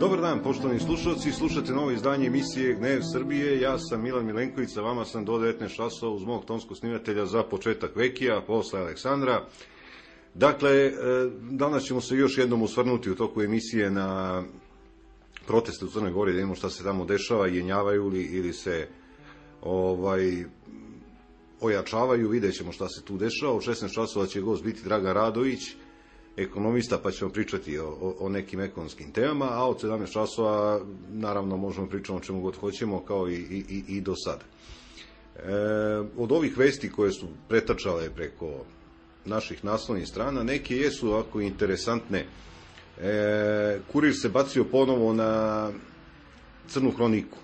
Dobar dan, poštovani slušalci, slušate novo izdanje emisije Gnev Srbije. Ja sam Milan Milenković, sa vama sam do 19 časova uz mog tonskog snimatelja za početak Vekija, posle Aleksandra. Dakle, danas ćemo se još jednom osvrnuti u toku emisije na proteste u Crnoj Gori, da vidimo šta se tamo dešava, jenjavaju li ili se ojačavaju, vidjet ćemo šta se tu dešava. Od 16 časova će gost biti Dragan Radović, ekonomista, pa ćemo pričati o nekim ekonomskim temama, a od 17 časova naravno možemo pričati o čemu god hoćemo, kao i do sada. Od ovih vesti koje su pretačale preko naših naslovnih strana, neke jesu ovako interesantne. Kurir se bacio ponovo na crnu hroniku.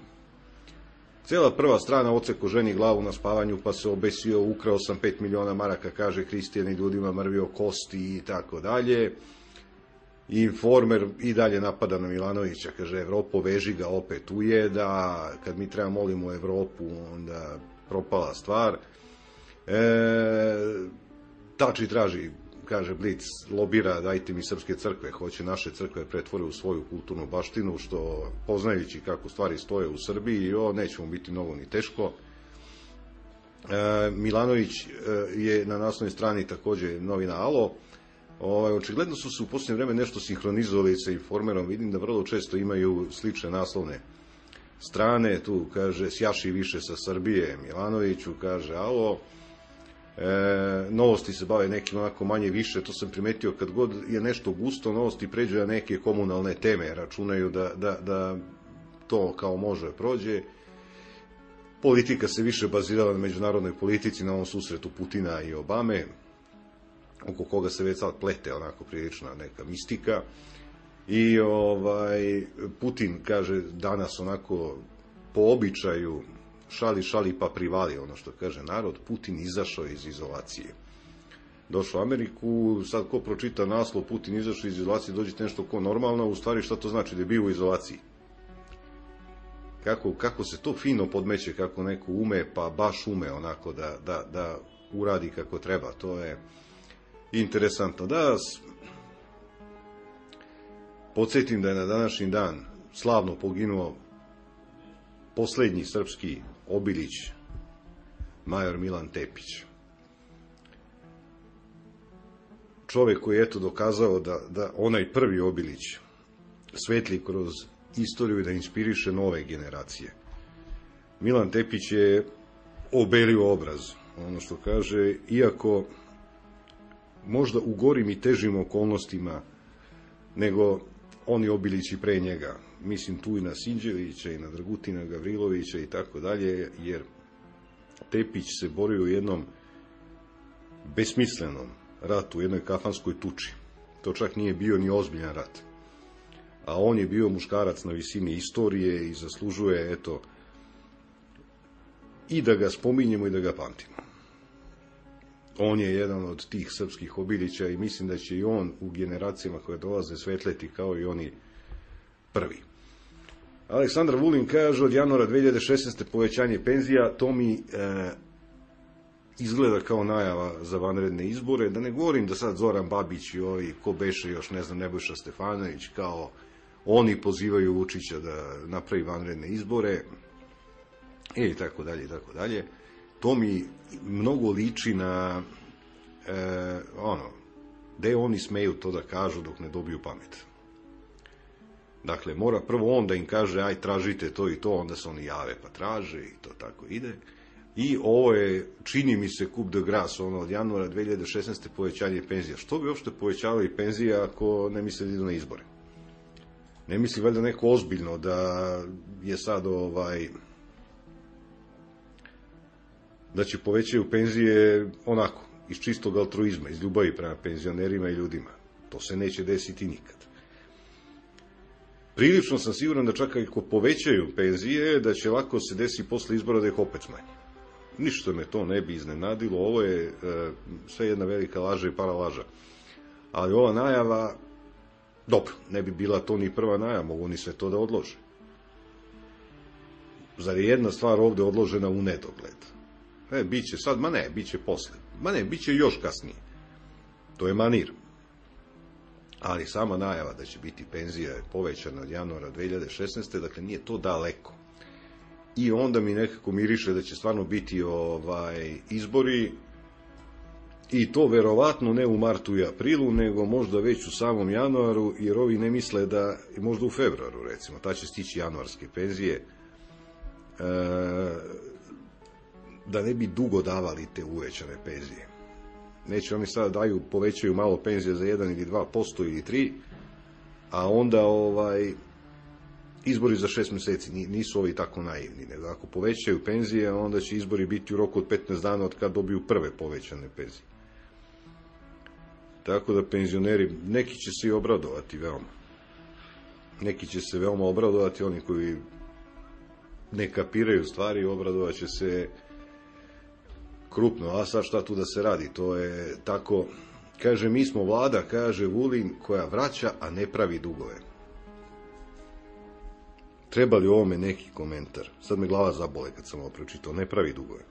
Cijela prva strana oceko ženi glavu na spavanju, pa se obesio, ukrao sam 5 miliona maraka, kaže Hristijan, i ljudima mrvio kosti i tako dalje. Informer i dalje napada na Milanovića, kaže Evropo, veži ga, opet ujeda, kad mi treba molimo Evropu, onda propala stvar. Tači traži, kaže Blic, lobira, dajte mi srpske crkve, hoće naše crkve pretvore u svoju kulturnu baštinu, što poznajući kako stvari stoje u Srbiji, neće mu biti mnogo ni teško. Milanović je na naslovnoj strani takođe novina Alo. Očigledno su se u posljednje vreme nešto sinhronizovali sa Informerom, vidim da vrlo često imaju slične naslovne strane, tu kaže sjaši više sa Srbije Milanoviću, kaže Alo. Novosti se bave nekim onako manje više, to sam primetio, kad god je nešto gusto, novosti pređu na neke komunalne teme, računaju da to kao može prođe. Politika se više bazirala na međunarodnoj politici, na ovom susretu Putina i Obame, oko koga se već sad plete onako prilična neka mistika. I Putin kaže danas onako po običaju šali pa privali, ono što kaže narod, Putin izašao iz izolacije. Došao u Ameriku, sad ko pročita naslov Putin izašao iz izolacije, dođete nešto ko normalno, u stvari šta to znači, da je bio u izolaciji. Kako se to fino podmeće, kako neko ume, pa baš ume onako da uradi kako treba, to je interesantno. Da podsjetim da je na današnji dan slavno poginuo poslednji srpski obilić, major Milan Tepić. Čovek koji je eto dokazao da onaj prvi obilić svetli kroz istoriju i da inspiriše nove generacije. Milan Tepić je obelio obraz, ono što kaže, iako možda u gorim i težim okolnostima nego oni obilići pre njega. Mislim tu i na Sinđevića i na Dragutina Gavrilovića i tako dalje, jer Tepić se borio u jednom besmislenom ratu, u jednoj kafanskoj tuči. To čak nije bio ni ozbiljan rat. A on je bio muškarac na visini istorije i zaslužuje, eto, i da ga spominjemo i da ga pamtimo. On je jedan od tih srpskih obilića i mislim da će i on u generacijama koje dolaze svetleti kao i oni prvi. Aleksandar Vulin kaže od januara 2016. povećanje penzija, to mi izgleda kao najava za vanredne izbore, da ne govorim da sad Zoran Babić i ovi, ko beše još, ne znam, Nebojša Stefanović, kao oni pozivaju Vučića da napravi vanredne izbore, i tako dalje, i tako dalje. To mi mnogo liči na gde oni smeju to da kažu dok ne dobiju pamet. Dakle, mora prvo on da im kaže, aj tražite to i to, onda se oni jave pa traže i to tako ide. I ovo je, čini mi se, coup de grace, od januara 2016. povećanje penzija. Što bi uopšte povećavali penzije ako ne misle da idu na izbore? Ne misli valjda neko ozbiljno da je sad da će povećaju penzije onako, iz čistog altruizma, iz ljubavi prema penzionerima i ljudima. To se neće desiti nikad. Prilično sam siguran da čak ako povećaju penzije, da će lako se desi posle izbora da ih opet smanje. Ništa me to ne bi iznenadilo, ovo je sve jedna velika laža i paralaža. Ali ova najava, dobro, ne bi bila to ni prva najava, mogu oni sve to da odlože. Zar je jedna stvar ovde odložena u nedogled? Biće sad, biće posle. Biće još kasnije. To je manir. ali sama najava da će biti penzija povećana od januara 2016. Dakle, nije to daleko. I onda mi nekako miriše da će stvarno biti izbori, i to verovatno ne u martu i aprilu, nego možda već u samom januaru, jer ovi ne misle da, možda u februaru recimo, ta će stići januarske penzije, da ne bi dugo davali te uvećane penzije. Neće oni sada povećaju malo penzije za 1 ili 2% ili 3%, a onda izbori za 6 mjeseci, nisu ovi tako naivni, nego ako povećaju penzije, onda će izbori biti u roku od 15 dana od kad dobiju prve povećane penzije. Tako da penzioneri, neki će se i obradovati veoma. Neki će se veoma obradovati, oni koji ne kapiraju stvari, obradovat će se krupno. A sad šta tu da se radi? To je tako, kaže, mi smo vlada, kaže Vulin, koja vraća, a ne pravi dugove. Treba li ovome neki komentar? Sad me glava zabole kad sam ovo pročitao. Ne pravi dugove.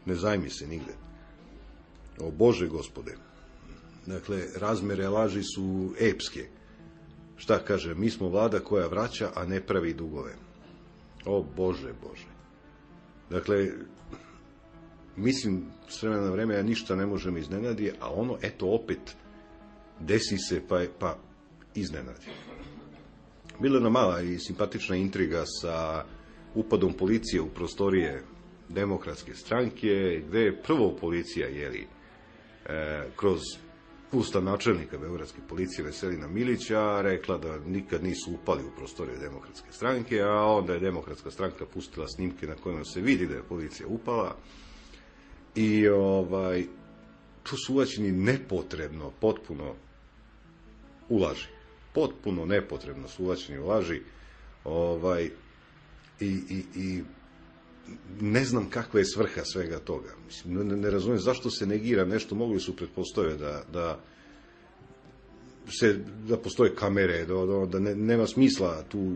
Ne zajmi se nigde. O Bože gospode. Dakle, razmere laži su epske. Šta kaže? Mi smo vlada koja vraća, a ne pravi dugove. O Bože, Bože. Dakle, mislim, s vremena na vreme ja ništa ne možem iznenadi, a ono, eto, opet desi se pa iznenadi. Bila je jedna mala i simpatična intriga sa upadom policije u prostorije Demokratske stranke, gde je prvo policija, kroz usta načelnika beogradske policije Veselina Milića rekla da nikad nisu upali u prostorije Demokratske stranke, a onda je Demokratska stranka pustila snimke na kojima se vidi da je policija upala i tu su uvaćeni nepotrebno, potpuno u laži. Potpuno nepotrebno su uvaćeni u laži i ne znam kakva je svrha svega toga. Mislim, ne razumijem zašto se negira nešto, mogli su pretpostaviti da postoje kamere, da nema smisla tu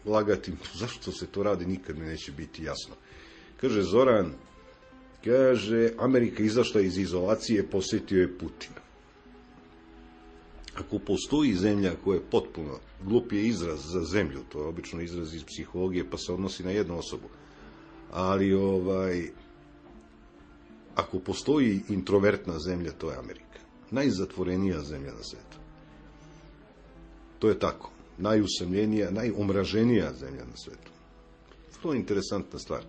lagati. Zašto se to radi, nikad mi neće biti jasno. Kaže Zoran, Amerika izašla iz izolacije, posjetio je Putin. Ako postoji zemlja koja je potpuno, glup je izraz za zemlju, to je obično izraz iz psihologije, pa se odnosi na jednu osobu, ali ako postoji introvertna zemlja, to je Amerika. Najzatvorenija zemlja na svijetu. To je tako. Najusamljenija, najomraženija zemlja na svijetu. To je interesantna stvar.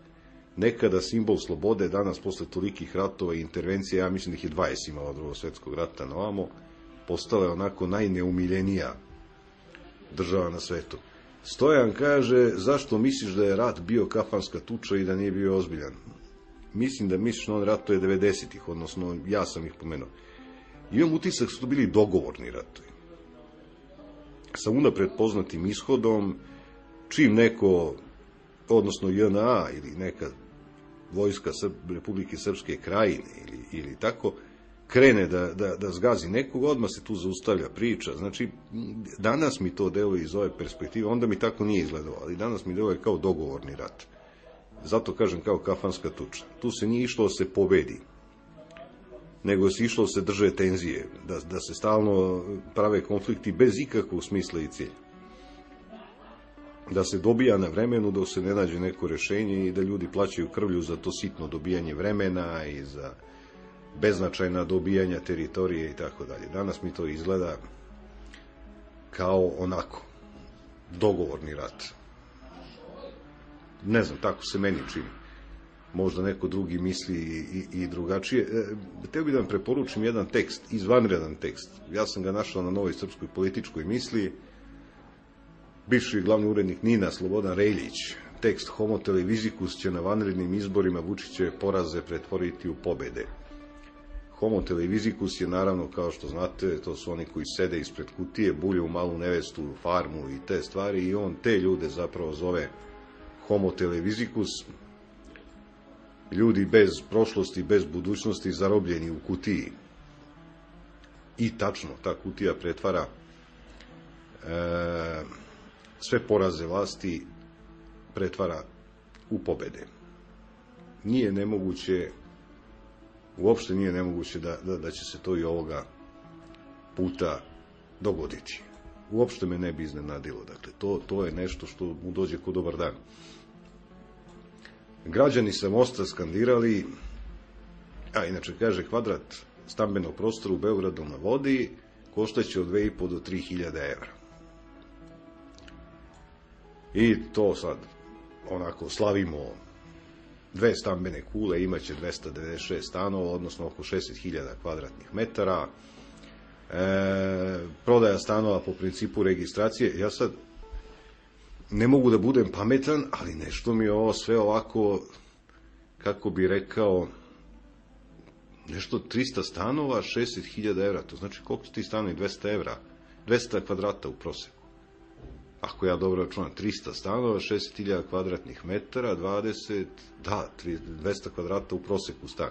Nekada simbol slobode, danas posle tolikih ratova i intervencija, ja mislim da ih je 20 imala od Drugog svjetskog rata na ovamo, postala je onako najneumiljenija država na svetu. Stojan kaže, zašto misliš da je rat bio kafanska tuča i da nije bio ozbiljan? Mislim da misliš na on ratuje 90-ih, odnosno ja sam ih pomenuo. Imam utisak su to bili dogovorni ratovi. Sa unapred poznatim ishodom, čim neko, odnosno JNA ili neka vojska Republike Srpske Krajine ili tako, krene da zgazi nekog, odmah se tu zaustavlja priča. Znači, danas mi to deluje iz ove perspektive, onda mi tako nije izgledalo, ali danas mi deluje kao dogovorni rat. Zato kažem kao kafanska tuča. Tu se nije išlo da se pobedi, nego se išlo da se drže tenzije, da se stalno prave konflikti bez ikakvog smisla i cilja. Da se dobija na vremenu dok se ne nađe neko rešenje i da ljudi plaćaju krvlju za to sitno dobijanje vremena i za beznačajna dobijanja teritorije i tako dalje. Danas mi to izgleda kao onako dogovorni rat. Ne znam, tako se meni čini. Možda neko drugi misli i drugačije. Hteo bih da vam preporučim jedan tekst, izvanredan tekst. Ja sam ga našao na Novoj srpskoj političkoj misli. Bivši glavni urednik NIN-a Slobodan Reljić. Tekst Homo televizikus će na vanrednim izborima Vučićeve poraze pretvoriti u pobede. Homo televizikus je naravno, kao što znate, to su oni koji sede ispred kutije, bulju malu nevestu, farmu i te stvari, i on te ljude zapravo zove Homo televizikus. Ljudi bez prošlosti, bez budućnosti, zarobljeni u kutiji. I tačno, ta kutija pretvara sve poraze vlasti, pretvara u pobede. Nije nemoguće, uopšte nije nemoguće da će se to i ovoga puta dogoditi. Uopšte me ne bi iznenadilo. Dakle, to je nešto što mu dođe ko dobar dan. Građani sa Mosta skandirali, a inače kaže kvadrat stambenog prostora u Beogradu na vodi koštaće od 2.500 do 3.000 evra. I to sad onako slavimo 2 stambene kule, imaće 296 stanova, odnosno oko 60.000 kvadratnih metara. Prodaja stanova po principu registracije. Ja sad ne mogu da budem pametan, ali nešto mi je ovo sve ovako, kako bi rekao, nešto 300 stanova, 60.000 evra. To znači koliko su ti stanovi? 200 evra. 200 kvadrata u proseku. Ako ja dobro računam, 300 stanova, 60.000 kvadratnih metara, 200 kvadrata u proseku stan.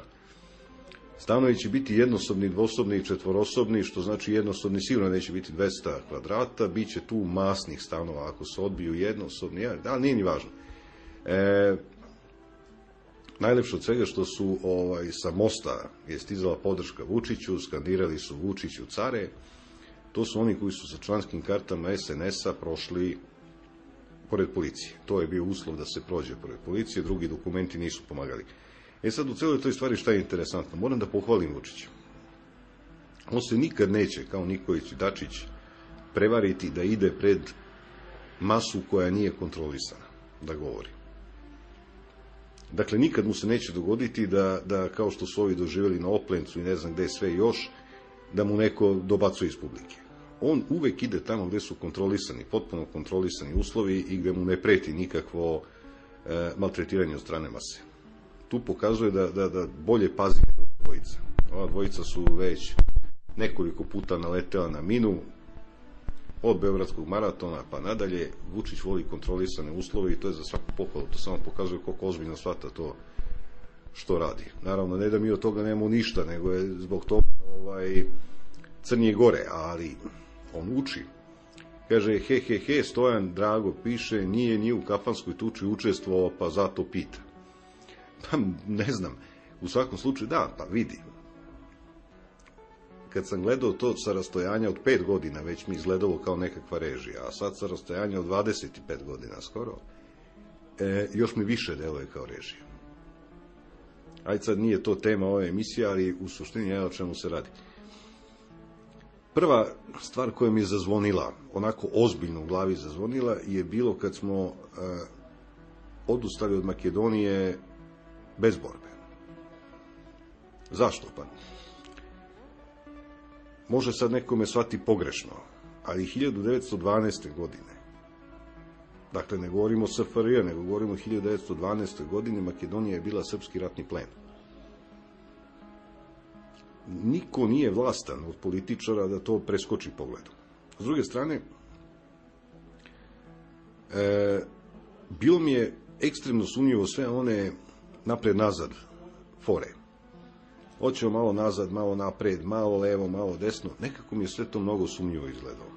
Stanovi će biti jednosobni, dvosobni i četvorosobni, što znači jednosobni sigurno neće biti 200 kvadrata, bit će tu masnih stanova ako se odbiju jednosobni, ali nije ni važno. Najlepše od svega što su sa Mosta je stizala podrška Vučiću, skandirali su Vučiću care, to su oni koji su sa članskim kartama SNS-a prošli pored policije. To je bio uslov da se prođe pored policije, drugi dokumenti nisu pomagali. Sad u celoj toj stvari šta je interesantno, moram da pohvalim Vučića. On se nikad neće, kao Nikolić i Dačić, prevariti da ide pred masu koja nije kontrolisana, da govori. Dakle, nikad mu se neće dogoditi da kao što su ovi doživjeli na Oplencu i ne znam gde sve još, da mu neko dobacuje iz publike. On uvek ide tamo gde su kontrolisani, potpuno kontrolisani uslovi i gde mu ne preti nikakvo maltretiranje od strane mase. Tu pokazuje da bolje pazi ova dvojica. Ova dvojica su već nekoliko puta naletela na minu, od Beogradskog maratona pa nadalje. Vučić voli kontrolisane uslove i to je za svaku pohvalu. To samo pokazuje koliko ozbiljno shvata to što radi. Naravno, ne da mi od toga nemamo ništa, nego je zbog toga crnije gore, ali on uči. Kaže, Stojan Drago piše, nije u kafanskoj tuči učestvovao, pa zato pita. Pa ne znam, u svakom slučaju da, pa vidi. Kad sam gledao to sa rastojanja od 5 godina, već mi izgledalo kao nekakva režija, a sad sa rastojanja od 25 godina skoro, još mi više deluje kao režija. Ajde sad nije to tema ove emisije, ali u suštini je o čemu se radi. Prva stvar koja mi je zazvonila, onako ozbiljno u glavi zazvonila, je bilo kad smo odustali od Makedonije bez borbe. Zašto pa? Može sad nekome shvati pogrešno, ali 1912. godine, dakle ne govorimo o SFRJ, nego govorimo o 1912. godine, Makedonija je bila srpski ratni plen. Niko nije vlastan od političara da to preskoči pogledom. S druge strane, bilo mi je ekstremno sumnjivo sve one napred-nazad fore. Hoćemo malo nazad, malo napred, malo levo, malo desno. Nekako mi je sve to mnogo sumnjivo izgledalo.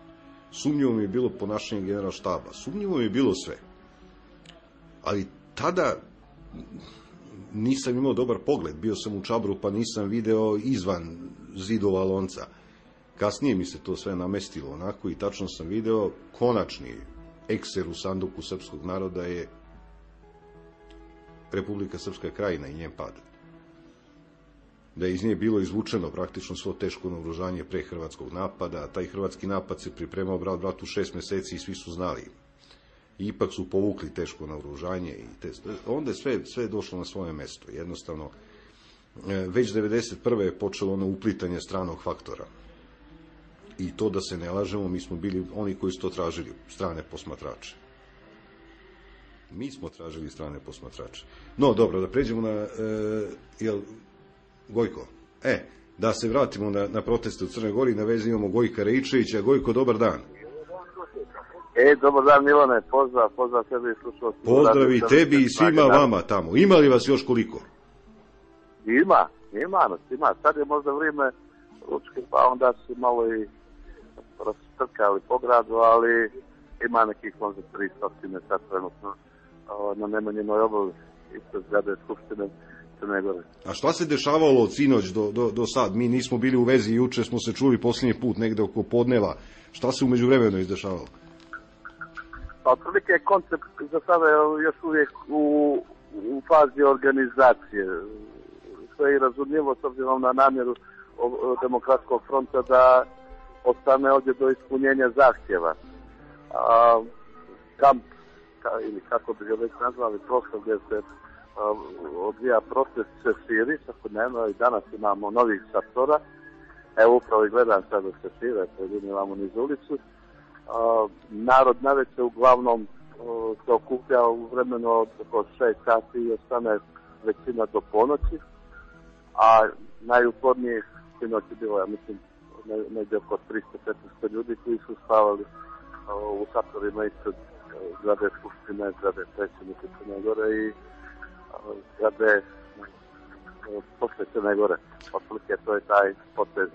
Sumnjivo mi je bilo ponašanje generalštaba. Sumnjivo mi je bilo sve. Ali tada nisam imao dobar pogled. Bio sam u Čabru pa nisam video izvan zidova lonca. Kasnije mi se to sve namestilo onako i tačno sam video konačni ekser u sanduku srpskog naroda je Republika Srpska Krajina i njen pad. Da je iz nje bilo izvučeno praktično svo teško naoružanje pre hrvatskog napada, taj hrvatski napad se pripremao bratu 6 meseci i svi su znali. I ipak su povukli teško naoružanje i onda je sve došlo na svoje mesto. Jednostavno, već 1991. je počelo ono uplitanje stranog faktora. I to da se ne lažemo, mi smo bili oni koji su to tražili, strane posmatrače. Mi smo tražili strane posmatrače. No, dobro, da pređemo na... Gojko, da se vratimo na proteste u Crnoj Gori, na vezi imamo Gojka Rejčevića. Gojko, dobar dan. Dobar dan Milane, pozdrav tebi i slušalci. Pozdrav i tebi i svima vama tamo. Ima li vas još koliko? Ima. Sad je možda vrijeme ručke, pa onda su malo i rastrkali po gradu, ali ima nekih možda 300 sad trenutno na Nemanjinoj obali ispred zgrade Skupštine. Crne Gore. A šta se dešavalo od sinoć do sad? Mi nismo bili u vezi, juče smo se čuli posljednji put negde oko podneva. Šta se umeđu vremenu izdešavalo? Pa otprilike je koncept za sada još uvijek u fazi organizacije. Sve je razumljivo s obzirom na namjeru Demokratskog fronta da ostane ovdje do ispunjenja zahtjeva. Kamp, ili kako bi ga već nazvali, prostor gdje se odvija proces se širi svakodnevno i danas imamo novih šatora. Evo upravo i gledam sad da se šire, pojedinjavamo niz ulicu. Narod navečer uglavnom se okuplja u vremenu od oko 6 sati i ostane većina do ponoći, a najuporniji sinoć je bilo, ja mislim, negdje oko 300-400 ljudi koji su spavali u šatorima ispred zgrade Skupštine, zgrade predsjednika Crne Gore i zgrade posle Crne Gore. Otprilike to je taj potez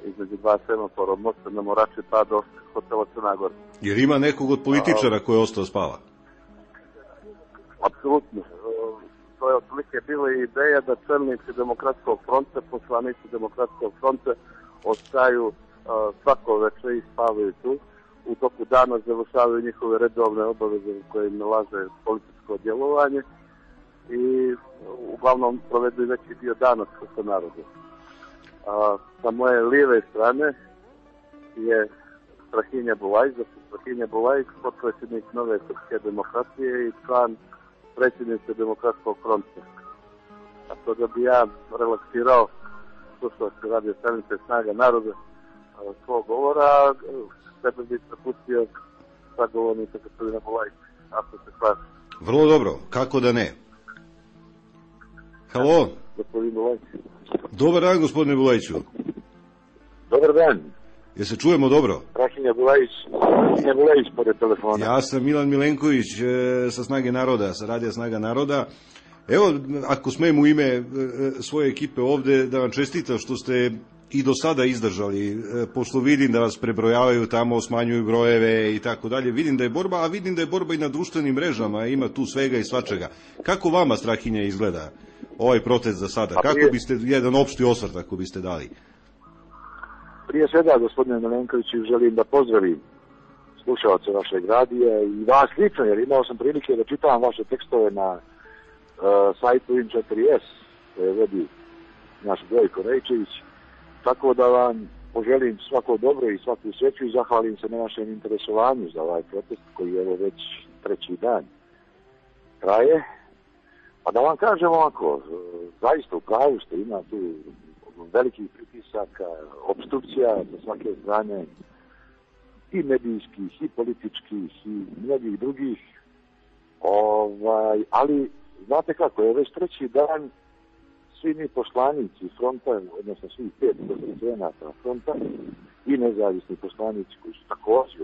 između dva semafora, od mosta na Morači pa do hotela Crna Gora. Jer ima nekog od političara koji je ostao spava? Apsolutno. To je otprilike bila ideja da čelnici Demokratskog fronta, poslanici Demokratskog fronta ostaju svako večer i spavaju tu. U toku dana završavaju njihove redovne obaveze koje im nalaže političko djelovanje i uglavnom provedu veći dio dana sa narodom. Sa moje lijeve strane je Strahinja Bulajić, Strahinja Bulajić, potpredsjednik Nove srpske demokratije i član predsjednice Demokratskog fronta. A to da bi ja relaksirao slušao se radio stanice Snaga naroda svog govora, sebe bi prepustio sagovornika gospodina Bulajića, ako se slaže. Vrlo dobro, kako da ne? Halo? Gospodin Bulajić. Dobar dan, gospodine Bulajiću. Dobar dan. Jel se čujemo dobro? Strahinja Bulajić pored telefona. Ja sam Milan Milenković sa Snage naroda, sa radija Snaga naroda. Evo, ako smijem u ime svoje ekipe ovde da vam čestitam što ste i do sada izdržali, pošto vidim da vas prebrojavaju tamo, smanjuju brojeve i tako dalje. Vidim da je borba, a vidim da je borba i na društvenim mrežama, ima tu svega i svačega. Kako vama, Strahinja, izgleda ovaj protest za sada? Kako biste, jedan opšti osvrt ako biste dali? Prije svega, gospodine Milenkoviću, želim da pozdravim slušalce vašeg radija i vas lično, jer imao sam prilike da čitam vaše tekstove na sajtu In4S, koje vodi naš Gojko Rejčević, tako da vam poželim svako dobro i svaku sreću i zahvalim se na vašem interesovanju za ovaj protest koji je već treći dan traje. Pa da vam kažem ovako, zaista u pravu ste, ima tu velikih pritisaka, obstrukcija sa svake strane, i medijskih, i političkih, i mnogih drugih. Ali, znate kako, je već treći dan svi mi poslanici fronta, odnosno svih 5 poslanika fronta i nezavisni poslanici koji su također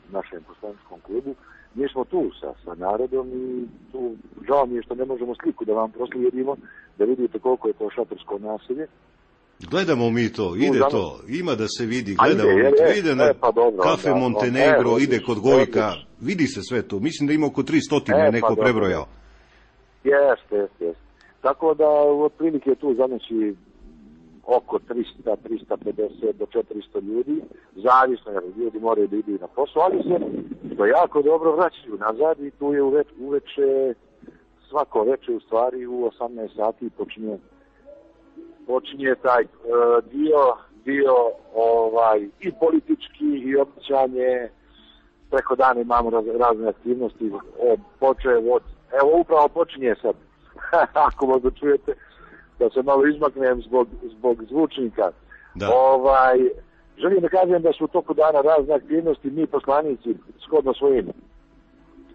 u našem poslaničkom klubu, mi smo tu sa narodom i tu žao mi je što ne možemo sliku da vam proslijedimo, da vidite koliko je to šatorsko naselje. Gledamo mi to, ide to, ima da se vidi, gledamo mi to, ide na Kafe Montenegro, ide kod Gojka, vidi se sve to, mislim da ima oko 300 neko prebrojao. Jeste. Tako da otprilike tu zanoći oko 300, 350 do 400 ljudi, zavisno jer ljudi moraju da idu na posao, ali se to jako dobro vraćaju nazad i tu je uveče, svako veče u stvari u 18 sati počinje taj dio i politički i običanje, preko dana imamo razne aktivnosti, evo upravo počinje sad, ako možda čujete, da se malo izmaknem zbog zvučnika. Da. Želim da kažem da su u toku dana razne aktivnosti, mi poslanici shodno svojim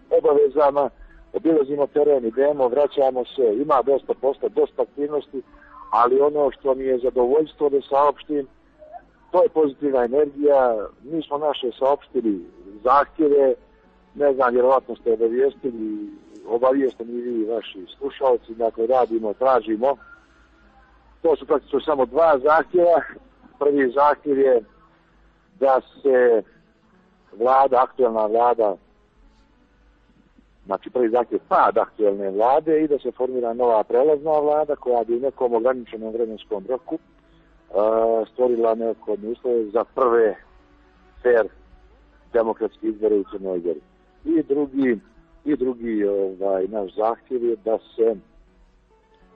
obavezama obilazimo teren, idemo, vraćamo se, ima dosta posla, dosta aktivnosti, ali ono što mi je zadovoljstvo da saopštim, to je pozitivna energija. Mi smo naše saopštili zahtjeve, ne znam, vjerovatno ste obavijesteni i vi vaši slušalci, dakle radimo, tražimo. To su praktično samo 2 zahtjeva. Prvi zahtjev je da se aktualna vlada znači prvi zahtjev pad aktualne vlade i da se formira nova prelazna vlada koja bi u nekom ograničenom vremenskom roku stvorila neophodne uslove za prve fair demokratske izbore u Crnoj Gori. I drugi naš zahtjev je da se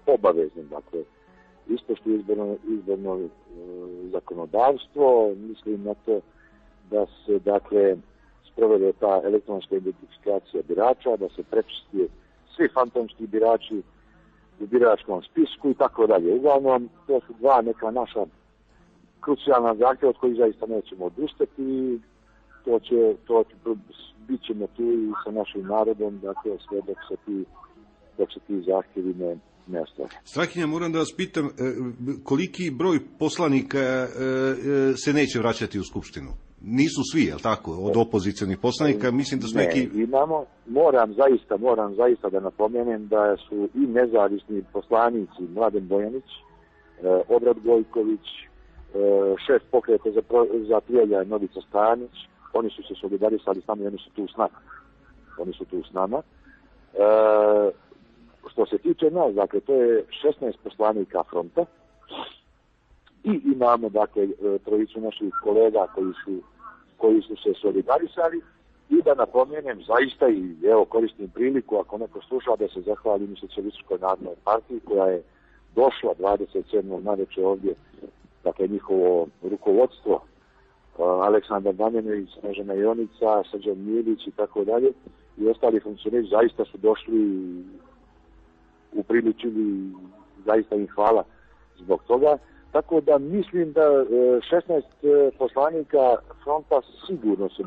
obavezno, dakle, ispoštuje izborno zakonodavstvo, mislim na to da se, dakle, sprovede ta elektronska identifikacija birača, da se prečisti svi fantomski birači u biračkom spisku i tako dalje. Uglavnom, to su dva neka naša krucijalna zahtjeva od kojih zaista nećemo odustati i bit ćemo tu i sa našim narodom, dakle, sve dok se ti zahtjevi ne ostvari. Strahinja, moram da vas pitam, koliki broj poslanika se neće vraćati u Skupštinu? Nisu svi, je li tako, od opozicionih poslanika? Mislim da su neki... Imamo, moram zaista da napomenem da su i nezavisni poslanici Mladen Bojanić, Obrad Gojković, šef pokreta za prijatelja Novica Stanić, oni su se solidarisali s nama i oni su tu s nama. Što se tiče nas, dakle, to je 16 poslanika fronta i imamo, dakle, trojicu naših kolega koji su se solidarisali i da napomenem zaista i evo koristim priliku ako neko sluša da se zahvalim i Socijalističkoj narodnoj partiji koja je došla 27. navečer ovdje, dakle, njihovo rukovodstvo, Aleksandar Damjanović, Snežana Jonica, Srđan Milić i tako dalje i ostali funkcioneri zaista su došli upriličili, zaista im hvala zbog toga. Tako da mislim da 16 poslanika fronta sigurno se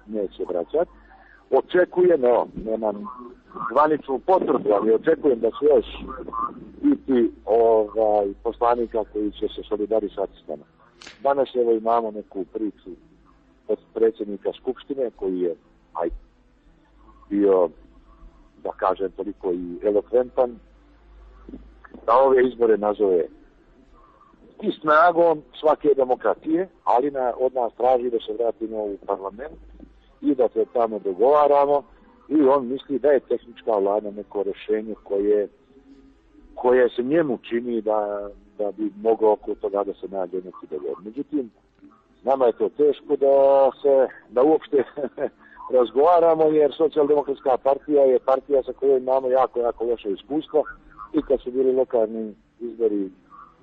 neće vraćati. Očekujem, nemam zvaničnu potvrdu, ali očekujem da će još biti poslanika koji će se solidarisati s nama. Danas evo imamo neku priču od predsjednika Skupštine koji je bio, da kažem, toliko i elokventan, da ove izbore nazove i snagom svake demokratije, ali od nas traži da se vratimo u parlament i da se tamo dogovaramo i on misli da je tehnička vlada neko rješenje koje se njemu čini da bi moglo oko toga da se nađe neki dogovor. Međutim, nama je to teško da uopšte razgovaramo jer Socijaldemokratska partija je partija sa kojoj imamo jako, jako loše iskustva i kad su bili lokalni izbori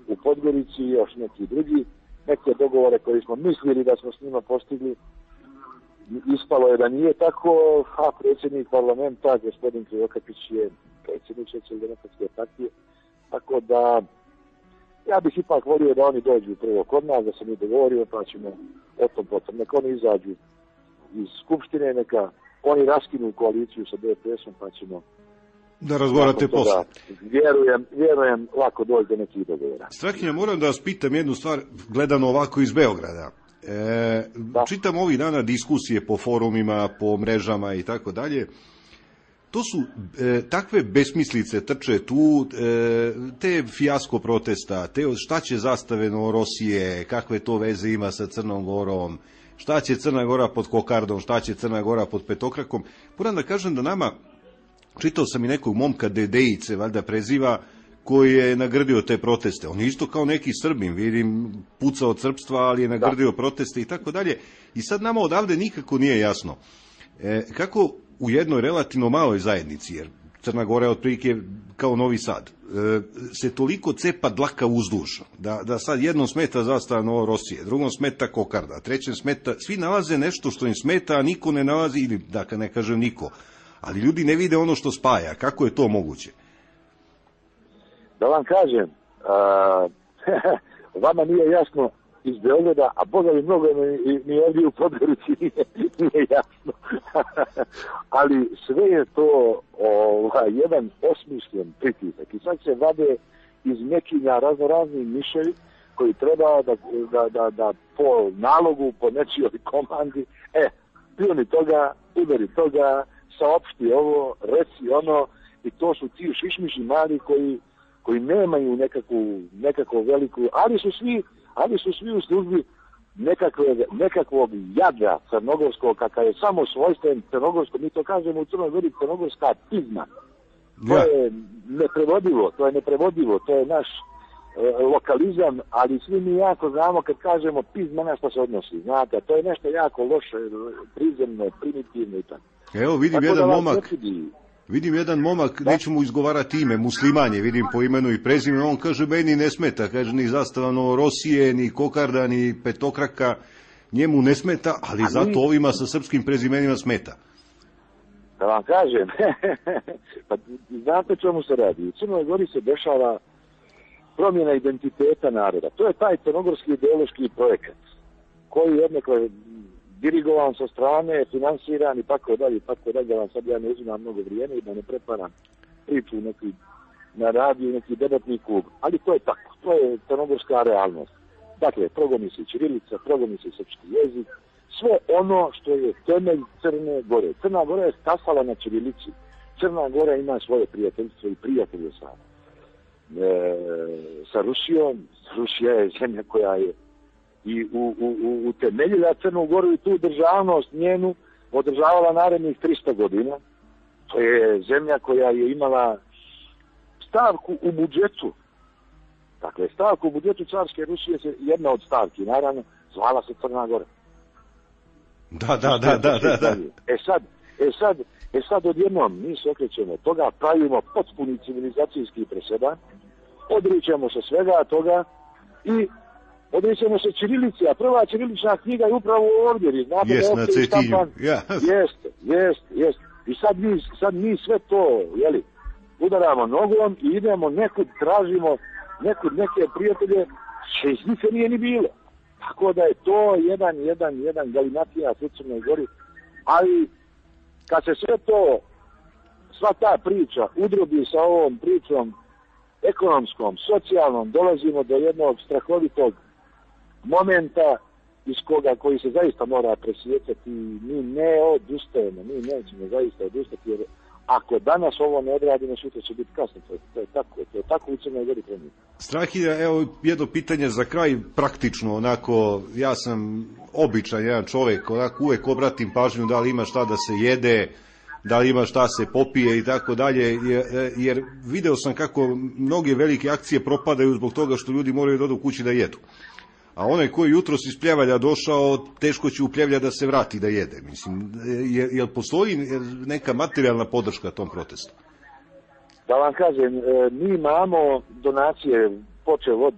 u Podgorici i još neki drugi, neke dogovore koje smo mislili da smo s njima postigli, ispalo je da nije tako, a predsjednik parlamenta, gospodin Krivokapić je predsjednik Socijaldemokratske partije, tako da ja bih ipak volio da oni dođu prvo kod nas, da se mi dogovorimo, pa ćemo o tom potom. Neka oni izađu iz Skupštine, neka oni raskinu koaliciju sa DPS-om, pa ćemo da razgovarate posle. Vjerujem lako doći do nekih dogovora. Strahinja, moram da vas pitam jednu stvar, gledano ovako iz Beograda. Čitam ovih dana diskusije po forumima, po mrežama i tako dalje. To su takve besmislice trče tu, te fijasko protesta, te šta će zastave Novorosije, kakve to veze ima sa Crnom Gorom, šta će Crna Gora pod kokardom, šta će Crna Gora pod petokrakom. Moram da kažem da nama, čitao sam i nekog momka Dedejice, valjda preziva, koji je nagrdio te proteste. On je isto kao neki Srbin, vidim, pucao od srpstva, ali je nagrdio proteste i tako dalje. I sad nama odavde nikako nije jasno kako u jednoj relativno maloj zajednici, jer Crna Gora je otprilike kao Novi Sad, se toliko cepa dlaka uzduž, da sad jednom smeta zastava Novorosije, drugom smeta kokarda, trećem smeta, svi nalaze nešto što im smeta, a niko ne nalazi, ili da ne kažem niko, ali ljudi ne vide ono što spaja. Kako je to moguće? Da vam kažem, vama nije jasno iz Beograda, a Boga mi mnogo ni ovdje u Podgorici nije jasno. Ali sve je to jedan osmišljen pritisak. I sad se vade iz mekinja raznorazni miševi koji treba da po nalogu, po nečijoj komandi, pljuni toga, udari toga, saopšti ovo, reci ono, i to su ti šišmiši mali koji nemaju nekakvu veliku, ali su svi u službi nekakvog jadra crnogorskog, kakav je samo svojstven crnogorskom, mi to kažemo u Crnoj Gori crnogorska pizma. To je neprevodivo, to je naš lokalizam, ali svi mi jako znamo kad kažemo pizma na što se odnosi, znate, to je nešto jako loše, prizemno, primitivno i tako. Evo vidim jedan momak, neću mu izgovarati ime, musliman je, vidim po imenu i prezimenu, on kaže meni ne smeta, kaže ni zastava Novorosije, ni kokarda, ni petokraka, njemu ne smeta, ali zato ovima sa srpskim prezimenima smeta. Da vam kažem, pa znate čemu se radi, u Crnoj Gori se dešava promjena identiteta naroda, to je taj crnogorski ideološki projekat, koji jednako dirigovan sa strane, finansiran i tako dalje, da vam sad ja ne uzimam mnogo vrijeme i da ne preparam priču na radiju, neki debatni klub. Ali to je tako, to je crnogorska realnost. Dakle, progoni se ćirilica, progoni se srpski jezik, sve ono što je temelj Crne Gore. Crna Gora je stasala na ćirilici. Crna Gora ima svoje prijateljstvo i prijatelje sa Rusijom. Rusija je zemlja koja je i utemeljila Crnu Goru i tu državnost njenu održavala narednih 300 godina. To je zemlja koja je imala stavku u budžetu. Dakle, stavku u budžetu carske Rusije, jedna od stavki, naravno, zvala se Crna Gora. Da. E sad odjednom mi se okrećemo toga, pravimo potpuni civilizacijski presedan, odričemo se svega toga i odričemo se ćirilici, a prva ćirilična knjiga je upravo ovdje, znate da je ovdje štampan. Jeste. I sad mi sve to, udaramo nogom i idemo nekud, tražimo neke prijatelje, što iz njih nije ni bilo. Tako da je to jedan galimatija u Crnoj Gori, ali kad se sve to, sva ta priča udrobi sa ovom pričom ekonomskom, socijalnom, dolazimo do jednog strahovitog momenta koji se zaista mora presjecati. Mi ne odustajemo, mi nećemo zaista odustati, jer ako danas ovo ne odradimo, sutra će biti kasno. To je tako u Crnoj Gori trenutno. Strahilja, evo jedno pitanje za kraj, praktično, onako, ja sam običan jedan čovjek, onako uvek obratim pažnju da li ima šta da se jede, da li ima šta se popije i tako dalje, jer video sam kako mnoge velike akcije propadaju zbog toga što ljudi moraju da odu kući da jedu. A onaj koji jutros iz Pljevalja došao, teško će u Pljevlja da se vrati da jede. Mislim, jel postoji neka materijalna podrška tom protestu? Da vam kažem, mi imamo donacije, počev od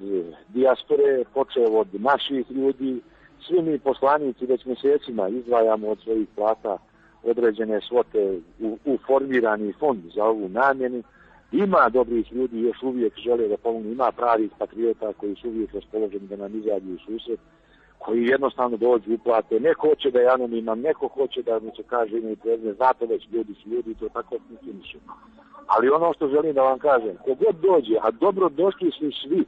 dijaspore, počev od naših ljudi, svi mi poslanici već mjesecima izdvajamo od svojih plata određene svote u formirani fond za ovu namjenu. Ima dobrih ljudi, još uvijek žele da pomognu, ima pravih patriota koji su uvijek raspoloženi da nam izađu u susret, koji jednostavno dođu uplate. Neko hoće da je anoniman, neko hoće da mu se kaže ime i prezime, znate već, ljudi su ljudi, to tako funkcioniše. Ali ono što želim da vam kažem, kogod dođe, a dobro došli su svi,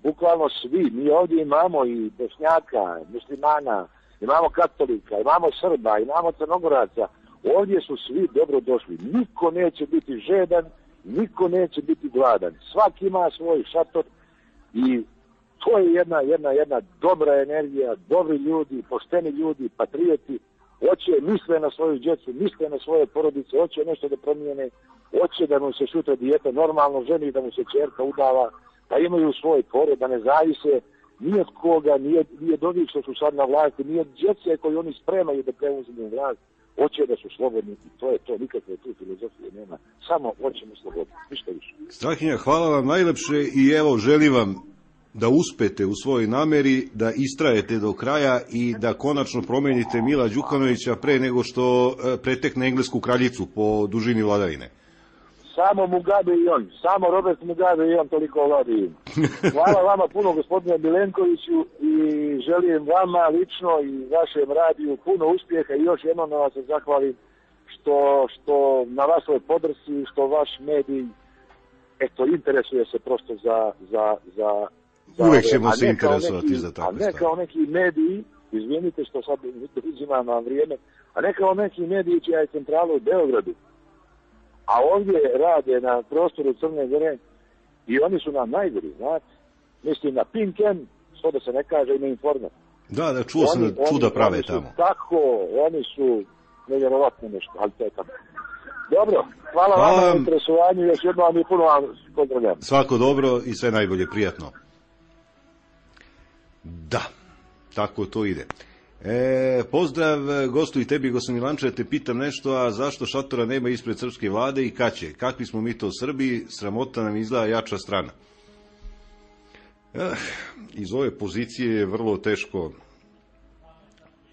bukvalno svi, mi ovdje imamo i Bošnjaka, muslimana, imamo katolika, imamo Srba, imamo Crnogoraca, ovdje su svi dobro došli. Niko neće biti žedan, niko neće biti gladan. Svaki ima svoj šator i to je jedna dobra energija, dobri ljudi, pošteni ljudi, patrioti, hoće, misle na svoju djecu, misle na svoje porodice, hoće nešto da promijene, hoće da mu se sutra dijete normalno ženi, da mu se ćerka udava, da imaju svoj porod, da ne zavise ni od koga, ni od ovih što su sad na vlasti, ni od djece koji oni spremaju da preuzmu vlast. Hoće da su slobodni i to je to, nikakve tu filozofije nema, samo hoćemo slobodni, ništa više. Strahinja, hvala vam najlepše i evo želim vam da uspete u svojoj nameri, da istrajete do kraja i da konačno promenite Mila Đukanovića pre nego što pretekne englesku kraljicu po dužini vladavine. Samo Mugabe i on, samo Robert Mugabe i on toliko vladi. Hvala vama puno, gospodine Milenkoviću, i želim vama lično i vašem radiju puno uspjeha i još jednom da vas se zahvalim što na vašoj podršci, što vaš medij interesuje se prosto za uvek ćemo se interesovati za takve stvari. A ne kao neki mediji, izvinite što sad uzimam vam vrijeme, a ne kao neki mediji čija je centrala u Beogradu, a ovdje rade na prostoru Crne Gore i oni su nam najgori, znate. Mislim na Pink M, što da se ne kaže, i na Informer. Da, čuo sam da čuda prave tamo. Oni su nevjerovatno nešto, ali to je tamo. Dobro, hvala vam na interesovanju, još jedno vam i puno vam pozdravljam. Svako dobro i sve najbolje, prijatno. Da, tako to ide. Pozdrav gostu i tebi, gospodin Milanče, te pitam nešto, a zašto šatora nema ispred srpske vlade i kad će? Kakvi smo mi to Srbi, sramota nam izgleda jača strana. Iz ove pozicije je vrlo teško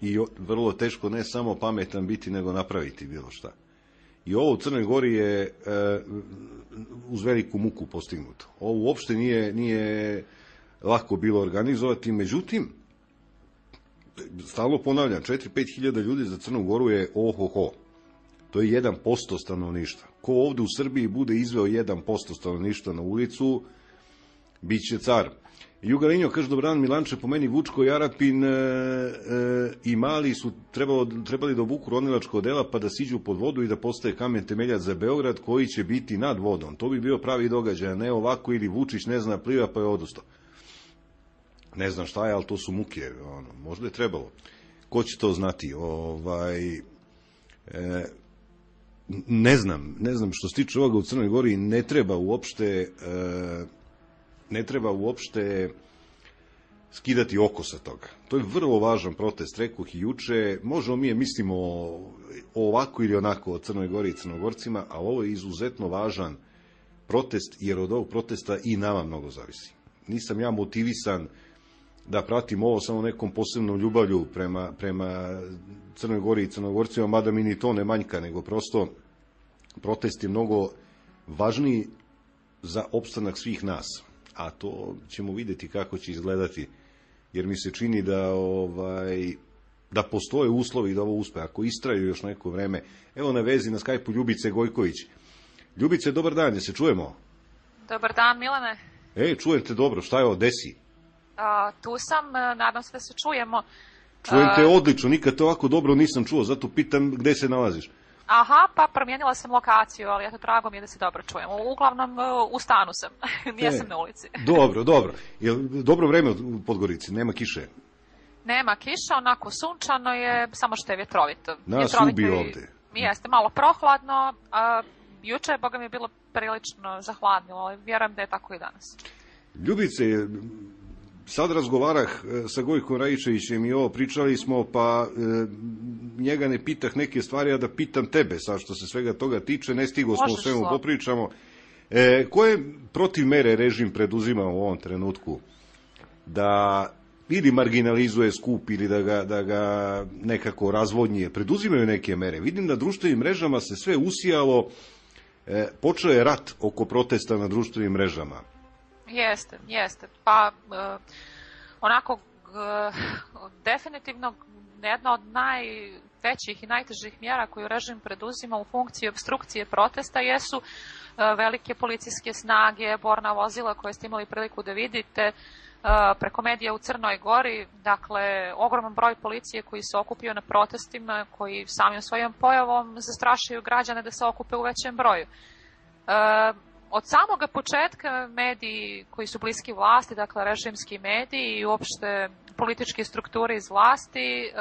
i vrlo teško ne samo pametan biti, nego napraviti bilo šta. I ovo u Crnoj Gori je uz veliku muku postignuto. Ovo uopšte nije lako bilo organizovati, međutim, stalno ponavljam, 4-5 hiljada ljudi za Crnu Goru je ohoho. To je 1% stanovništva. Ko ovde u Srbiji bude izveo 1% stanovništva na ulicu, bit će car. Juga Linjo kaže, dobran Milanče, po meni Vučko, Jarapin i Mali su trebali da obuku ronilačko odela pa da siđu pod vodu i da postaje kamen temeljac za Beograd koji će biti nad vodom. To bi bio pravi događaj, a ne ovako ili Vučić ne zna pliva pa je odustao. Ne znam šta je, ali to su muke. Možda je trebalo. Ko će to znati? Ne znam što se tiče ovoga u Crnoj Gori, ne treba uopšte skidati oko sa toga. To je vrlo važan protest, rekoh i juče. Možemo mi mislimo ovako ili onako o Crnoj Gori i Crnogorcima, a ovo je izuzetno važan protest, jer od ovog protesta i nama mnogo zavisi. Nisam ja motivisan da pratim ovo samo nekom posebnom ljubavlju prema Crnoj Gori i Crnogorcima, mada mi ni to ne manjka, nego prosto protest je mnogo važniji za opstanak svih nas. A to ćemo vidjeti kako će izgledati, jer mi se čini da postoje uslovi da ovo uspe. Ako istraju još neko vreme, evo na vezi na Skype-u Ljubice Gojković. Ljubice, dobar dan, se čujemo? Dobar dan, Milane. Čujem te dobro, šta je ovo, desi? Tu sam, nadam se da se čujemo. Čujem te odlično, nikad to ovako dobro nisam čuo, zato pitam gde se nalaziš. Aha, pa promijenila sam lokaciju, ali eto, drago mi je da se dobro čujemo. Uglavnom, u stanu sam, nisam na ulici. Dobro. Jel dobro vreme u Podgorici, nema kiše? Nema kiša, onako sunčano je, samo što je vjetrovito. Nas ubi ovde. Jeste, malo prohladno, juče, boga mi je bilo prilično zahladnilo, ali vjerujem da je tako i danas. Ljubice, sad razgovarah sa Gojkom Rajičevićem i ovo pričali smo, pa njega ne pitah neke stvari, a da pitam tebe sad što se svega toga tiče, ne stigo smo o svemu popričamo. Koje protiv mere režim preduzima u ovom trenutku da ili marginalizuje skup ili da ga nekako razvodnije? Preduzimaju neke mere. Vidim da društvenim mrežama se sve usijalo, počeo je rat oko protesta na društvenim mrežama. Jeste. Pa onako definitivno jedna od najvećih i najtežih mjera koju režim preduzima u funkciji opstrukcije protesta jesu velike policijske snage, borna vozila koje ste imali priliku da vidite preko medija u Crnoj Gori. Dakle, ogroman broj policije koji se okupio na protestima, koji samim svojom pojavom zastrašuju građane da se okupe u većem broju. Od samoga početka mediji koji su bliski vlasti, dakle režimski mediji i uopšte političke strukture iz vlasti,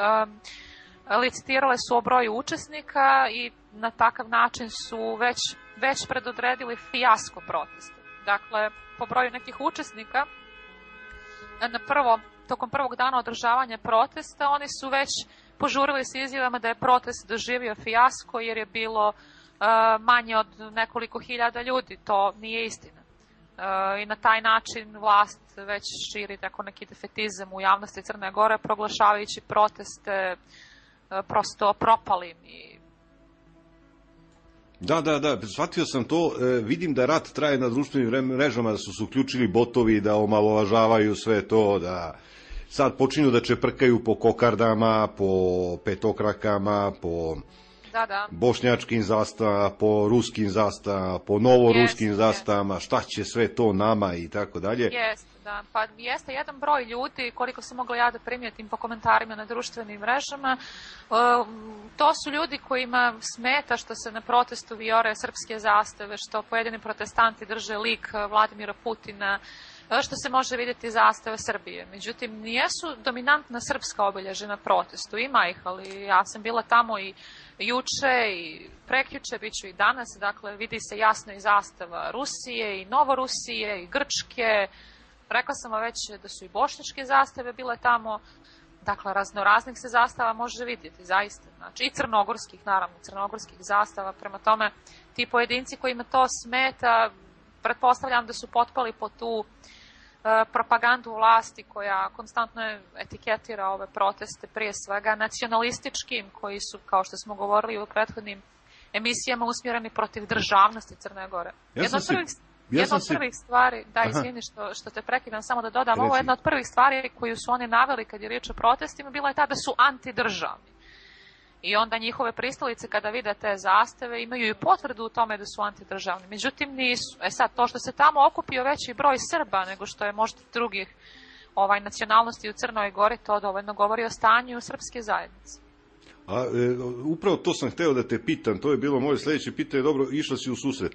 licitirale su o broju učesnika i na takav način su već predodredili fijasko protesta. Dakle, po broju nekih učesnika, tokom prvog dana održavanja protesta, oni su već požurili s izjavama da je protest doživio fijasko jer je bilo manje od nekoliko hiljada ljudi. To nije istina. I na taj način vlast već širi tako neki defetizam u javnosti Crne Gore, proglašavajući proteste prosto propalim. Da, shvatio sam to. Vidim da rat traje na društvenim mrežama, da su se uključili botovi, da omalovažavaju sve to, da sad počinju da čeprkaju po kokardama, po petokrakama, po bošnjačkim zastavama, po ruskim zastavama, po novoruskim zastavama, šta će sve to nama i tako dalje. Pa jeste jedan broj ljudi, koliko sam mogla ja da primijetim po komentarima na društvenim mrežama, to su ljudi kojima smeta što se na protestu vijore srpske zastave, što pojedini protestanti drže lik Vladimira Putina, što se može vidjeti zastava Srbije. Međutim, nijesu dominantna srpska obilježja na protestu. Ima ih, ali ja sam bila tamo i juče i prekjuče, bit ću i danas. Dakle, vidi se jasno i zastava Rusije i Novorusije i Grčke. Rekla sam već da su i bošnjačke zastave bile tamo. Dakle, raznoraznih se zastava može vidjeti, zaista. Znači, i crnogorskih, naravno, crnogorskih zastava. Prema tome, ti pojedinci kojima to smeta, pretpostavljam da su potpali po tu propagandu vlasti koja konstantno etiketira ove proteste, prije svega nacionalističkim, koji su, kao što smo govorili u prethodnim emisijama, usmjereni protiv državnosti Crne Gore. Jedna od prvih stvari, da, izvini što te prekidam, samo da dodam, ovo je jedna od prvih stvari koju su oni naveli kad je riječ o protestima, bila je ta da su antidržavni. I onda njihove pristalice kada vide te zastave imaju i potvrdu u tome da su antidržavni. Međutim, nisu. Sad, to što se tamo okupio veći broj Srba nego što je možda drugih nacionalnosti u Crnoj Gori, to dovoljno govori o stanju srpske zajednice. Upravo to sam hteo da te pitam, to je bilo moje sljedeće pitanje, dobro, išla si u susret.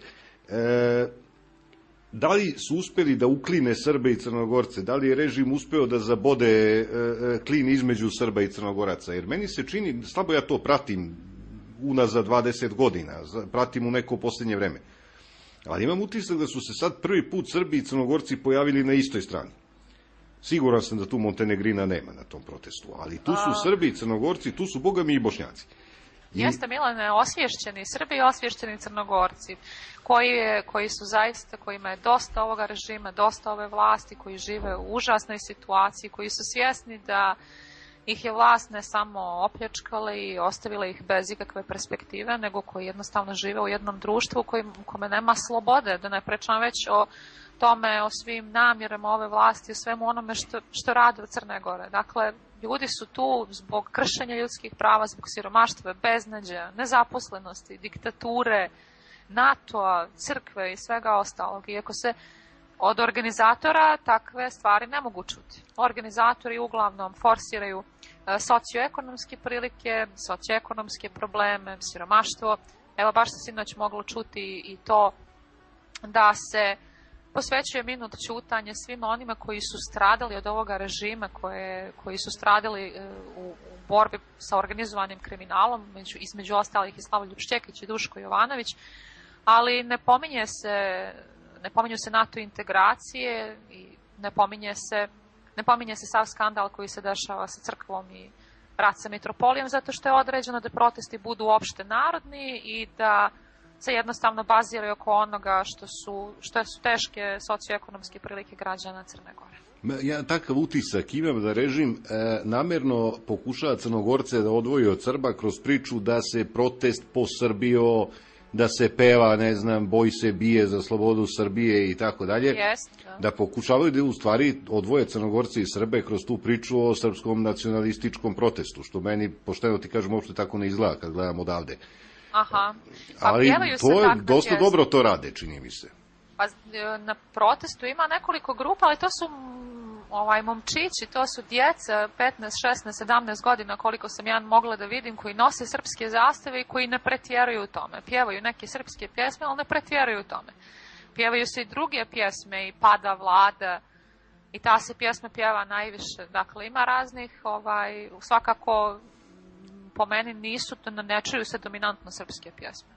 Da li su uspeli da ukline Srbe i Crnogorce? Da li je režim uspeo da zabode klin između Srba i Crnogoraca? Jer meni se čini, slabo ja to pratim unazad 20 godina, pratim u neko posljednje vreme. Ali imam utisak da su se sad prvi put Srbi i Crnogorci pojavili na istoj strani. Siguran sam da tu Montenegrina nema na tom protestu, ali tu su Srbi i Crnogorci, tu su bogami i Bošnjaci. Jeste, Milane, osvješćeni Srbi i osvješćeni Crnogorci, koji su zaista, kojima je dosta ovoga režima, dosta ove vlasti, koji žive u užasnoj situaciji, koji su svjesni da ih je vlast ne samo opljačkala i ostavila ih bez ikakve perspektive, nego koji jednostavno žive u jednom društvu u kome nema slobode, da ne pričam već o tome, o svim namjerama ove vlasti, o svemu onome što rade u Crne Gore. Dakle, ljudi su tu zbog kršenja ljudskih prava, zbog siromaštva, beznađa, nezaposlenosti, diktature, NATO-a, crkve i svega ostalog. Iako se od organizatora takve stvari ne mogu čuti. Organizatori uglavnom forsiraju socioekonomske prilike, socioekonomske probleme, siromaštvo. Evo, baš se sinoć moglo čuti i to da se posvećuje minut ćutanje svima onima koji su stradali od ovoga režima, koji su stradali u borbi sa organizovanim kriminalom, između ostalih i Slavoljub Šćekić i Duško Jovanović, ali ne pominju se NATO integracije i ne pominje se sav skandal koji se dešava sa crkvom i rat sa mitropolijom, zato što je određeno da protesti budu opšte narodni i da se jednostavno baziraju oko onoga što su teške socioekonomske prilike građana Crne Gore. Ja takav utisak imam da režim namerno pokušava Crnogorce da odvoji od Srba kroz priču da se protest posrbio, da se peva, ne znam, boj se bije za slobodu Srbije i tako dalje. Da pokušavaju da u stvari odvoje Crnogorce i Srbe kroz tu priču o srpskom nacionalističkom protestu, što meni, pošteno ti kažem, uopšte tako ne izgleda kad gledam odavde. Aha. Ali to je dosta dobro to rade, čini mi se. Pa na protestu ima nekoliko grupa, ali to su momčići, to su djeca 15, 16, 17 godina, koliko sam ja mogla da vidim, koji nose srpske zastave i koji ne pretjeruju u tome. Pjevaju neke srpske pjesme, ali ne pretjeruju u tome. Pjevaju se i druge pjesme, i Pada vlada, i ta se pjesma pjeva najviše. Dakle, ima raznih, svakako po meni ne čuju se dominantno srpske pjesme.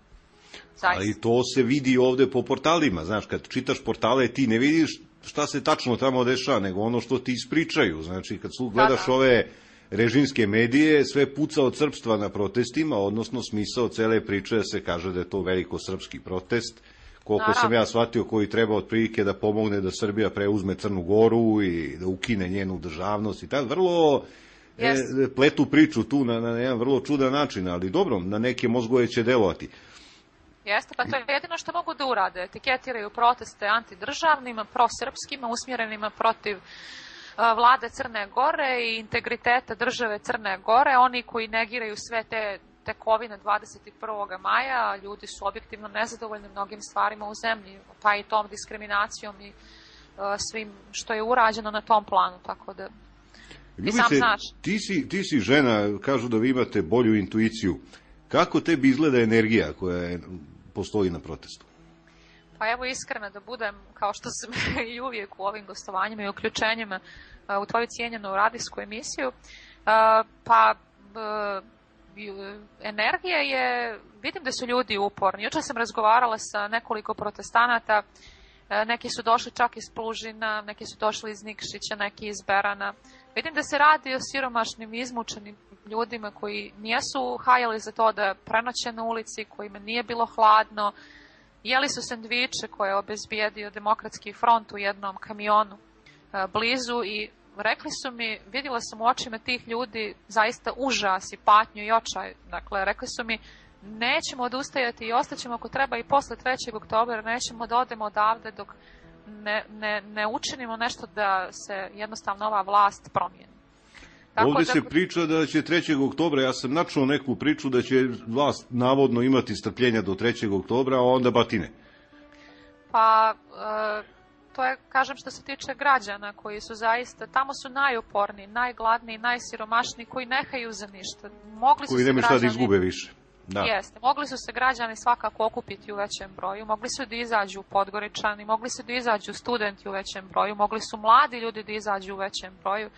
Zaista. Ali to se vidi ovde po portalima, znaš, kad čitaš portale ti ne vidiš šta se tačno tamo dešava, nego ono što ti ispričaju. Znači, kad gledaš ove režimske medije, sve puca od srpstva na protestima, odnosno smisao cele priče se kaže da je to veliko srpski protest, koliko sam ja shvatio, koji treba otprilike da pomogne da Srbija preuzme Crnu Goru i da ukine njenu državnost i tako. Vrlo pletu priču tu na jedan vrlo čudan način, ali dobro, na neke mozgove će delovati. Jeste, pa to je jedino što mogu da urade. Etiketiraju proteste antidržavnima, prosrpskima, usmjerenima protiv vlade Crne Gore i integriteta države Crne Gore. Oni koji negiraju sve te tekovine 21. maja, ljudi su objektivno nezadovoljni mnogim stvarima u zemlji, pa i tom diskriminacijom i svim što je urađeno na tom planu, tako da i sam znaš. Ti si žena, kažu da vi imate bolju intuiciju. Kako tebi izgleda energija koja postoji na protestu? Pa evo, iskreno da budem, kao što sam i uvijek u ovim gostovanjima i uključenjima u tvoju cijenjenu radijsku emisiju, energija je, vidim da su ljudi uporni. Jučer sam razgovarala sa nekoliko protestanata, neki su došli čak iz Plužina, neki su došli iz Nikšića, neki iz Berana. Vidim da se radi o siromašnim, izmučenim ljudima koji nijesu hajali za to da prenoće na ulici, kojima nije bilo hladno, jeli su sendviče koje je obezbijedio Demokratski front u jednom kamionu blizu i rekli su mi, vidjela sam u očima tih ljudi zaista užas i patnju i očaj. Dakle, rekli su mi, nećemo odustajati i ostaćemo ako treba i posle 3. oktobra, nećemo da odemo odavde dok ne učinimo nešto da se jednostavno ova vlast promijeni. Ovdje se priča da će 3. oktobra, ja sam načuo neku priču da će vlast navodno imati strpljenja do 3. oktobra, a onda batine. Pa, to je, kažem, što se tiče građana koji su zaista, tamo su najuporniji, najgladniji, najsiromašniji, koji ne haju za ništa. Koji nemaju šta da izgube više. Da. Jeste, mogli su se građani svakako okupiti u većem broju, mogli su da izađu Podgoričani, mogli su da izađu studenti u većem broju, mogli su mladi ljudi da izađu u većem broju.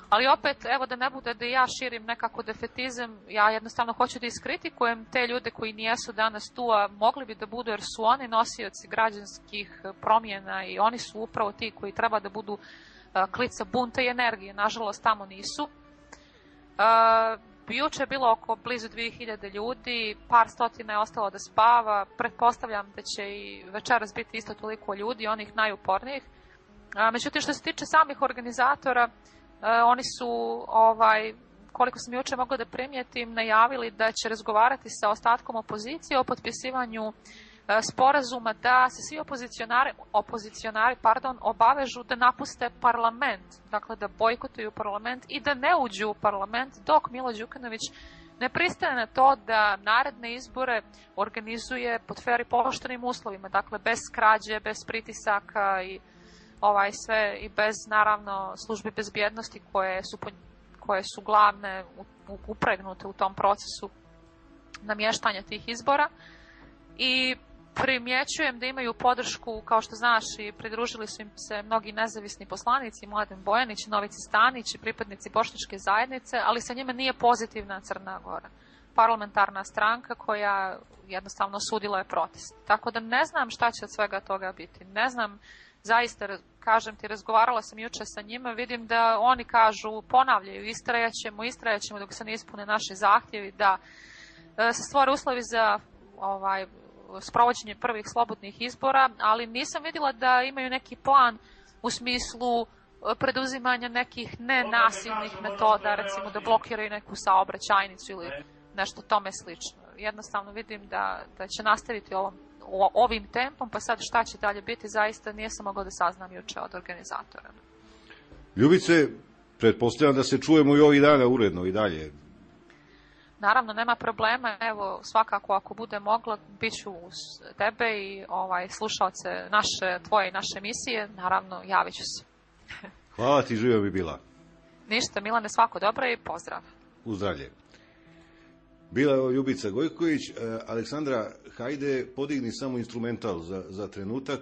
Ali opet, evo da ne bude da ja širim nekako defetizam, ja jednostavno hoću da iskritikujem te ljude koji nijesu danas tu, a mogli bi da budu jer su oni nosioci građanskih promjena i oni su upravo ti koji treba da budu klica bunta i energije. Nažalost, tamo nisu. Juče je bilo oko blizu 2000 ljudi, par stotina je ostalo da spava, pretpostavljam da će i večeras biti isto toliko ljudi, onih najupornijih. Međutim, što se tiče samih organizatora, oni su, koliko sam juče mogla da primijetim, najavili da će razgovarati sa ostatkom opozicije o potpisivanju sporazuma da se svi opozicionari obavežu da napuste parlament, dakle da bojkotuju parlament i da ne uđu u parlament dok Milo Đukanović ne pristaje na to da naredne izbore organizuje pod fer i poštenim uslovima, dakle bez krađe, bez pritisaka i sve i bez naravno službi bezbjednosti koje su glavne upregnute u tom procesu namještanja tih izbora. I primjećujem da imaju podršku, kao što znaš, i pridružili su im se mnogi nezavisni poslanici, Mladen Bojanić, Novica Stanić i pripadnici bošnjačke zajednice, ali sa njima nije pozitivna Crna Gora. Parlamentarna stranka koja jednostavno osudila je protest. Tako da ne znam šta će od svega toga biti. Ne znam, zaista, kažem ti, razgovarala sam juče sa njima, vidim da oni kažu, ponavljaju, istrajaćemo dok se ne ispune naši zahtjevi, da se stvore uslovi za sprovođenje prvih slobodnih izbora, ali nisam vidjela da imaju neki plan u smislu preduzimanja nekih nenasilnih metoda, recimo da blokiraju neku saobraćajnicu ili nešto tome slično. Jednostavno vidim da će nastaviti ovim tempom, pa sad šta će dalje biti, zaista nisam mogla da saznam juče od organizatora. Ljubice, pretpostavljam da se čujemo i ovih dana uredno i dalje. Naravno, nema problema, evo, svakako ako bude mogla, bit ću uz tebe i slušalce tvoje i naše emisije, naravno, javit ću se. Hvala ti, živio bi bila. Ništa, Milane, svako dobro i pozdrav. Uzdravlje. Bila je Ljubica Gojković. Aleksandra, hajde, podigni samo instrumental za trenutak.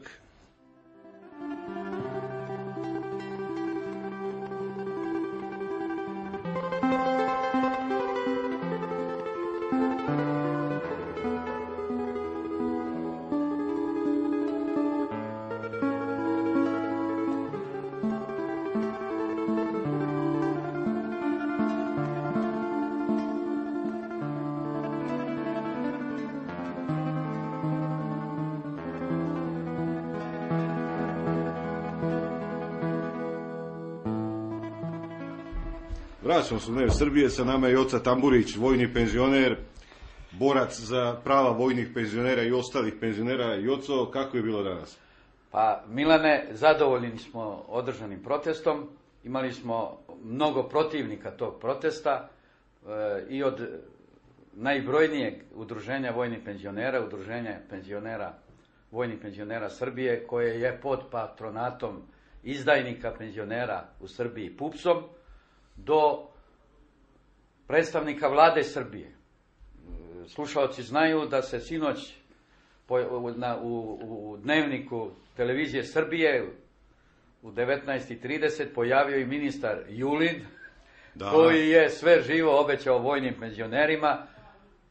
Vraćamo se u Dnevne Srbije, sa nama je Joca Tamburić, vojni penzioner, borac za prava vojnih penzionera i ostalih penzionera. Joco, kako je bilo danas? Pa, Milane, zadovoljni smo održanim protestom, imali smo mnogo protivnika tog protesta i od najbrojnijeg udruženja vojnih penzionera, udruženja vojnih penzionera Srbije, koje je pod patronatom izdajnika penzionera u Srbiji PUPS-om, do predstavnika vlade Srbije. Slušalci znaju da se sinoć u dnevniku televizije Srbije u 19:30 pojavio i ministar Julin, koji je sve živo obećao vojnim penzionerima,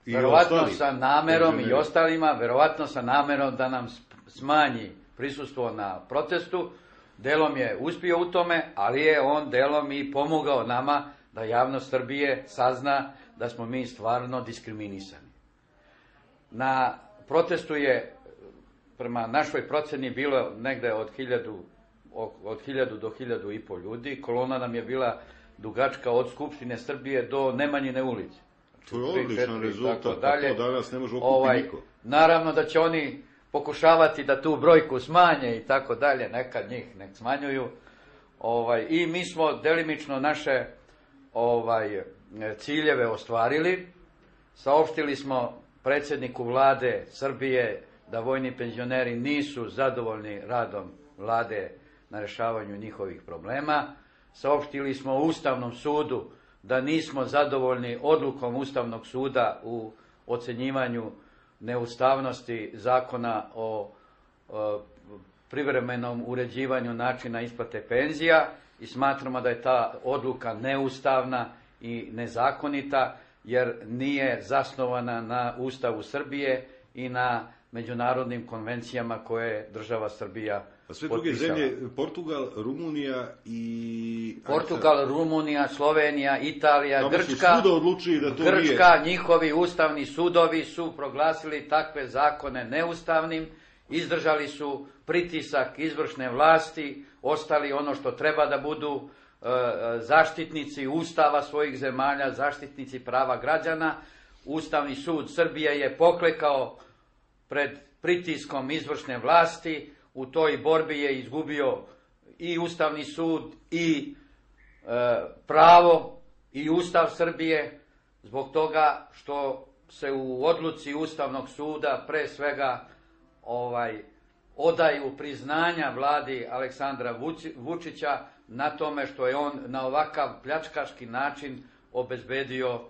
verovatno sa namerom i ostalima, verovatno sa namerom da nam smanji prisustvo na protestu. Delom je uspio u tome, ali je on delom i pomogao nama da javnost Srbije sazna da smo mi stvarno diskriminisani. Na protestu je, prema našoj proceni, bilo negde od 1000 do 1500 ljudi. Kolona nam je bila dugačka od Skupštine Srbije do Nemanjine ulice. To je odličan rezultat, a to danas ne može okupiti niko. Naravno da će oni pokušavati da tu brojku smanje i tako dalje, nekad njih nek smanjuju. I mi smo delimično naše ciljeve ostvarili. Saopštili smo predsjedniku vlade Srbije da vojni penzioneri nisu zadovoljni radom vlade na rešavanju njihovih problema. Saopštili smo Ustavnom sudu da nismo zadovoljni odlukom Ustavnog suda u ocenjivanju neustavnosti zakona o privremenom uređivanju načina isplate penzija i smatramo da je ta odluka neustavna i nezakonita, jer nije zasnovana na Ustavu Srbije i na međunarodnim konvencijama koje je država Srbija potpisala. A sve druge zemlje, Portugal, Rumunija i... Portugal, Rumunija, Slovenija, Italija, Grčka, njihovi ustavni sudovi su proglasili takve zakone neustavnim, izdržali su pritisak izvršne vlasti, ostali ono što treba da budu zaštitnici Ustava svojih zemalja, zaštitnici prava građana. Ustavni sud Srbije je poklekao pred pritiskom izvršne vlasti, u toj borbi je izgubio i Ustavni sud i pravo i Ustav Srbije, zbog toga što se u odluci Ustavnog suda pre svega odaju priznanja vladi Aleksandra Vučića na tome što je on na ovakav pljačkaški način obezbedio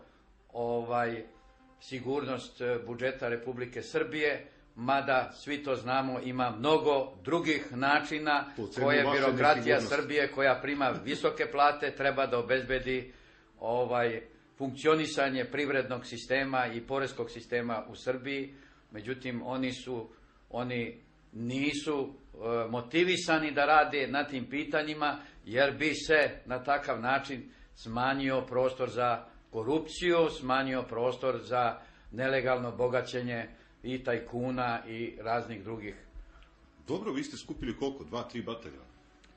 sigurnost budžeta Republike Srbije, mada svi to znamo, ima mnogo drugih načina koje birokratija Srbije, koja prima visoke plate, treba da obezbedi funkcionisanje privrednog sistema i poreskog sistema u Srbiji. Međutim, oni nisu motivisani da rade na tim pitanjima, jer bi se na takav način smanjio prostor za korupciju, smanjio prostor za nelegalno bogaćenje i tajkuna i raznih drugih. Dobro, vi ste skupili koliko? 2-3 bataljona.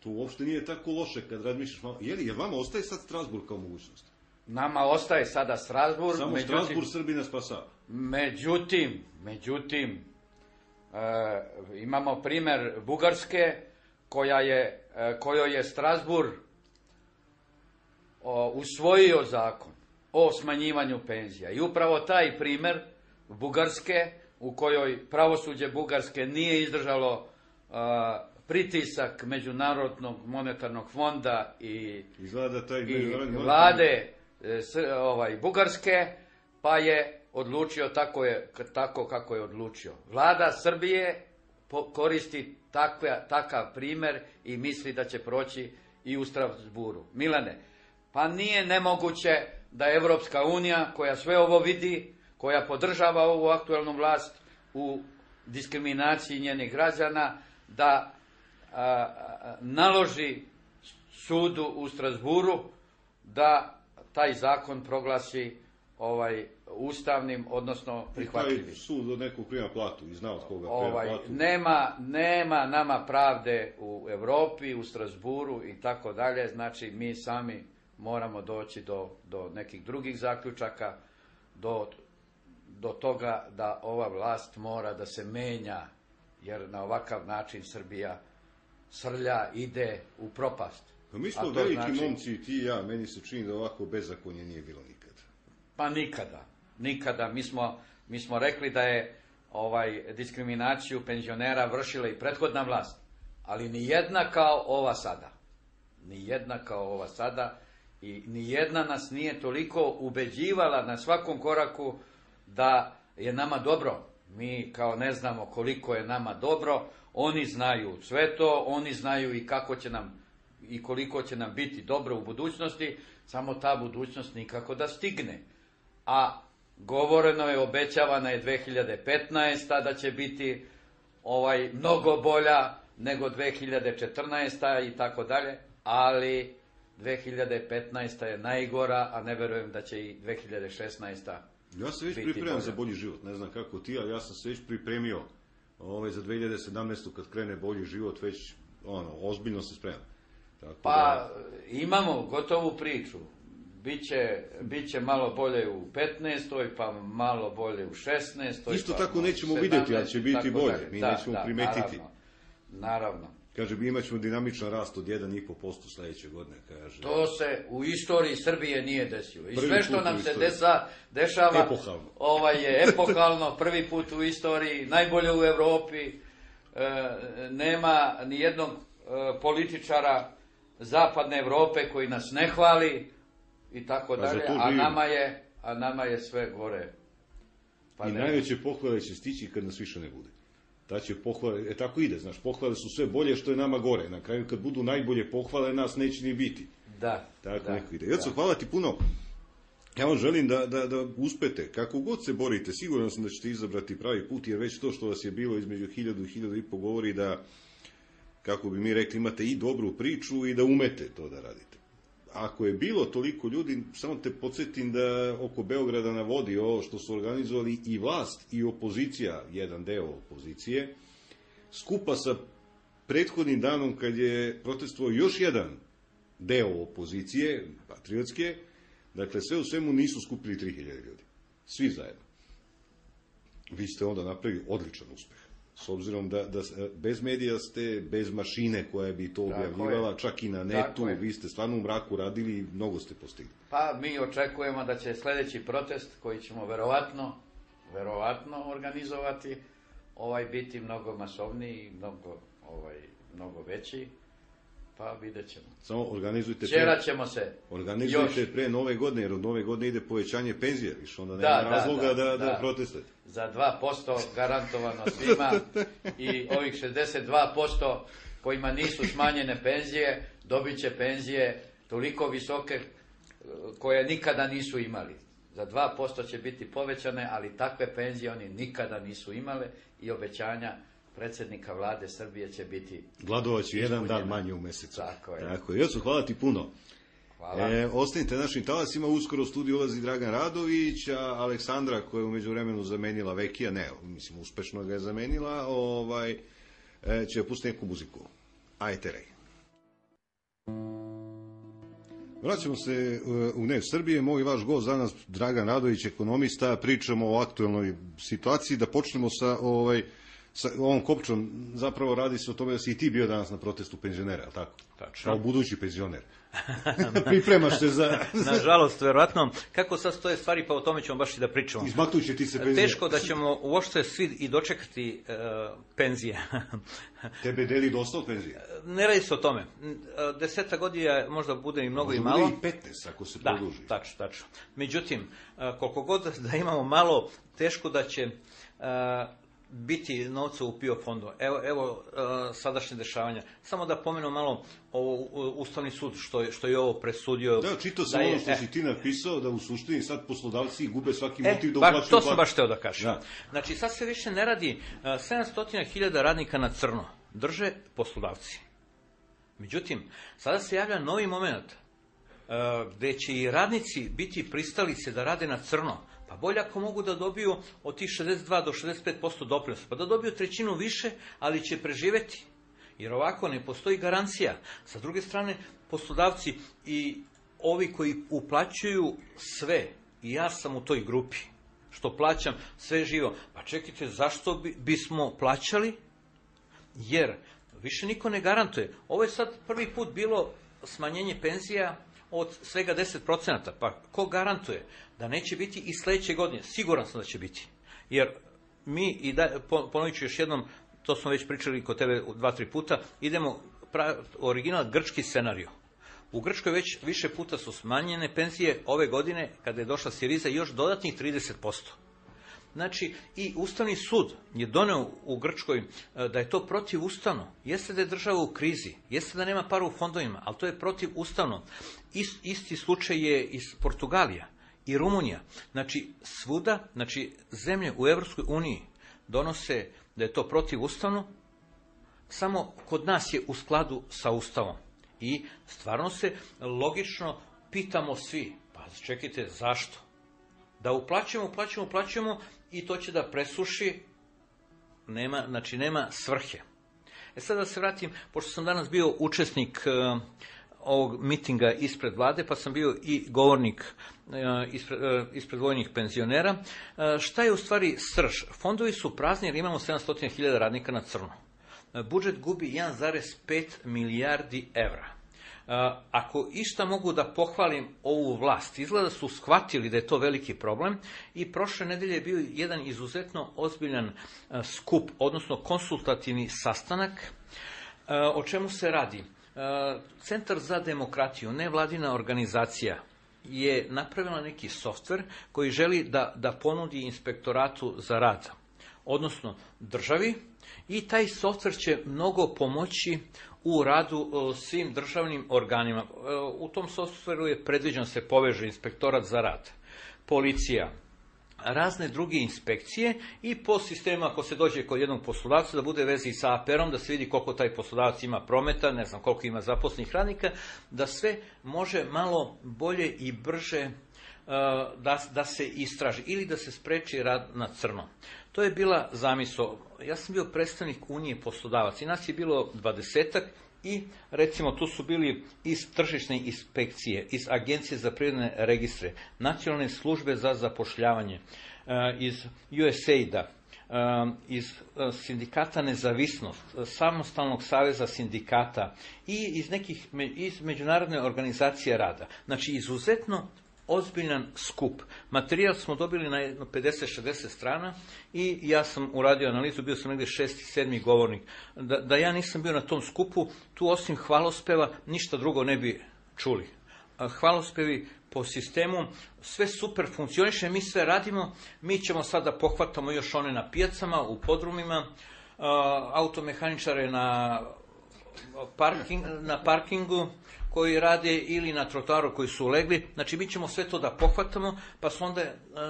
To uopšte nije tako loše kad razmišljaš malo. Jel vama ostaje sad Strasburg kao mogućnost? Nama ostaje sada Strasburg. Samo Strasburg Srbina spasava. Međutim, imamo primer Bugarske, kojoj je Strasburg usvojio zakon o smanjivanju penzija. I upravo taj primer Bugarske, u kojoj pravosuđe Bugarske nije izdržalo pritisak Međunarodnog monetarnog fonda i vlade Bugarske, pa je odlučio tako kako je odlučio. Vlada Srbije koristi takav primer i misli da će proći i u Strasburu. Milane, pa nije nemoguće da Evropska unija, koja sve ovo vidi, koja podržava ovu aktuelnu vlast u diskriminaciji njenih građana, da naloži sudu u Strasburu da taj zakon proglasi ustavnim, odnosno prihvatljivim. Taj sud od nekog prima platu i zna od koga prima platu. Nema nama pravde u Evropi, u Strasburu i tako dalje, znači mi sami moramo doći do nekih drugih zaključaka, do toga da ova vlast mora da se menja, jer na ovakav način Srbija srlja, ide u propast. Pa mi smo veliki momci, ti i ja, meni se čini da ovako bezakonje nije bilo nikada. Pa nikada. Mi smo rekli da je diskriminaciju penzionera vršila i prethodna vlast, ali nijedna kao ova sada. I nijedna nas nije toliko ubeđivala na svakom koraku da je nama dobro. Mi kao ne znamo koliko je nama dobro, oni znaju sve to, oni znaju i kako će nam i koliko će nam biti dobro u budućnosti, samo ta budućnost nikako da stigne. A govoreno je, obećavana je 2015. da će biti mnogo bolja nego 2014. i tako dalje, ali 2015. je najgora, a ne verujem da će i 2016. Ja se već pripremam za bolji život, ne znam kako ti, ali ja sam se već pripremio za 2017. kad krene bolji život, već ozbiljno se spremam. Tako pa imamo gotovu priču. Biće malo bolje u 15. pa malo bolje u 16. Isto tako nećemo vidjeti, ali će biti bolje. Mi nećemo primetiti. Naravno. Kaže, imat ćemo dinamičan rast od 1,5% sledeće godine. Kaže. To se u istoriji Srbije nije desilo. I sve što nam se dešava je epohalno, prvi put u istoriji, najbolje u Evropi. Nema ni jednog političara zapadne Evrope koji nas ne hvali i tako dalje, a nama je sve gore. I najveće pohvale će stići kad nas više ne bude. Ta će pohvale, tako ide, znaš, pohvale su sve bolje što je nama gore. Na kraju kad budu najbolje pohvale, nas neće ni biti. Da. Tako neko ide. Joco, hvala ti puno. Ja vam želim da uspete. Kako god se borite, siguran sam da ćete izabrati pravi put, jer već to što vas je bilo između 1000 i 1500 govori da, kako bi mi rekli, imate i dobru priču i da umete to da radite. Ako je bilo toliko ljudi, samo te podsjetim da oko Beograda na vodi, ovo što su organizovali i vlast i opozicija, jedan deo opozicije, skupa sa prethodnim danom kad je protestovao još jedan deo opozicije, patriotske, dakle sve u svemu nisu skupili 3000 ljudi. Svi zajedno. Vi ste onda napravili odličan uspeh. S obzirom da bez medija ste, bez mašine koja bi to objavljivala, čak i na netu, vi ste stvarno u mraku radili i mnogo ste postigli. Pa mi očekujemo da će sledeći protest, koji ćemo verovatno organizovati, biti mnogo masovniji i mnogo veći, pa vidjet ćemo. Samo organizujte pre Nove godine, jer od Nove godine ide povećanje penzije, više onda nema razloga da protestujete. Za 2% garantovano svima i ovih 62% kojima nisu smanjene penzije, dobit će penzije toliko visoke koje nikada nisu imali. Za 2% će biti povećane, ali takve penzije oni nikada nisu imale i obećanja predsjednika vlade Srbije će biti... Gladovaću jedan dan manje u mesecu. Tako je. Joco, hvala ti puno. Hvala. Ostanite našim talasima, uskoro u studiju ulazi Dragan Radović, a Aleksandra koja je u međuvremenu zamenila Vekija, uspešno ga je zamenila, će pustiti neku muziku. Ajte rej. Vraćamo se u Dnev Srbije, moj vaš gost danas Dragan Radović, ekonomista, pričamo o aktuelnoj situaciji, da počnemo sa ovom kopčom, zapravo radi se o tome da si i ti bio danas na protestu penzionera, ali tako? Tačno. Kao budući penzioner. Pripremaš se za... Nažalost, verovatno. Kako sad stoje stvari, pa o tome ćemo baš i da pričamo. Izmaknuće ti se penzije. Teško da ćemo uopšte svi i dočekati penzije. Tebe deli dosta od penzije? Ne radi se o tome. 10 godina možda bude i mnogo i malo. Možda bude i 15 ako se produži. Da, tačno. Međutim, koliko god da imamo malo, teško da će... biti novca u PIO fondu. Evo sadašnje dešavanja. Samo da pomenu malo Ustavni sud što je ovo presudio. Da, čitao sam ono što si ti napisao, da u suštini sad poslodavci gube svaki motiv da uplaćuju. To sam baš hteo da kažem. Da. Znači sad se više ne radi 700.000 radnika na crno. Drže poslodavci. Međutim, sada se javlja novi moment gde će i radnici biti pristalice da rade na crno. Pa bolje ako mogu da dobiju od tih 62 do 65% doprinosa, pa da dobiju trećinu više, ali će preživeti. Jer ovako ne postoji garancija. Sa druge strane, poslodavci i ovi koji uplaćuju sve, i ja sam u toj grupi, što plaćam sve živo. Pa čekajte, zašto bismo plaćali? Jer više niko ne garantuje. Ovo je sad prvi put bilo smanjenje penzija od svega 10%, pa ko garantuje da neće biti i sledeće godine? Siguran sam da će biti. Jer mi, ponovit ću još jednom, to smo već pričali kod tebe 2-3 puta, idemo original grčki scenario. U Grčkoj već više puta su smanjene penzije ove godine, kada je došla Siriza, još dodatnih 30%. Znači, i Ustavni sud je doneo u Grčkoj da je to protivustavno. Jeste da je država u krizi, jeste da nema para u fondovima, ali to je protivustavno. Isti slučaj je iz Portugalija i Rumunija. Znači, svuda, znači, zemlje u Evropskoj uniji donose da je to protivustavno, samo kod nas je u skladu sa Ustavom. I stvarno se logično pitamo svi, pa čekajte, zašto? Da uplaćujemo i to će da presuši, nema svrhe. Sad da se vratim, pošto sam danas bio učesnik ovog mitinga ispred vlade, pa sam bio i govornik ispred vojnih penzionera. Šta je u stvari srž? Fondovi su prazni jer imamo 700.000 radnika na crno. Budžet gubi 1,5 milijardi evra. Ako išta mogu da pohvalim ovu vlast, izgleda su shvatili da je to veliki problem i prošle nedelje je bio jedan izuzetno ozbiljan skup, odnosno konsultativni sastanak. O čemu se radi? Centar za demokratiju, nevladina organizacija, je napravila neki softver koji želi da ponudi inspektoratu za rad, odnosno državi, i taj softver će mnogo pomoći u radu svim državnim organima. U tom softveru je predviđeno se poveže inspektorat za rad, policija, razne druge inspekcije i po sistemu, ako se dođe kod jednog poslodavca, da bude vezi sa APR-om, da se vidi koliko taj poslodavac ima prometa, ne znam koliko ima zaposlenih radnika, da sve može malo bolje i brže da se istraži ili da se spreči rad na crno. To je bila zamisao. Ja sam bio predstavnik Unije poslodavaca i nas je bilo 20-ak i recimo tu su bili iz tržišne inspekcije, iz Agencije za privredne registre, Nacionalne službe za zapošljavanje, iz USAID-a, iz sindikata Nezavisnost, Samostalnog saveza sindikata i iz Međunarodne organizacije rada. Znači, izuzetno ozbiljan skup. Materijal smo dobili na 50-60 strana i ja sam uradio analizu, bio sam negdje 6. i 7. govornik. Da ja nisam bio na tom skupu, tu osim hvalospeva ništa drugo ne bi čuli. Hvalospevi po sistemu, sve super funkcioniše, mi sve radimo, mi ćemo sada pohvatamo još one na pijacama, u podrumima, automehaničare na parkingu koji rade ili na trotoaru koji su legli, znači mi ćemo sve to da pohvatamo, pa su onda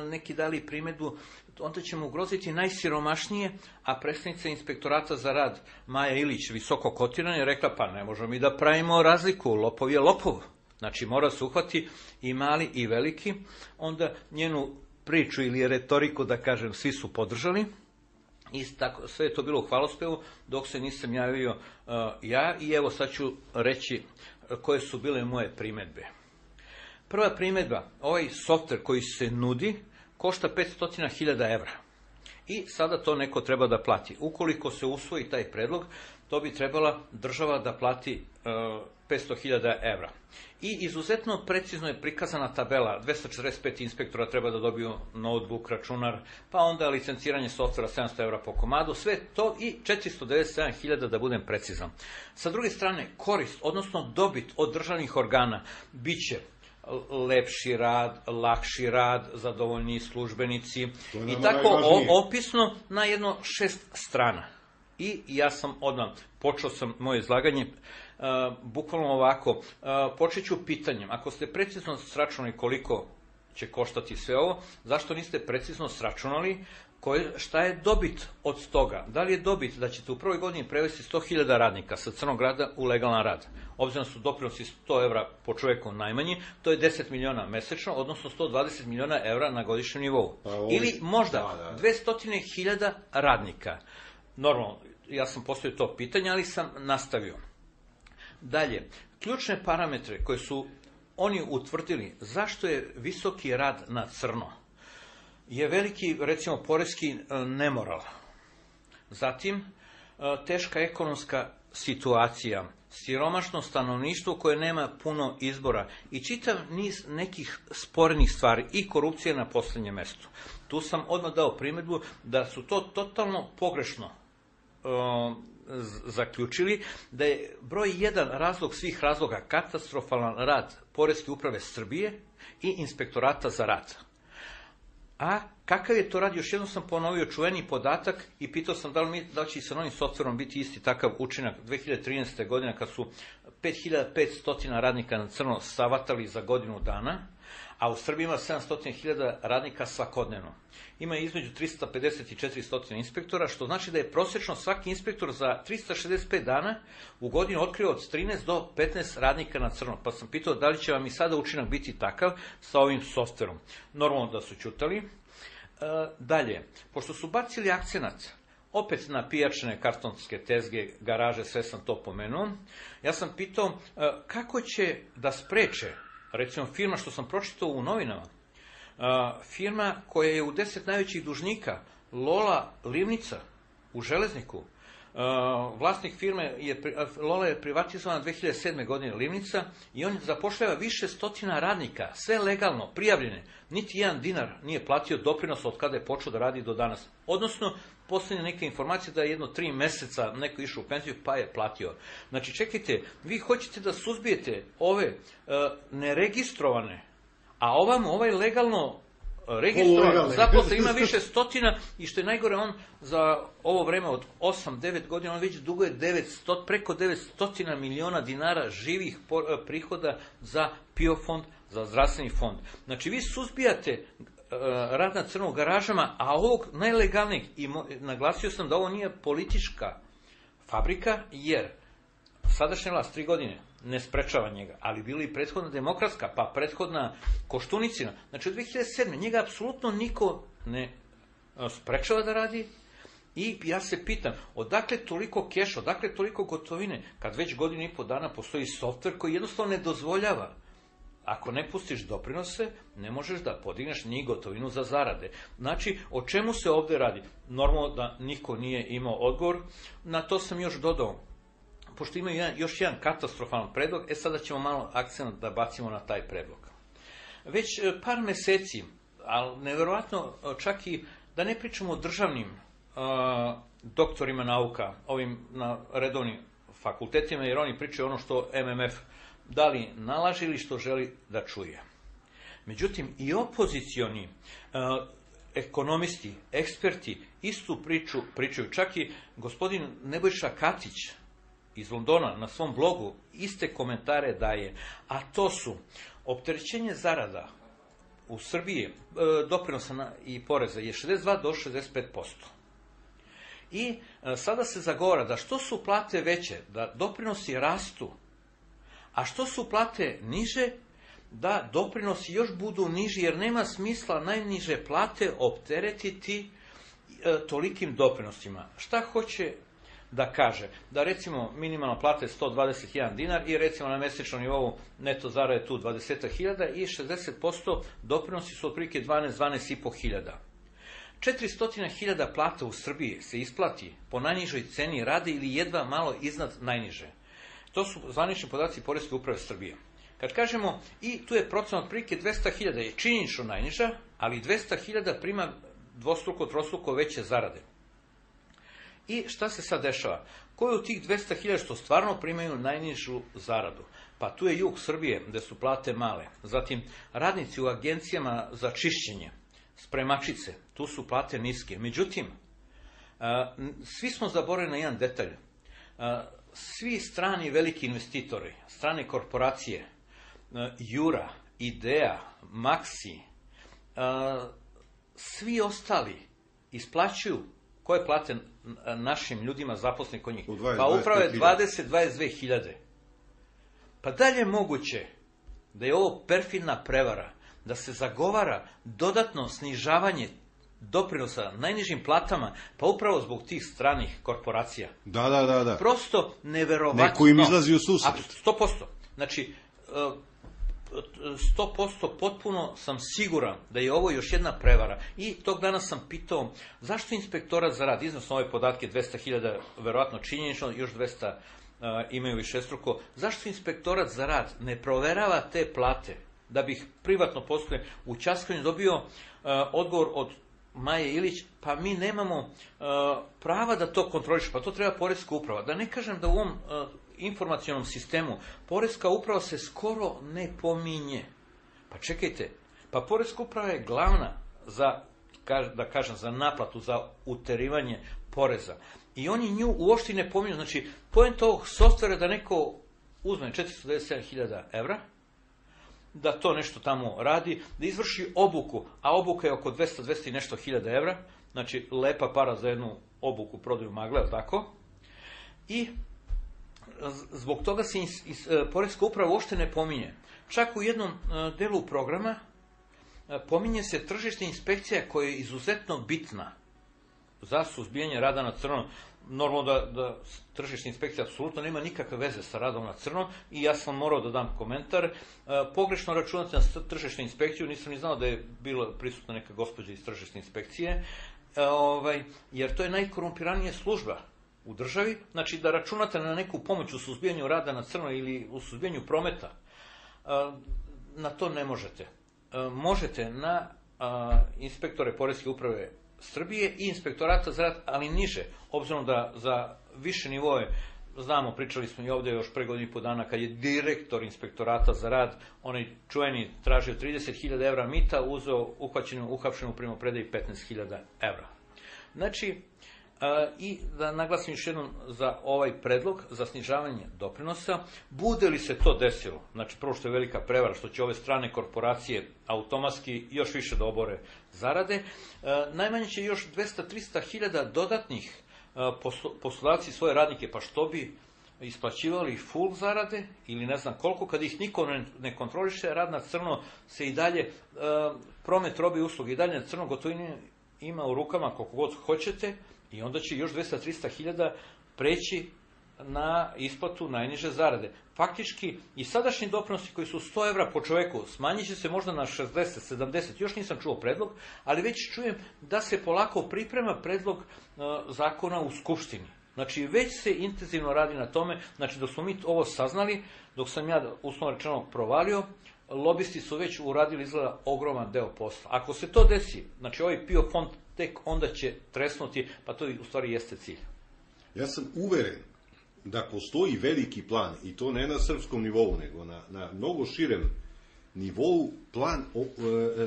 neki dali primedbu, onda ćemo ugroziti najsiromašnije, a predstavnica inspektorata za rad Maja Ilić, visoko kotirana, je rekla, pa ne možemo mi da pravimo razliku, lopov je lopov, znači mora se uhvati i mali i veliki. Onda njenu priču ili retoriku, da kažem, svi su podržali. I tako, sve je to bilo u hvalospevu, dok se nisam javio ja, i evo sad ću reći koje su bile moje primedbe. Prva primedba, ovaj softver koji se nudi košta 500.000 evra. I sada to neko treba da plati. Ukoliko se usvoji taj predlog, to bi trebala država da plati 500.000 evra. I izuzetno precizno je prikazana tabela, 245 inspektora treba da dobiju notebook, računar, pa onda licenciranje softvera 700 evra po komadu, sve to i 497.000 da budem precizan. Sa druge strane, korist, odnosno dobit od državnih organa, bit će lepši rad, lakši rad, zadovoljniji službenici i tako opisno na jedno 6 strana. I ja sam odmah, počeo sam moje izlaganje bukvalno ovako, počet ću pitanjem, ako ste precizno sračunali koliko će koštati sve ovo, zašto niste precizno sračunali šta je dobit od toga? Da li je dobit da ćete u prvoj godini prevesti 100.000 radnika sa crnog rada u legalan rad? Obzirom su doprinosi 100 evra po čoveku najmanji, to je 10 miliona mesečno, odnosno 120 miliona evra na godišnjem nivou. Ili možda 200.000 radnika. Normalno, ja sam postavio to pitanje, ali sam nastavio. Dalje, ključne parametre koje su oni utvrdili, zašto je visoki rad na crno, je veliki, recimo, poreski nemoral. Zatim, teška ekonomska situacija, siromašno stanovništvo koje nema puno izbora i čitav niz nekih sporenih stvari i korupcija na poslednjem mestu. Tu sam odmah dao primedbu da su to totalno pogrešno zaključili, da je broj 1 razlog svih razloga katastrofalan rad Poreske uprave Srbije i inspektorata za rad. A Kakav je to rad? Još jednom sam ponovio čuveni podatak i pitao sam da li će sa novim softverom biti isti takav učinak 2013. godine kad su 5500 radnika na crno savatali za godinu dana, a u Srbiji ima 700.000 radnika svakodnevno. Ima između 350 i 400 inspektora, što znači da je prosječno svaki inspektor za 365 dana u godinu otkrio od 13 do 15 radnika na crno. Pa sam pitao da li će vam i sada učinak biti takav sa ovim softverom. Normalno da su ćutali. Dalje, pošto su bacili akcenat opet na pijačne kartonske tezge, garaže, sve sam to pomenuo, ja sam pitao kako će da spreče, recimo firma što sam pročitao u novinama, firma koja je u 10 najvećih dužnika, Lola Livnica u Železniku, vlasnik firme, Lola je privatizovana 2007. godine Livnica i on zapošljava više stotina radnika, sve legalno, prijavljene, niti jedan dinar nije platio doprinos od kada je počeo da radi do danas. Odnosno, posljednje neke informacije da je jedno 3 meseca neko išao u penziju pa je platio. Znači, čekajte, vi hoćete da suzbijete ove neregistrovane, a ovaj legalno registrovan zaposlen ima više stotina i što je najgore, on za ovo vreme od 8-9 godina on već duguje preko 900 miliona dinara živih prihoda za PIO fond, za zdravstveni fond. Znači vi suzbijate rad na crno u garažama, a ovog najlegalnijeg, i naglasio sam da ovo nije politička fabrika, jer sadašnja vlast 3 godine ne sprečava njega, ali bila i prethodna demokratska, pa prethodna Koštunicina. Znači od 2007. njega apsolutno niko ne sprečava da radi i ja se pitam, odakle toliko keša, odakle toliko gotovine, kad već godinu i po dana postoji softver koji jednostavno ne dozvoljava. Ako ne pustiš doprinose, ne možeš da podigneš ni gotovinu za zarade. Znači, o čemu se ovde radi? Normalno da niko nije imao odgovor, na to sam još dodao. Pošto ima još jedan katastrofalan predlog, sada ćemo malo akcent da bacimo na taj predlog. Već par meseci, ali neverovatno čak i da ne pričamo o državnim doktorima nauka, ovim na redovnim fakultetima, jer oni pričaju ono što MMF da li nalaže ili što želi da čuje. Međutim, i opozicioni ekonomisti, eksperti istu priču pričaju. Čak i gospodin Nebojša Katić iz Londona na svom blogu iste komentare daje, a to su opterećenje zarada u Srbiji, doprinosa i poreza je 62 do 65%. I sada se zagovara da što su plate veće, da doprinosi rastu, a što su plate niže, da doprinosi još budu niži, jer nema smisla najniže plate opteretiti tolikim doprinosima. Šta hoće da kaže? Da recimo minimalna plata je 121 dinar i recimo na mesečnom nivou neto zarade tu 20.000 i 60% doprinosi su otprilike 12.500. 400.000 plata u Srbiji se isplati po najnižoj ceni rada ili jedva malo iznad najniže. To su zvanični podaci Poreske uprave Srbije. Kad kažemo, i tu je procenat otprilike 200.000 je činjenično najniža, ali 200.000 prima dvostruko, trostruko veće zarade. I šta se sad dešava? Ko je u tih 200.000 što stvarno primaju najnižu zaradu? Pa tu je jug Srbije, gde su plate male. Zatim, radnici u agencijama za čišćenje, spremačice, tu su plate niske. Međutim, svi smo zaboravili na jedan detalj. Svi strani veliki investitori, strane korporacije, Jura, Idea, Maxi, svi ostali isplaćuju koje plate našim ljudima zaposlenih kod njih? Pa upravo je 20-22.000. Pa dalje je moguće da je ovo perfidna prevara, da se zagovara dodatno snižavanje doprinosa najnižim platama, pa upravo zbog tih stranih korporacija. Da. Prosto neverovatno. Neko im izlazi u susret. 100%. Znači, 100% potpuno sam siguran da je ovo još jedna prevara. I tog dana sam pitao zašto inspektorat za rad, iznosno ove podatke 200.000, verovatno činjenično, još 200 imaju višestruko, zašto inspektorat za rad ne proverava te plate, da bih privatno posle u Ćaskanju dobio odgovor od Maje Ilić, pa mi nemamo prava da to kontroliš, pa to treba Poreska uprava. Da ne kažem da u ovom informacionom sistemu Poreska uprava se skoro ne pominje. Pa čekajte, pa Poreska uprava je glavna za da kažem, za naplatu, za uterivanje poreza. I oni nju uopšte ne pominju. Znači, poenta ovog softvera da neko uzme 497.000 evra, da to nešto tamo radi, da izvrši obuku, a obuka je oko 200 i nešto hiljada evra, znači lepa para za jednu obuku prodaju magle, tako? I zbog toga se poreska uprava uopšte ne pominje. Čak u jednom delu programa pominje se tržišna inspekcija koja je izuzetno bitna za suzbijanje rada na crno. Normalno da tržišna inspekcija apsolutno nema nikakve veze sa radom na crno i ja sam morao da dam komentar. Pogrešno računati na tržišnu inspekciju, nisam ni znao da je bila prisutna neka gospođa iz tržišne inspekcije, jer to je najkorumpiranija služba u državi. Znači da računate na neku pomoć u suzbijanju rada na crno ili u suzbijanju prometa, na to ne možete. Možete na inspektore poreske uprave Srbije i inspektorata za rad, ali niže, obzirom da za više nivoje, znamo, pričali smo i ovdje još pre godinu i po dana, kad je direktor inspektorata za rad, onaj čuveni tražio 30.000 evra mita, uzeo uhapšenu primopredaji 15.000 evra. Znači, i da naglasim još jednom za ovaj predlog za snižavanje doprinosa, bude li se to desilo, znači prvo što je velika prevara, što će ove strane korporacije automatski još više da obore zarade, najmanje će još 200-300.000 dodatnih poslodavci svoje radnike, pa što bi isplaćivali full zarade ili ne znam koliko, kad ih niko ne kontroliše, rad na crno se i dalje, promet robe i usluge i dalje na crno gotovine ima u rukama koliko god hoćete, i onda će još 200-300.000 preći na isplatu najniže zarade. Faktički, i sadašnji doprinosi koji su 100 evra po čoveku, smanjit će se možda na 60-70, još nisam čuo predlog, ali već čujem da se polako priprema predlog zakona u Skupštini. Znači, već se intenzivno radi na tome, znači dok smo mi ovo saznali, dok sam ja uslovno rečeno provalio, lobisti su već uradili izgleda ogroman deo posla. Ako se to desi, znači ovaj PIO fond tek onda će tresnuti, pa to u stvari jeste cilj. Ja sam uveren da postoji veliki plan, i to ne na srpskom nivou, nego na mnogo širem nivou, plan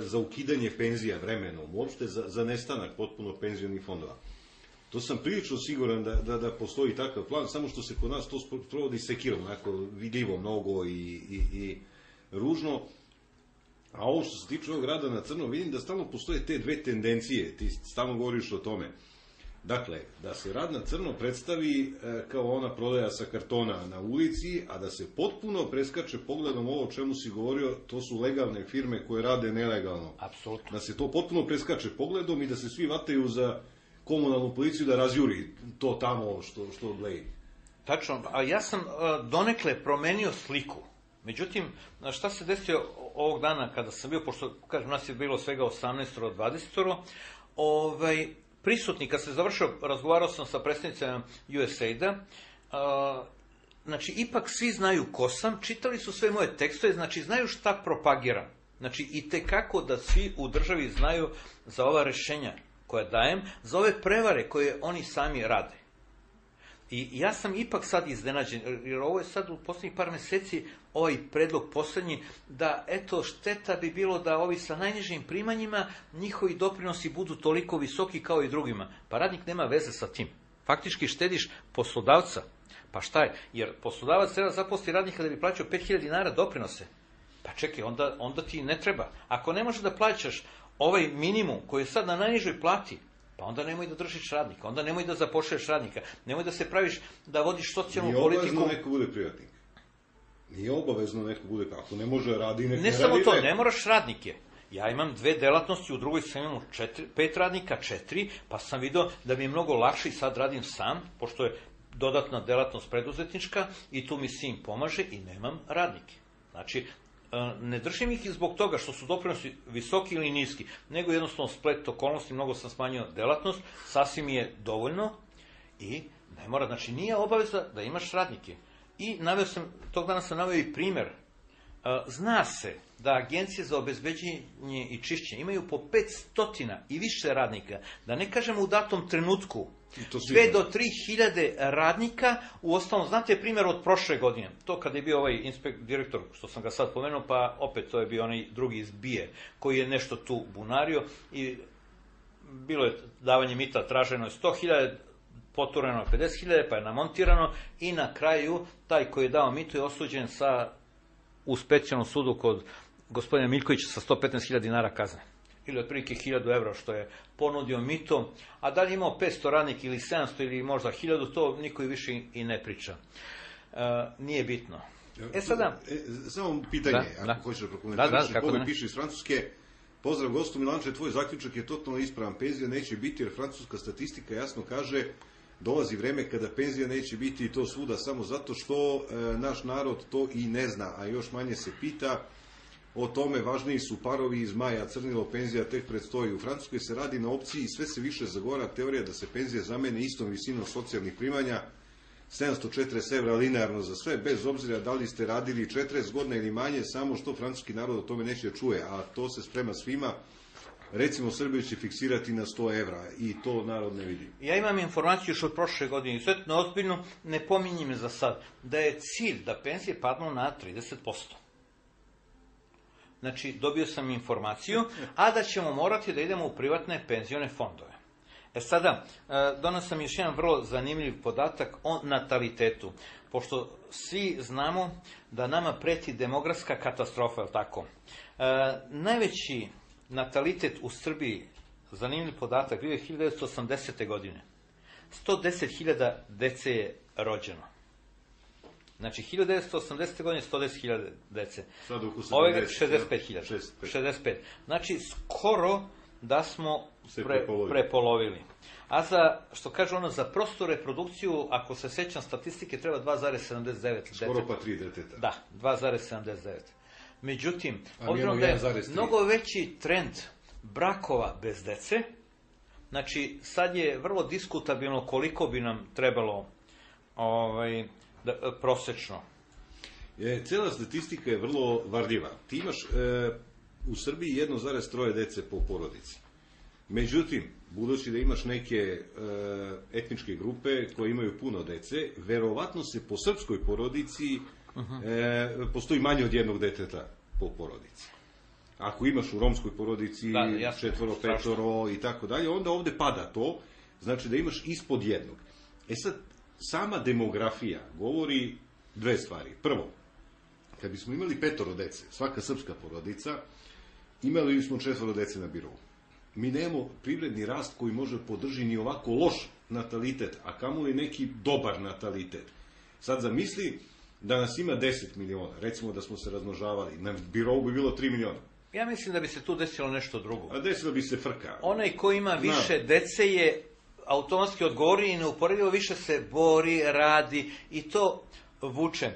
za ukidanje penzija vremenom, uopšte za nestanak potpuno penzionih fondova. To sam prilično siguran da postoji takav plan, samo što se kod nas to provodi sekirom, onako vidljivo mnogo i ružno. A ovo što se tiče ovog rada na crno, vidim da stalno postoje te dve tendencije, ti stalno govoriš o tome. Dakle, da se rad na crno predstavi kao ona prodaja sa kartona na ulici, a da se potpuno preskače pogledom ovo o čemu si govorio, to su legalne firme koje rade nelegalno. Apsolutno. Da se to potpuno preskače pogledom i da se svi vataju za komunalnu policiju da razjuri to tamo što gleji. Tačno, a ja sam donekle promenio sliku. Međutim, šta se desio ovog dana kada sam bio, pošto, kažem, nas je bilo svega 18-20, prisutni, kad se završio, razgovarao sam sa predstavnicama USAID-a, znači, ipak svi znaju ko sam, čitali su sve moje tekstove, znači, znaju šta propagiram. Znači, i tekako da svi u državi znaju za ova rešenja koja dajem, za ove prevare koje oni sami rade. I ja sam ipak sad iznenađen, jer ovo je sad u poslednjih par meseci ovaj predlog poslednji, da eto šteta bi bilo da ovi sa najnižim primanjima, njihovi doprinosi budu toliko visoki kao i drugima. Pa radnik nema veze sa tim. Faktički štediš poslodavca. Pa šta je? Jer poslodavac treba zaposliti radnika da bi plaćao 5.000 dinara doprinose. Pa čekaj, onda ti ne treba. Ako ne može da plaćaš ovaj minimum koji je sad na najnižoj plati, pa onda nemoj da držiš radnika, onda nemoj da zapošlješ radnika, nemoj da se praviš da vodiš socijalnu politiku. Nije obavezno neko bude privatnik. Nije obavezno neko bude, ako ne može radi, ne samo to, ne moraš radnike. Ja imam 2 delatnosti, u drugoj sam imam 5 radnika, 4, pa sam video da mi je mnogo lakše i sad radim sam, pošto je dodatna delatnost preduzetnička i tu mi sin pomaže i nemam radnike. Znači, ne držim ih i zbog toga što su doprinosi visoki ili niski, nego jednostavno splet okolnosti, mnogo sam smanjio delatnost, sasvim je dovoljno i ne mora, znači nije obaveza da imaš radnike. I tog dana sam naveo i primer. Zna se da agencije za obezbeđenje i čišćenje imaju po 500 i više radnika, da ne kažemo u datom trenutku, 2 do 3.000 radnika, uostalom, znate primjer od prošle godine, to kada je bio ovaj direktor, što sam ga sad pomenuo, pa opet to je bio onaj drugi iz BIA, koji je nešto tu bunario i bilo je davanje mita, traženo je 100.000, potureno je 50.000, pa je namontirano i na kraju taj koji je dao mito je osuđen u specijalnom sudu kod gospodina Miljkovića sa 115.000 dinara kazne. Ili otprilike 1.000 evra što je ponudio mito, a da li imao 500 radnika ili 700 ili možda 1.000, to niko i više i ne priča. Nije bitno. Sada... Samo pitanje, ako hoćeš da prokomentariš, piše iz Francuske, pozdrav gostu Milanče, tvoj zaključak je totalno ispravan, penzija neće biti jer francuska statistika jasno kaže dolazi vreme kada penzija neće biti i to svuda samo zato što naš narod to i ne zna, a još manje se pita o tome, važniji su parovi iz maja, crnilo, penzija tek predstoji. U Francuskoj se radi na opciji i sve se više zagora teorija da se penzija zamene istom visinom socijalnih primanja, 740 evra linearno za sve, bez obzira da li ste radili 40 godina ili manje, samo što francuski narod o tome neće da čuje, a to se sprema svima. Recimo, Srbiju će fiksirati na 100 evra i to narod ne vidi. Ja imam informaciju još od prošle godine, izuzetno ozbiljno, ne pominjem je za sad, da je cilj da penzije padnu na 30%. Znači, dobio sam informaciju, a da ćemo morati da idemo u privatne penzione fondove. Sada, donosam još jedan vrlo zanimljiv podatak o natalitetu, pošto svi znamo da nama preti demografska katastrofa, je li tako? Najveći natalitet u Srbiji, zanimljiv podatak, bio je 1980. godine. 110.000 dece je rođeno. Znači, 1980. godine 110.000 dece. Ove 65.000. 65. Znači, skoro da smo prepolovili. A za, što kaže ono, za prostu reprodukciju, ako se sećam statistike, treba 2,79 dece. Skoro pa 3 deteta. Da, 2,79. Međutim, obzirom da je mnogo veći trend brakova bez dece, znači, sad je vrlo diskutabilno koliko bi nam trebalo prosečno. Cela statistika je vrlo varljiva. Ti imaš u Srbiji 1,3 dece po porodici. Međutim, budući da imaš neke etničke grupe koje imaju puno dece, verovatno se po srpskoj porodici postoji manje od jednog deteta po porodici. Ako imaš u romskoj porodici 4, 5 i tako dalje, onda ovde pada to, znači da imaš ispod jednog. Sad, sama demografija govori dve stvari. Prvo, kad bismo imali 5 dece, svaka srpska porodica, imali bismo 4 dece na birovu. Mi nemamo privredni rast koji može podrži ni ovako loš natalitet, a kamoli neki dobar natalitet. Sad zamisli da nas ima 10 miliona, recimo da smo se razmnožavali, na birovu bi bilo 3 miliona. Ja mislim da bi se tu desilo nešto drugo. A desilo bi se frka. Onaj ko ima više dece je automatski odgovori i neuporedivo više se bori, radi i to vuče.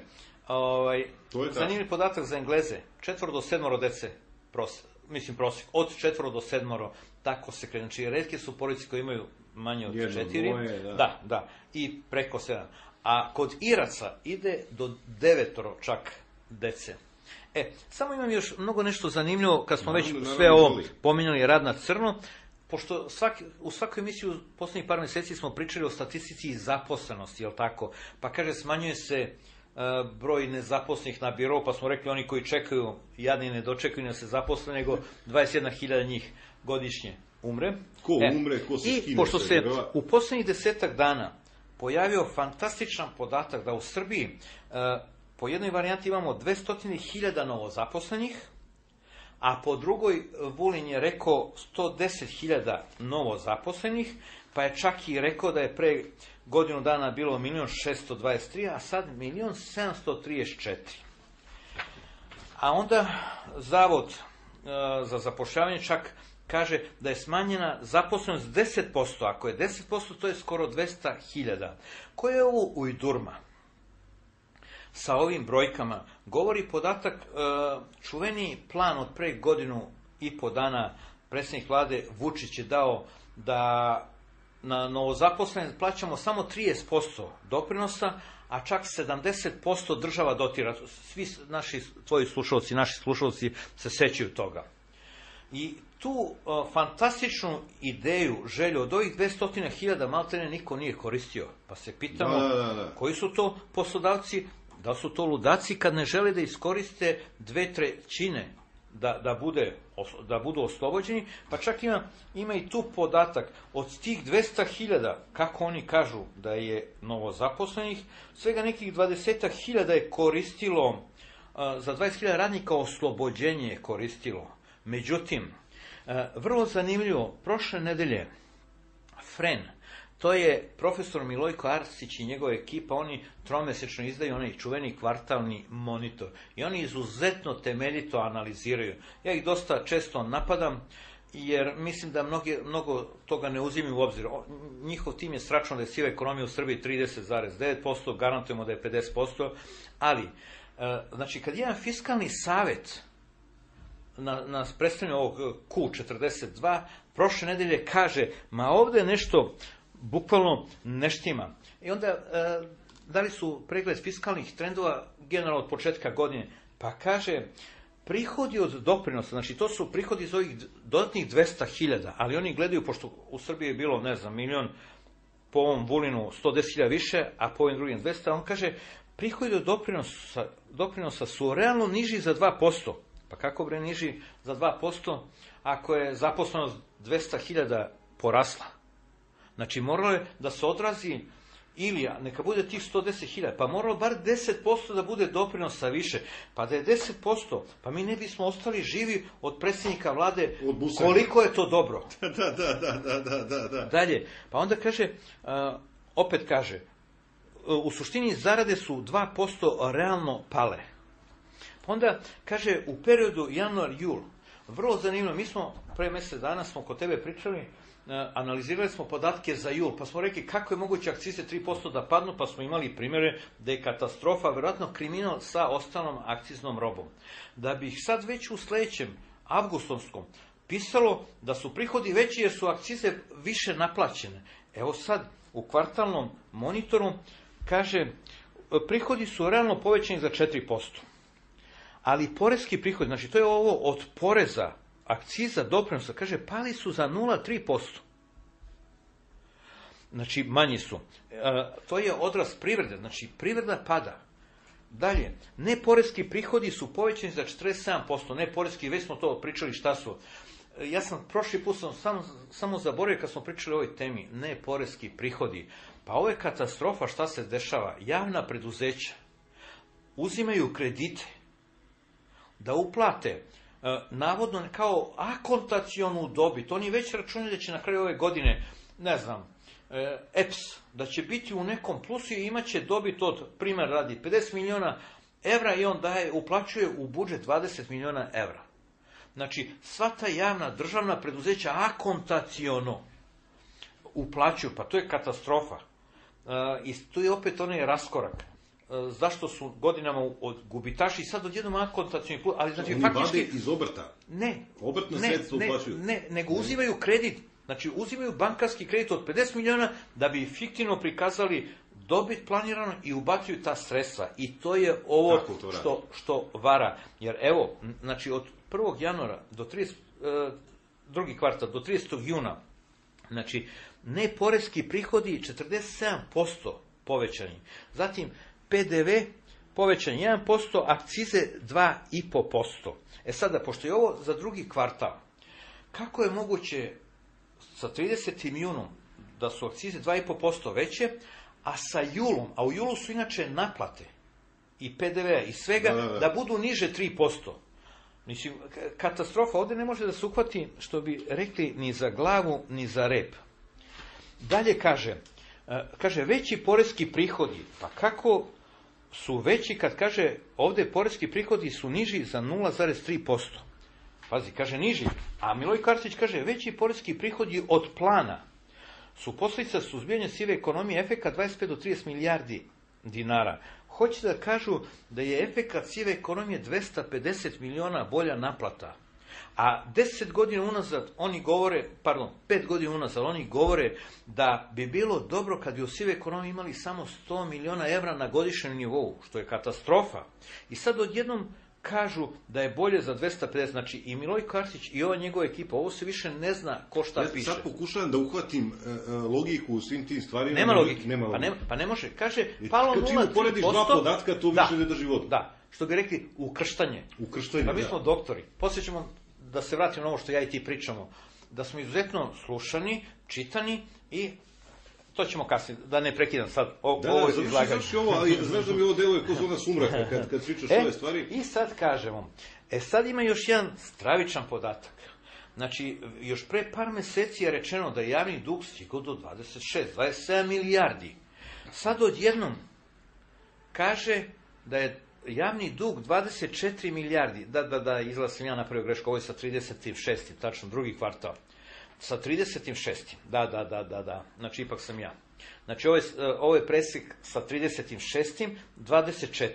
Zanimljiv podatak za Engleze, 4 do 7 dece, prosjek, od 4 do 7, tako se kreće. Znači, retke su porodice koje imaju manje od 4, da, i preko 7. A kod Iraca ide do 9 čak dece. Samo imam još mnogo nešto zanimljivo, kad smo već sve ovo pominjali, rad na crno, pošto u svakoj emisiji u poslednjih par meseci smo pričali o statistici i zaposlenosti, jel tako? Pa kaže, smanjuje se broj nezaposlenih na birou, pa smo rekli oni koji čekaju, jadni ne dočekaju da se zaposle, nego 21.000 njih godišnje umre. Ko umre, ko se skine. I pošto se u poslednjih 10 dana pojavio fantastičan podatak da u Srbiji po jednoj varijanti imamo 200.000 novozaposlenih, a po drugoj Vulin je rekao 110.000 novozaposlenih, pa je čak i rekao da je pre godinu dana bilo 1.623.000, a sad 1.734.000. A onda Zavod za zapošljavanje čak kaže da je smanjena zaposlenost 10%, ako je 10%, to je skoro 200.000. Koje je ovo ujdurma? Sa ovim brojkama govori podatak, čuveni plan od pre godinu i po dana predsjednik vlade Vučić je dao da na novozaposlene plaćamo samo 30% doprinosa, a čak 70% država dotira. Svi tvoji slušalci, naši slušalci se sećaju toga. I tu fantastičnu ideju, želju od ovih 200.000 maltene niko nije koristio. Pa se pitamo koji su to poslodavci, da su to ludaci kad ne žele da iskoriste 2/3 da budu oslobođeni, pa čak ima i tu podatak od tih 200.000, kako oni kažu da je novozaposlenih, svega nekih 20.000 je koristilo, za 20.000 radnika oslobođenje je koristilo. Međutim, vrlo zanimljivo, prošle nedelje FREN, to je profesor Milojko Arsić i njegova ekipa, oni tromesečno izdaju onaj čuveni kvartalni monitor i oni izuzetno temeljito analiziraju. Ja ih dosta često napadam, jer mislim da mnogo toga ne uzimaju u obzir. Njihov tim je sračunao da je siva ekonomija u Srbiji 30,9%, garantujemo da je 50%, ali, znači, kad jedan fiskalni savet na predstavljanju ovog Q42 prošle nedelje kaže, ma ovde nešto bukvalno ne štima. I onda dali su pregled fiskalnih trendova generalno od početka godine, pa kaže, prihodi od doprinosa, znači to su prihodi iz ovih dodatnih 200.000, ali oni gledaju, pošto u Srbiji je bilo, ne znam, milion, po ovom Vulinu 110.000 više, a po ovim drugim 200, on kaže, prihodi od doprinosa su realno niži za 2%. Pa kako bre niži za 2% ako je zaposlenost 200.000 porasla? Znači, moralo je da se odrazi, ili neka bude tih 110.000, pa moralo bar 10% da bude doprinosa više. Pa da je 10%, pa mi ne bismo ostali živi od predsjednika vlade, koliko je to dobro. Da. Dalje, pa onda kaže, opet kaže, u suštini zarade su 2% realno pale. Pa onda kaže, u periodu januar-jul, vrlo zanimljivo, mi smo pre mjesec dana smo kod tebe pričali, analizirali smo podatke za jul, pa smo rekli kako je moguće akcize 3% da padnu, pa smo imali primjere da je katastrofa, vjerojatno kriminal sa ostalom akciznom robom. Da bi ih sad već u sljedećem avgustovskom pisalo da su prihodi veći jer su akcize više naplaćene. Evo sad u kvartalnom monitoru kaže, prihodi su realno povećani za 4%. Ali poreski prihodi, znači to je ovo od poreza, akciza, doprinosa, kaže, pali su za 0,3%. Znači, manji su. To je odraz privrede, znači privreda pada. Dalje, neporeski prihodi su povećani za 47%, neporeski, već smo to pričali šta su. Ja sam prošli put samo zaboravio kad smo pričali o ovoj temi, neporeski prihodi. Pa ovo je katastrofa, šta se dešava. Javna preduzeća uzimaju kredite da uplate navodno kao akontacionu dobit. Oni već računaju da će na kraju ove godine, ne znam, EPS, da će biti u nekom plusu i imat će dobit od, primjer radi, 50 miliona evra i on uplaćuje u budžet 20 miliona evra. Znači, sva ta javna državna preduzeća akontaciono uplaćuju, pa to je katastrofa. I tu je opet onaj raskorak. Zašto su godinama od gubitaši i sad odjednom akontacioni plus, ali znači oni faktički vade iz obrta. Obrtna sredstva uplaćuju. Nego uzimaju kredit. Znači uzimaju bankarski kredit od 50 miliona da bi fiktivno prikazali dobit planirano i ubacuju ta sredstva. I to je ovo što vara. Jer evo, znači od 1. januara do 2. kvartal do 30. juna, znači neporeski prihodi 47% povećani. Zatim PDV povećan 1%, akcize 2,5%. E sada, pošto je ovo za drugi kvartal, kako je moguće sa 30. junom da su akcize 2,5% veće, a sa julom, a u julu su inače naplate i PDV-a i svega, da budu niže 3%. Mislim, katastrofa, ovdje ne može da se uhvati, što bi rekli, ni za glavu, ni za rep. Dalje kaže, veći poreski prihodi, pa kako su veći kad kaže, ovdje poreski prihodi su niži za 0,3%. Pazi, kaže niži, a Milojko Arsić kaže, veći poreski prihodi od plana su posljedica suzbijanja sive ekonomije, efekat 25 do 30 milijardi dinara. Hoće da kažu da je efekat sive ekonomije 250 miliona bolja naplata. A 10 godina unazad oni govore, 5 godina unazad oni govore da bi bilo dobro kad bi u sive ekonomiji imali samo 100 miliona evra na godišnjem nivou, što je katastrofa. I sad odjednom kažu da je bolje za 250, znači i Milojko Arsić i ova njegova ekipa, ovo se više ne zna ko šta piše. Ja sad pokušavam da uhvatim logiku u svim tim stvarima. Nema logike. Pa ne može. Kaže, palo 0,3%. Kad ti uporediš dva podatka, to više ne drži vodu. Da. što bi rekli, ukrštanje. Pa mi smo doktori. Poslije ćemo da se vratimo na ovo što ja i ti pričamo. Da smo izuzetno slušani, čitani i to ćemo kasnije, da ne prekidam sad ovo izlaganje. Završi ovo, ali znaš da mi ovo deluje ko zona sumraka kad pričaš ove stvari. I sad kažemo, sad ima još jedan stravičan podatak. Znači, još pre par meseci je rečeno da je javni dug stigao do 27 milijardi. Sad odjednom kaže da je javni dug 24 milijardi. Da, izgleda sam ja napravio grešku, ovo je sa 36. tačno, drugi kvartal. Sa 36. Da. Znači, ipak sam ja. Znači, ovo je presek sa 36. 24.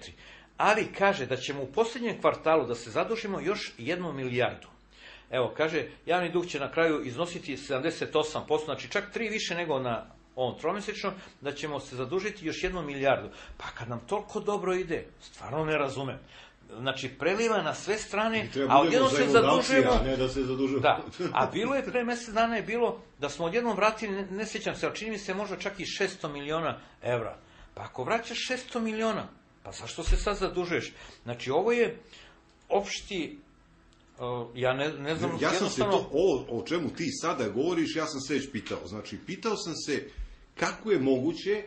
Ali kaže da ćemo u posljednjem kvartalu da se zadužimo još 1 milijardu. Evo, kaže, javni dug će na kraju iznositi 78%, znači čak 3 više nego na ovom tromjesečno, da ćemo se zadužiti još 1 milijardu. Pa kad nam toliko dobro ide, stvarno ne razumem. Znači, preliva na sve strane, a odjednom se zadužujemo. A ne da se zadužujemo. Da, a bilo je pre mjesec dana je bilo da smo odjednom vratili, ne sjećam se, ali čini mi se možda čak i 600 miliona evra. Pa ako vraćaš 600 miliona, pa zašto se sad zadužuješ? Znači, ovo je opšti, ja ne znam, ja sam se to, o čemu ti sada govoriš, ja sam se već pitao. Znači, pitao sam se kako je moguće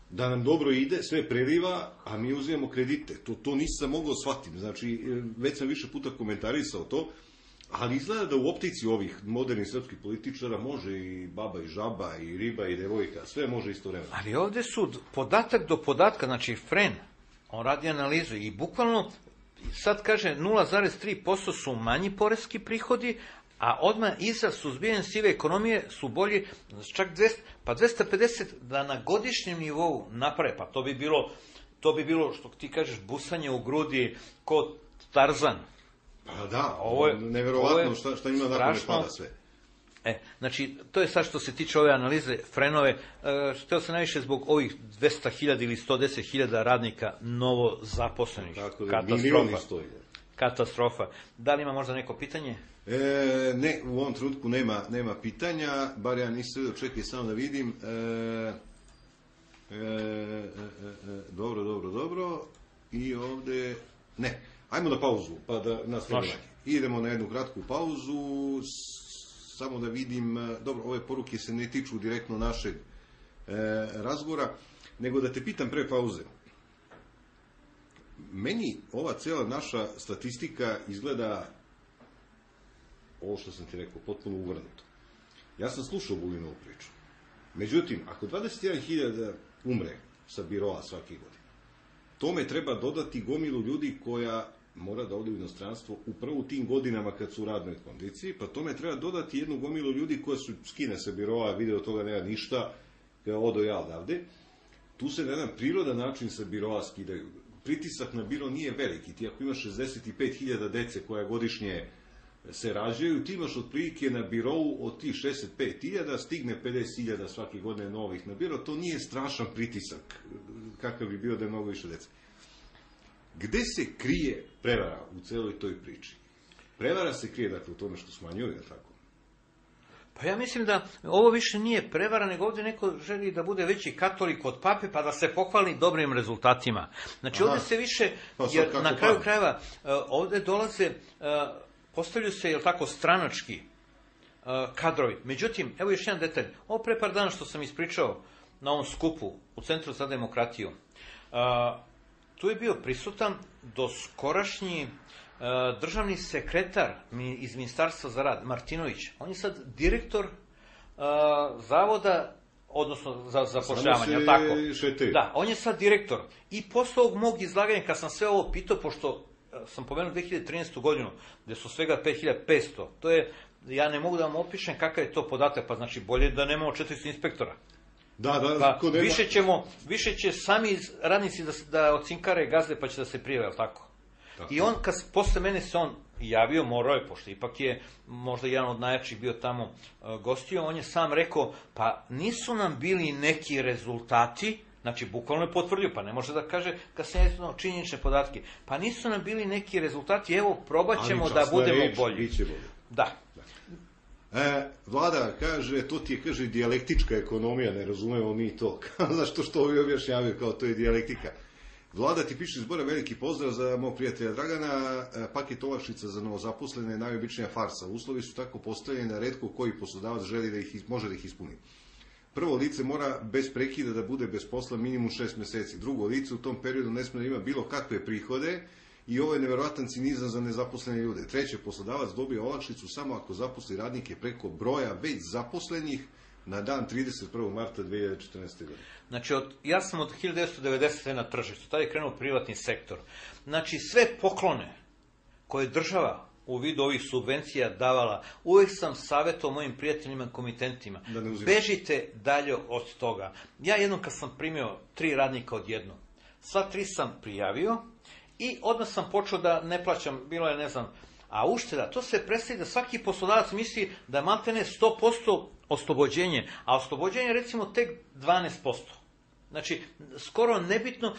da nam dobro ide, sve preliva, a mi uzimamo kredite. To nisam mogao shvatiti. Znači, već sam više puta komentarisao to, ali izgleda da u optici ovih modernih srpskih političara može i baba i žaba, i riba i devojka, sve može istovremeno. Ali ovdje su podatak do podatka, znači Fren, on radi analizu i bukvalno sad kaže 0,3% su manji poreski prihodi, a odmah iza suzbijanja sive ekonomije su bolji čak 250 da na godišnjem nivou naprave. Pa to bi bilo što ti kažeš busanje u grudi kod Tarzan. Pa da, ovo je neverovatno šta ima nakon ne pada sve. Znači, to je sad što se tiče ove analize Frenove, htio se najviše zbog ovih 200.000 ili 110.000 radnika novo zaposlenih. Katastrofa. Da li ima možda neko pitanje? Ne, u ovom trenutku nema pitanja, bar ja nisam vidio, čekaj samo da vidim. Dobro. I ovdje, ne, ajmo na pauzu, pa da nastavimo. Idemo na jednu kratku pauzu, samo da vidim, dobro, ove poruke se ne tiču direktno našeg razgovora, nego da te pitam pre pauze. Meni ova cijela naša statistika izgleda, ovo što sam ti rekao, potpuno uvrnuto. Ja sam slušao Vulinovu priču. Međutim, ako 21.000 umre sa biroa svake godine, tome treba dodati gomilu ljudi koja mora da ode u inostranstvo upravo u tim godinama kad su u radnoj kondiciji, pa tome treba dodati jednu gomilu ljudi koja su skine sa biroa, vide od toga nema ništa, kada odo ja odavde. Tu se na jedan prirodan način sa biroa skidaju. Pritisak na biro nije veliki. Ti ako imaš 65.000 dece koja godišnje se rađaju, ti imaš otprilike na birou od tih 65.000, stigne 50.000 svake godine novih na biro, to nije strašan pritisak kakav bi bio da je mnogo više dece. Gde se krije prevara u celoj toj priči? Prevara se krije, dakle, u tome što smanjuju, je tako? Pa ja mislim da ovo više nije prevara, nego ovdje neko želi da bude veći katolik od pape, pa da se pohvali dobrim rezultatima. Znači, ovdje se više, jer na kraju krajeva, ovdje dolaze, postavljaju se, jel tako, stranački kadrovi. Međutim, evo još jedan detalj. Ovo pre par dana što sam ispričao na ovom skupu u Centru za demokratiju, tu je bio prisutan doskorašnji državni sekretar iz Ministarstva za rad, Martinović. On je sad direktor zavoda, odnosno za zapošljavanje, tako? Da, on je sad direktor. I posle ovog mog izlaganja, kad sam sve ovo pitao, pošto sam pomenuo 2013. godinu, gde su svega 5500, to je, ja ne mogu da vam opišem kakav je to podatak, pa znači bolje da nemamo 400 inspektora. Da, više će sami radnici da ocinkare gazde pa će da se prijave, tako? I on, posle mene se on javio, morao je, pošto ipak je možda jedan od najjačih bio tamo gostio, on je sam rekao, pa nisu nam bili neki rezultati, znači bukvalno je potvrdio, pa ne može da kaže kad se ne činjenične podatke, pa nisu nam bili neki rezultati, evo probat ćemo da budemo bolji. Da. Vlada kaže, to ti je, kaže, dijalektička ekonomija, ne razumemo mi to. Zašto što ovi objašnjavaju kao to je dijalektika? Vlada ti piše zbora veliki pozdrav za mog prijatelja Dragana, paket olakšica za novozaposlene je najobičnija farsa. Uslovi su tako postavljeni da retko koji poslodavac želi da može da ih ispuni. Prvo lice mora bez prekida da bude bez posla minimum 6 meseci. Drugo lice u tom periodu ne smije da ima bilo kakve prihode i ovo je neverovatan cinizam za nezaposlene ljude. Treće, poslodavac dobije olakšicu samo ako zaposli radnike preko broja već zaposlenih na dan 31. marta 2014. godine. Znači, ja sam od 1990. na tržištu, tada je krenuo privatni sektor. Znači, sve poklone koje država u vidu ovih subvencija davala, uvijek sam savjetovao mojim prijateljima, komitentima, bežite dalje od toga. Ja jednom kad sam primio 3 radnika odjednom, sva 3 sam prijavio i odmah sam počeo da ne plaćam, bilo je, ne znam, a ušteda, to se predstavi da svaki poslodavac misli da maltene 100% oslobođenje, a oslobođenje recimo tek 12%. Znači, skoro nebitno.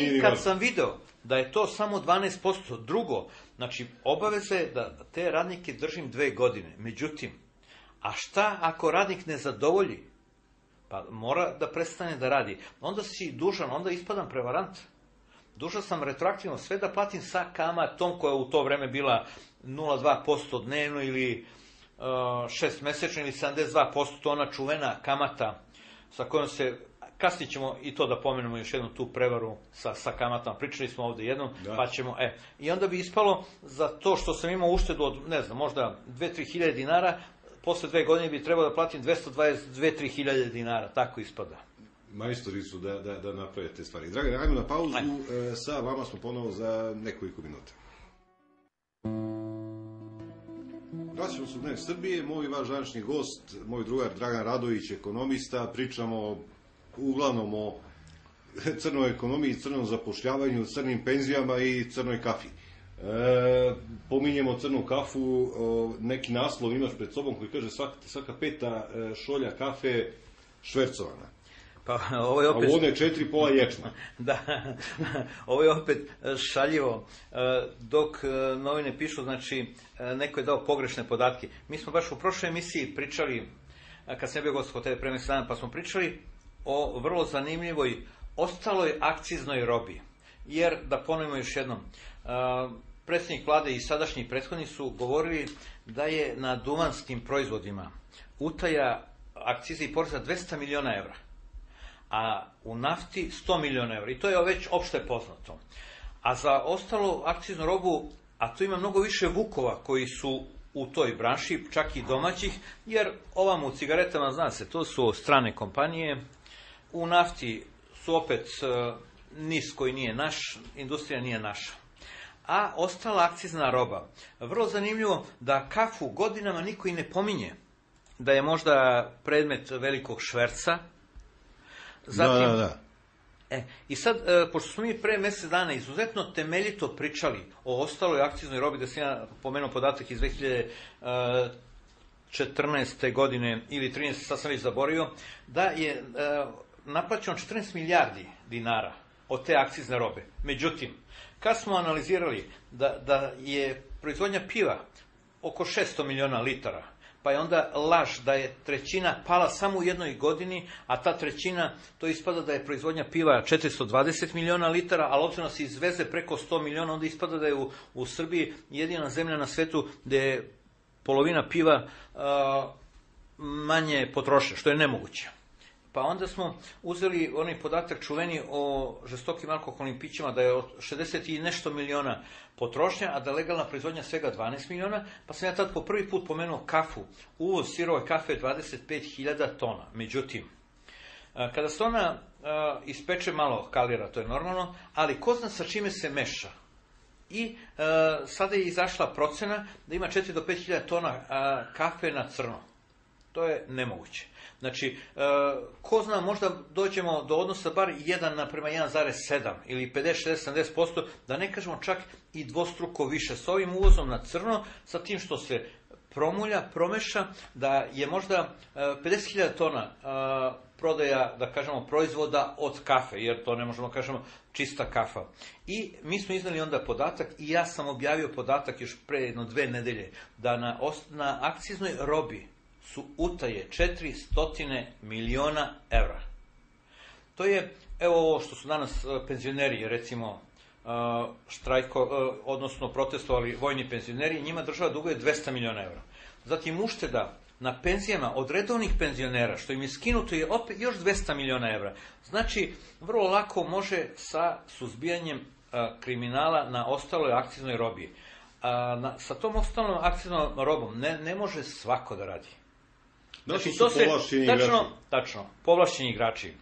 I kad sam video da je to samo 12%, drugo, znači, obaveza je da te radnike držim 2 godine. Međutim, a šta ako radnik ne zadovolji? Pa mora da prestane da radi. Onda si dužan, onda ispadam prevarant. Dužan sam retroaktivno sve da platim sa kamatom koja je u to vreme bila 0,2% dnevno ili 6 mesečno ili 72%, to ona čuvena kamata sa kojom se, kasnije ćemo i to da pomenemo još jednu tu prevaru sa kamatama, pričali smo ovdje jednom, pa ćemo, i onda bi ispalo za to što sam imao uštedu od, ne znam, možda 2-3 hiljade dinara, posle 2 godine bi trebalo da platim 222-3 hiljade dinara, tako ispada. Majstori su da naprave te stvari. Dragane, ajmo na pauzu, sa vama smo ponovo za nekoliko minuta. Vraćamo se u Dnevnik Srbije, moj vaš današnji gost, moj drugar Dragan Radović, ekonomista, pričamo uglavnom o crnoj ekonomiji, crnom zapošljavanju, crnim penzijama i crnoj kafi. Pominjemo crnu kafu, neki naslov imaš pred sobom koji kaže svaka 5. šolja kafe švercovana. Pa, ovo je opet... A ovo je 4 pola ječma. Da, ovo je opet šaljivo. Dok novine pišu, znači, neko je dao pogrešne podatke. Mi smo baš u prošloj emisiji pričali, kad sam bio gost kod tebe pre mesec dana, pa smo pričali o vrlo zanimljivoj ostaloj akciznoj robi. Jer, da ponovimo još jednom, predsjednik vlade i sadašnji prethodni su govorili da je na duvanskim proizvodima utaja akcize i poreza 200 miliona evra. A u nafti 100 miliona evra. I to je već opšte poznato. A za ostalu akciznu robu, a tu ima mnogo više vukova koji su u toj branši, čak i domaćih, jer ovamo u cigaretama, zna se, to su strane kompanije. U nafti su opet NIS koji nije naš, industrija nije naša. A ostala akcizna roba. Vrlo zanimljivo da kafu godinama niko i ne pominje. Da je možda predmet velikog šverca. Zatim, da. I sad, pošto smo mi pre mesec dana izuzetno temeljito pričali o ostaloj akciznoj robi, da sam ja pomenuo podatak iz 2014. godine ili 13. sad sam već zaboravio, da je naplaćeno 14 milijardi dinara od te akcizne robe. Međutim, kad smo analizirali da je proizvodnja piva oko 600 miliona litara, pa je onda laž da je trećina pala samo u jednoj godini, a ta trećina, to ispada da je proizvodnja piva 420 miliona litara, ali obzirom se izveze preko 100 miliona, onda ispada da je u Srbiji jedina zemlja na svetu gde je polovina piva manje potroše, što je nemoguće. Pa onda smo uzeli onaj podatak čuveni o žestokim alkoholnim pićima, da je od 60 i nešto miliona potrošnja, a da je legalna proizvodnja svega 12 miliona, pa sam ja tad po prvi put pomenuo kafu. Uvoz sirove kafe je 25.000 tona. Međutim, kada se ona ispeče malo kalira, to je normalno, ali ko zna sa čime se meša. I sada je izašla procena da ima 4 do 5.000 tona kafe na crno. To je nemoguće. Znači, ko zna, možda dođemo do odnosa bar 1:1,7 ili 50-60-70%, da ne kažemo čak i dvostruko više. S ovim uvozom na crno, sa tim što se promulja, promeša, da je možda 50.000 tona prodaja, da kažemo, proizvoda od kafe, jer to ne možemo kažemo čista kafa. I mi smo iznali onda podatak, i ja sam objavio podatak još pre 1-2 nedelje, da na akciznoj robi su utaje 400 miliona evra. To je, evo ovo što su danas penzioneri, recimo, odnosno protestovali vojni penzioneri, njima država duguje 200 miliona evra. Zatim ušteda na penzijama od redovnih penzionera, što im je skinuto, je opet još 200 miliona evra. Znači, vrlo lako može sa suzbijanjem kriminala na ostaloj akciznoj robi. Sa tom ostalom akciznom robom ne može svako da radi. Znači, to su povlašćeni igrači. Tačno, povlašćeni igrači.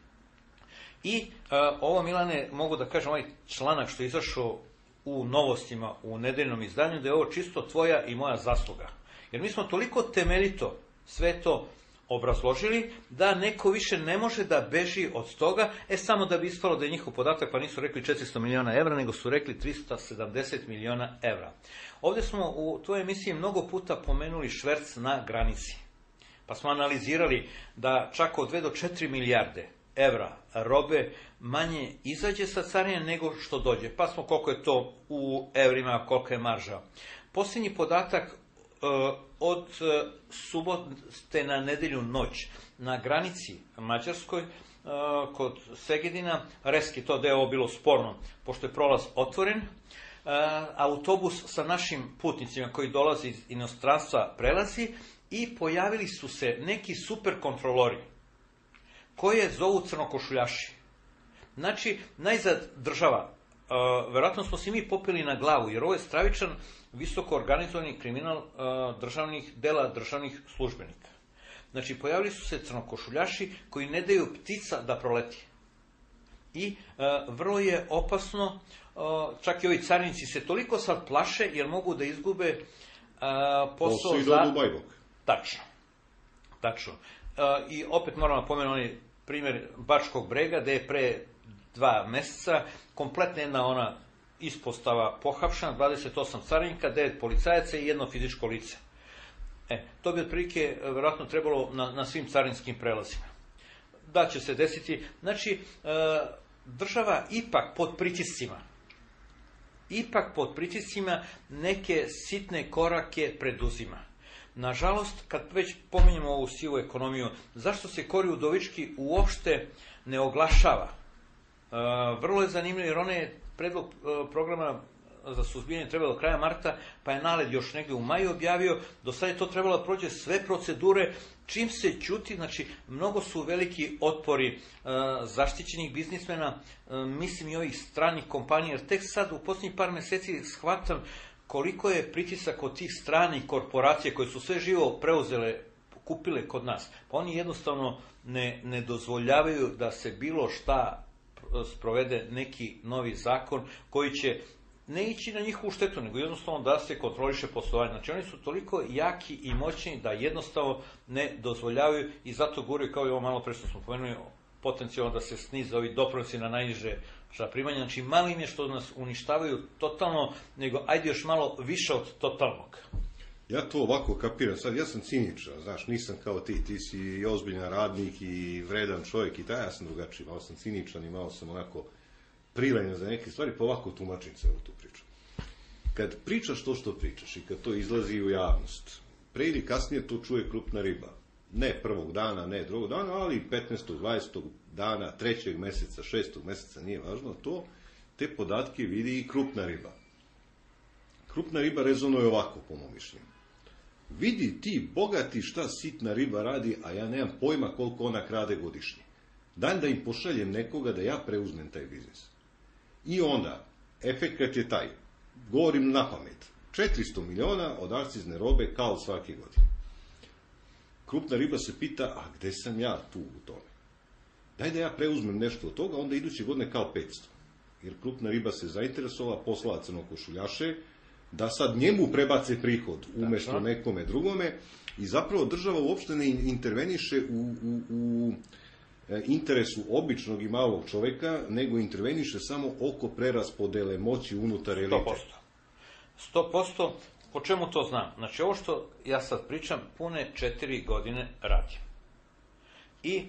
I ovo, Milane, mogu da kažem, ovaj članak što je izašao u Novostima, u nedeljnom izdanju, da je ovo čisto tvoja i moja zasluga. Jer mi smo toliko temeljito sve to obrazložili, da neko više ne može da beži od toga, samo da bi ispalo da je njihov podatak, pa nisu rekli 400 miliona evra, nego su rekli 370 miliona evra. Ovdje smo u tvojoj emisiji mnogo puta pomenuli šverc na granici. Pa smo analizirali da čak od 2 do 4 milijarde evra robe manje izađe sa carine nego što dođe. Pa smo koliko je to u evrima, koliko je marža. Posljednji podatak od subote na nedelju noć na granici mađarskoj kod Segedina, reski to da je ovo bilo sporno, pošto je prolaz otvoren, autobus sa našim putnicima koji dolazi iz inostranstva prelazi i pojavili su se neki super kontrolori koje zovu crnokošuljaši. Znači, najzad država, verovatno smo se mi popili na glavu, jer ovo je stravičan, visoko organizovani kriminal državnih službenika. Znači, pojavili su se crnokošuljaši koji ne daju ptica da proleti. I vrlo je opasno, čak i ovi carinici se toliko sad plaše, jer mogu da izgube posao za... Tačno. I opet moramo pomenuti primjer Bačkog Brega, gde je pre 2 meseca kompletna jedna ona ispostava pohapšena, 28 carinika, 9 policajaca i 1 fizičko lice. To bi otprilike verovatno trebalo na svim carinskim prelazima. Da će se desiti, znači, država ipak pod pritiscima neke sitne korake preduzima. Nažalost, kad već pominjemo ovu sivu ekonomiju, zašto se Kori Udovički uopšte ne oglašava? Vrlo je zanimljivo, jer on je predlog programa za suzbijanje trebalo do kraja marta, pa je NALED još negdje u maju objavio, do sada je to trebalo da prođe sve procedure, čim se ćuti, znači mnogo su veliki otpori zaštićenih biznismena, mislim i ovih stranih kompanija, jer tek sad u posljednjih par meseci shvatam koliko je pritisak od tih stranih korporacija koje su sve živo preuzele, kupile kod nas. Pa oni jednostavno ne dozvoljavaju da se bilo šta sprovede neki novi zakon koji će ne ići na njihovu štetu, nego jednostavno da se kontroliše poslovanje. Znači oni su toliko jaki i moćni da jednostavno ne dozvoljavaju i zato guraju, kao i ovo malo pre što smo pomenuli, potencijalno da se snize ovi doprinosi na najniže primanja. Znači malo im je što nas uništavaju totalno, nego ajde još malo više od totalnog. Ja to ovako kapiram, sad ja sam ciničan, znaš, nisam kao ti si i ozbiljan radnik i vredan čovjek i ja sam drugačiji, malo sam ciničan i malo sam onako prilenjen za neke stvari, pa ovako tumačim se u tu priču. Kad pričaš to što pričaš i kad to izlazi u javnost, pre ili kasnije to čuje krupna riba. Ne prvog dana, ne drugog dana, ali 15. 20. dana, 3. meseca, 6. meseca, nije važno to, te podatke vidi i krupna riba. Krupna riba rezonuje ovako, po mom mišljenju. Vidi ti, bogati, šta sitna riba radi, a ja nemam pojma koliko ona krade godišnje. Dan da im pošaljem nekoga da ja preuzmem taj biznis. I onda, efekat je taj, govorim na pamet, 400 miliona od akcizne robe kao svake godine. Krupna riba se pita, a gde sam ja tu u tome? Daj da ja preuzmem nešto od toga, onda iduće godine kao 500. Jer krupna riba se zainteresovala, poslala crnokošuljaše, da sad njemu prebace prihod umjesto nekome drugome i zapravo država uopšte ne interveniše u interesu običnog i malog čovjeka, nego interveniše samo oko preraspodele moći unutar elite. 100%. Po čemu to znam? Znači, ovo što ja sad pričam, pune 4 godine radim. I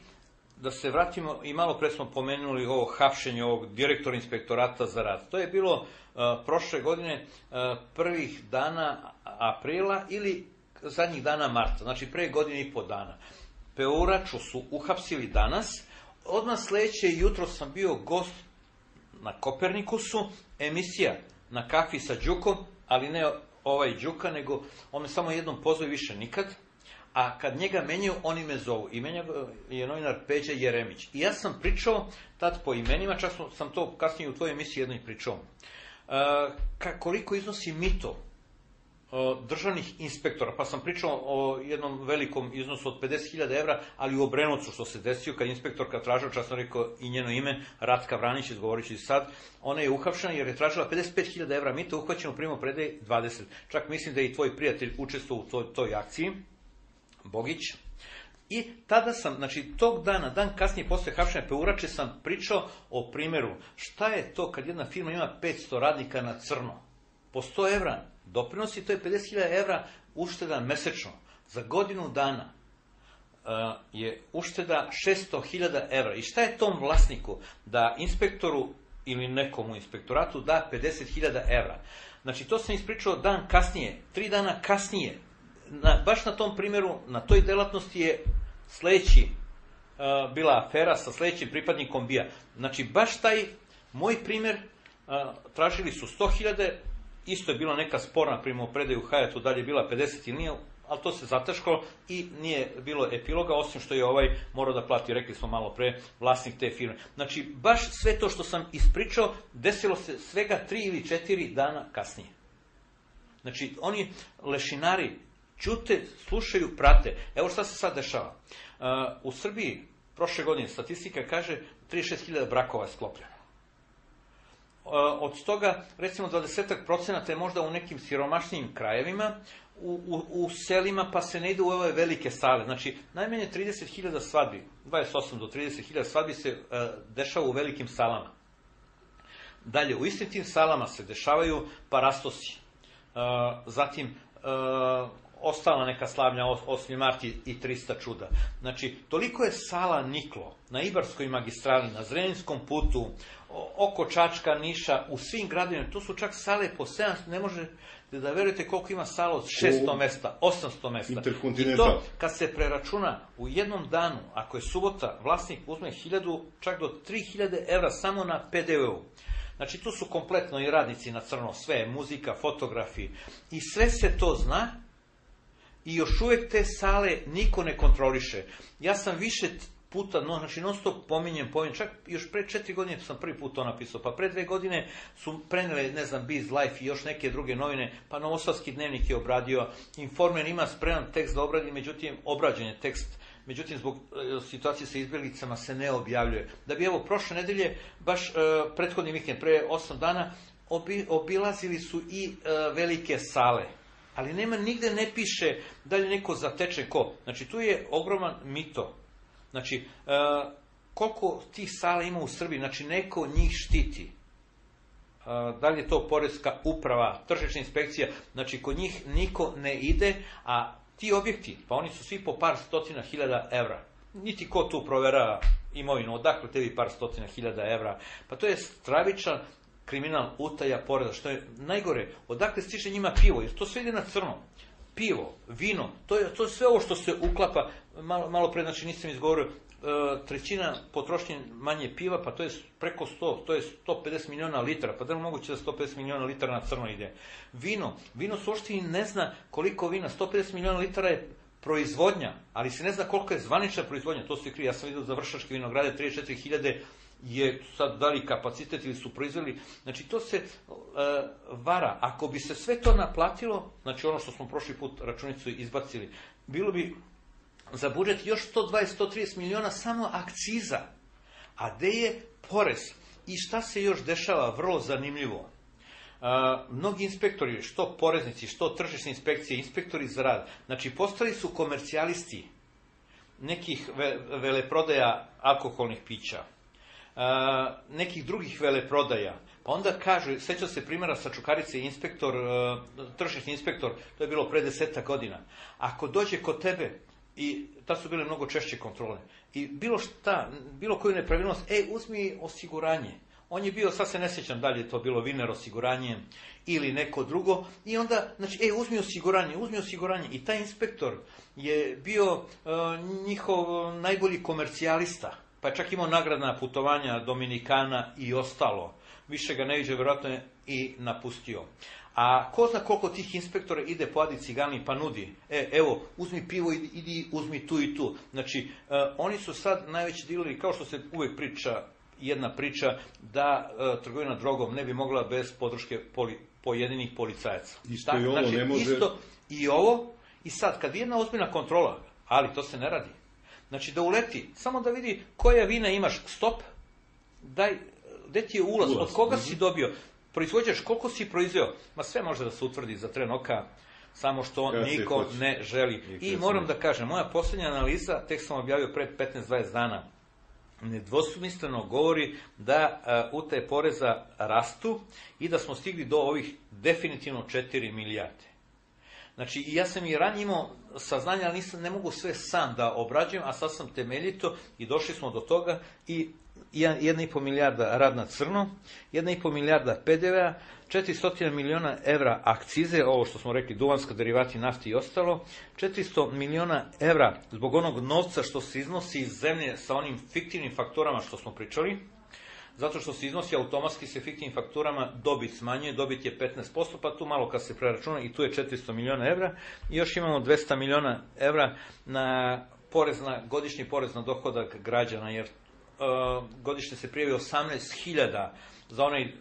da se vratimo, i malo pre smo pomenuli ovo hapšenje ovog direktora inspektorata za rad. To je bilo prošle godine prvih dana aprila ili zadnjih dana marta, znači pre godine i po dana. Peuraču su uhapsili danas, odmah sledeće jutro sam bio gost na Kopernikusu, emisija na kafi sa Đukom, ali ne ovaj Đuka, nego on me samo jednom pozove, više nikad, a kad njega menjaju, oni me zovu. I menja je novinar Peđa Jeremić. I ja sam pričao tad po imenima, čak sam to kasnije u tvojoj emisiji jednoj pričao. Koliko iznosi mito državnih inspektora, pa sam pričao o jednom velikom iznosu od 50.000 evra, ali u Obrenovcu što se desio, kad inspektorka tražila, čak sam rekao i njeno ime, Ratka Vranić, izgovorit ću i sad, ona je uhapšena jer je tražila 55.000 evra mita, uhvaćeno primo predaje 20. Čak mislim da je i tvoj prijatelj učestvovao u toj akciji, Bogić. I tada sam, znači tog dana, dan kasnije posle hapšenja Peurače, sam pričao o primjeru šta je to kad jedna firma ima 500 radnika na crno. Po 100 evra doprinosi, to je 50.000 evra ušteda mesečno. Za godinu dana je ušteda 600.000 evra. I šta je tom vlasniku da inspektoru ili nekom u inspektoratu da 50.000 evra? Znači to sam ispričao dan kasnije, 3 dana kasnije. Baš na tom primjeru, na toj delatnosti je sledeći bila afera sa sledećim pripadnikom BIA. Znači baš taj moj primjer, tražili su 100.000, isto je bila neka sporna primopredaju u Hajatu, dalje je bila 50 ili nije, ali to se zataškalo i nije bilo epiloga, osim što je ovaj morao da plati, rekli smo malo pre, vlasnik te firme. Znači, baš sve to što sam ispričao, desilo se svega 3 ili 4 dana kasnije. Znači, oni lešinari ćute, slušaju, prate. Evo šta se sad dešava. U Srbiji, prošle godine, statistika kaže 36.000 brakova je sklopljeno. Od toga, recimo, 20% je možda u nekim siromašnijim krajevima, u selima, pa se ne ide u ove velike sale. Znači, najmanje 30.000 svadbi, 28 do 30.000 svadbi se dešava u velikim salama. Dalje, u istim tim salama se dešavaju parastosi. Zatim, ostala neka slavnja, 8. mart i 300 čuda. Znači, toliko je sala niklo na Ibarskoj magistrali, na Zrenjskom putu, oko Čačka, Niša, u svim gradovima. To su čak sale po 700, ne možete da verujete koliko ima sala od 600 mesta, 800 mesta. I to, kad se preračuna u jednom danu, ako je subota, vlasnik uzme 1.000, čak do 3.000 evra samo na PDV-u. Znači, tu su kompletno i radnici na crno, sve, muzika, fotografi, i sve se to zna, i još uvek te sale niko ne kontroliše. Ja sam više puta, znači non stop pominjem, čak još pre 4 godine sam prvi put to napisao, pa pre 2 godine su prenele, ne znam, Biz Life i još neke druge novine, pa Novosadski dnevnik je obradio, Informer ima spreman tekst da obradi, međutim, obrađen je tekst, međutim, zbog situacije sa izbjeglicama se ne objavljuje. Da bi, evo, prošle nedelje, baš prethodni vikend, pre 8 dana, obilazili su i velike sale. Ali nema, nigde ne piše da li neko zateče ko. Znači, tu je ogroman mito. Znači, koliko tih sala ima u Srbiji, znači, neko njih štiti. Da li je to poreska uprava, tržišna inspekcija, znači, kod njih niko ne ide, a ti objekti, pa oni su svi po par stotina hiljada evra. Niti ko tu provera imovinu, odakle tebi par stotina hiljada evra. Pa to je stravičan kriminal, utaja poreza, što je najgore, odakle stiže njima pivo, jer to sve ide na crno. Pivo, vino, to je sve ovo što se uklapa, malo pre, znači nisam izgovorio, trećina potrošnje manje piva, pa to je preko 100, to je 150 miliona litara, pa da li moguće da 150 miliona litara na crno ide? Vino se uopšte i ne zna koliko vina, 150 miliona litara je proizvodnja, ali se ne zna koliko je zvanična proizvodnja, to se krije, ja sam vidio za Vršačke vinograde, 34.000 je sad dali kapacitet ili su proizveli, znači to se vara. Ako bi se sve to naplatilo, znači ono što smo prošli put računicu izbacili, bilo bi za budžet još 120-130 miliona samo akciza. A gde je porez? I šta se još dešava? Vrlo zanimljivo. Mnogi inspektori, što poreznici, što tržišne inspekcije, inspektori za rad, znači postali su komercijalisti nekih veleprodaja alkoholnih pića, nekih drugih veleprodaja. Pa onda kažu, seća se primjera sa Čukarice, inspektor, tržišni inspektor, to je bilo pre 10 godina. Ako dođe kod tebe, i ta su bile mnogo češće kontrole, i bilo koju nepravilnost, uzmi osiguranje. On je bio, sad se ne sjećam da li je to bilo Viner osiguranje ili neko drugo, i onda, znači, uzmi osiguranje. I taj inspektor je bio njihov najbolji komercijalista. pa je čak imao nagradna putovanja Dominikana i ostalo. Više ga ne viđe, vjerojatno je i napustio. A ko zna koliko tih inspektora ide po Adi Cigani pa nudi, evo, uzmi pivo, idi uzmi tu i tu. Znači, oni su sad najveći dileri, kao što se uvijek priča, jedna priča, da trgovina drogom ne bi mogla bez podrške pojedinih policajaca. Isto i ovo ne može... Isto i ovo, i sad, kad jedna ozbiljna kontrola, ali to se ne radi. Znači, da uleti, samo da vidi koja vina imaš, stop, daj, gde ti je ulaz, od koga si dobio, proizvođač, koliko si proizveo, ma sve može da se utvrdi za tren oka, samo što niko ne želi. I moram da kažem, moja posljednja analiza, tek sam objavio pred 15-20 dana, nedvosmisleno govori da utaje poreza rastu i da smo stigli do ovih definitivno 4 milijarde. Znači, i ja sam i ranije imao saznanja, ali ne mogu sve sam da obrađujem, a sad sam temeljito i došli smo do toga i 1,5 milijarda rad na crno, 1,5 milijarda PDV-a, 400 miliona evra akcize, ovo što smo rekli, duvanska, derivati, nafti i ostalo, 400 miliona evra zbog onog novca što se iznosi iz zemlje sa onim fiktivnim faktorama što smo pričali, zato što se iznosi automatski se fiktivnim fakturama, dobit smanjuje, dobit je 15%, pa tu malo kad se preračuna i tu je 400 miliona evra i još imamo 200 miliona evra na godišnji porez na dohodak građana, jer godišnje se prijavi 18.000 za onaj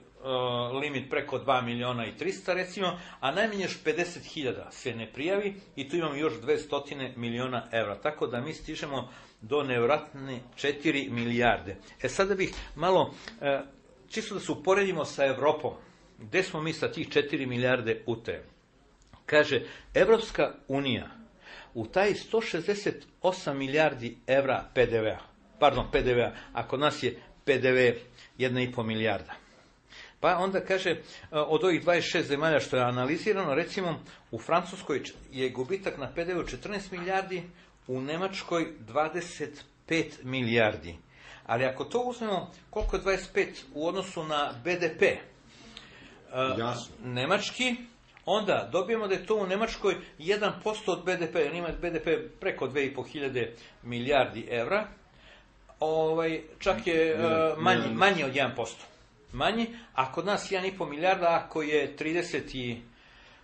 limit preko 2 miliona i 300 recimo, a najmanje još 50.000 se ne prijavi i tu imamo još 200 miliona evra. Tako da mi stižemo do nevratne 4 milijarde. Sada bih malo, čisto da se uporedimo sa Evropom, gde smo mi sa tih 4 milijarde utaje. Kaže, Evropska unija u taj 168 milijardi evra PDV-a, a kod nas je PDV 1,5 milijarda. Pa onda kaže, od ovih 26 zemalja što je analizirano, recimo u Francuskoj je gubitak na PDV-u 14 milijardi, u Nemačkoj 25 milijardi. Ali ako to uzmemo, koliko je 25 u odnosu na BDP nemački, onda dobijemo da je to u Nemačkoj 1% od BDP, jer ima BDP preko 2.500 milijardi evra, čak je manji od 1%. Manji, a kod nas 1,5 milijarda, ako je 30 i...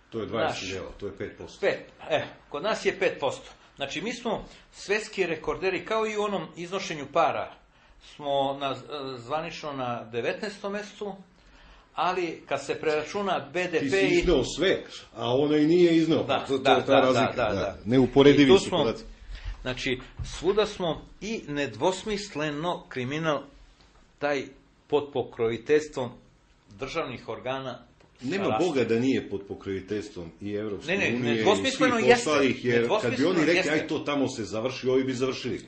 To je 20 to je 5%. Kod nas je 5%. Znači, mi smo svetski rekorderi, kao i u onom iznošenju para. Smo zvanično na 19. mestu, ali kad se preračuna BDP... Ti si izneo sve, a ono i nije izneo. To je ta razlika. Neuporedivi su podaci. Znači, svuda smo i nedvosmisleno kriminal, taj pod pokroviteljstvom državnih organa. Nema Boga da nije pod pokroviteljstvom i Evropske unije i svih ostalih, jer kad bi oni rekli, aj to tamo se završi, ovi bi završili.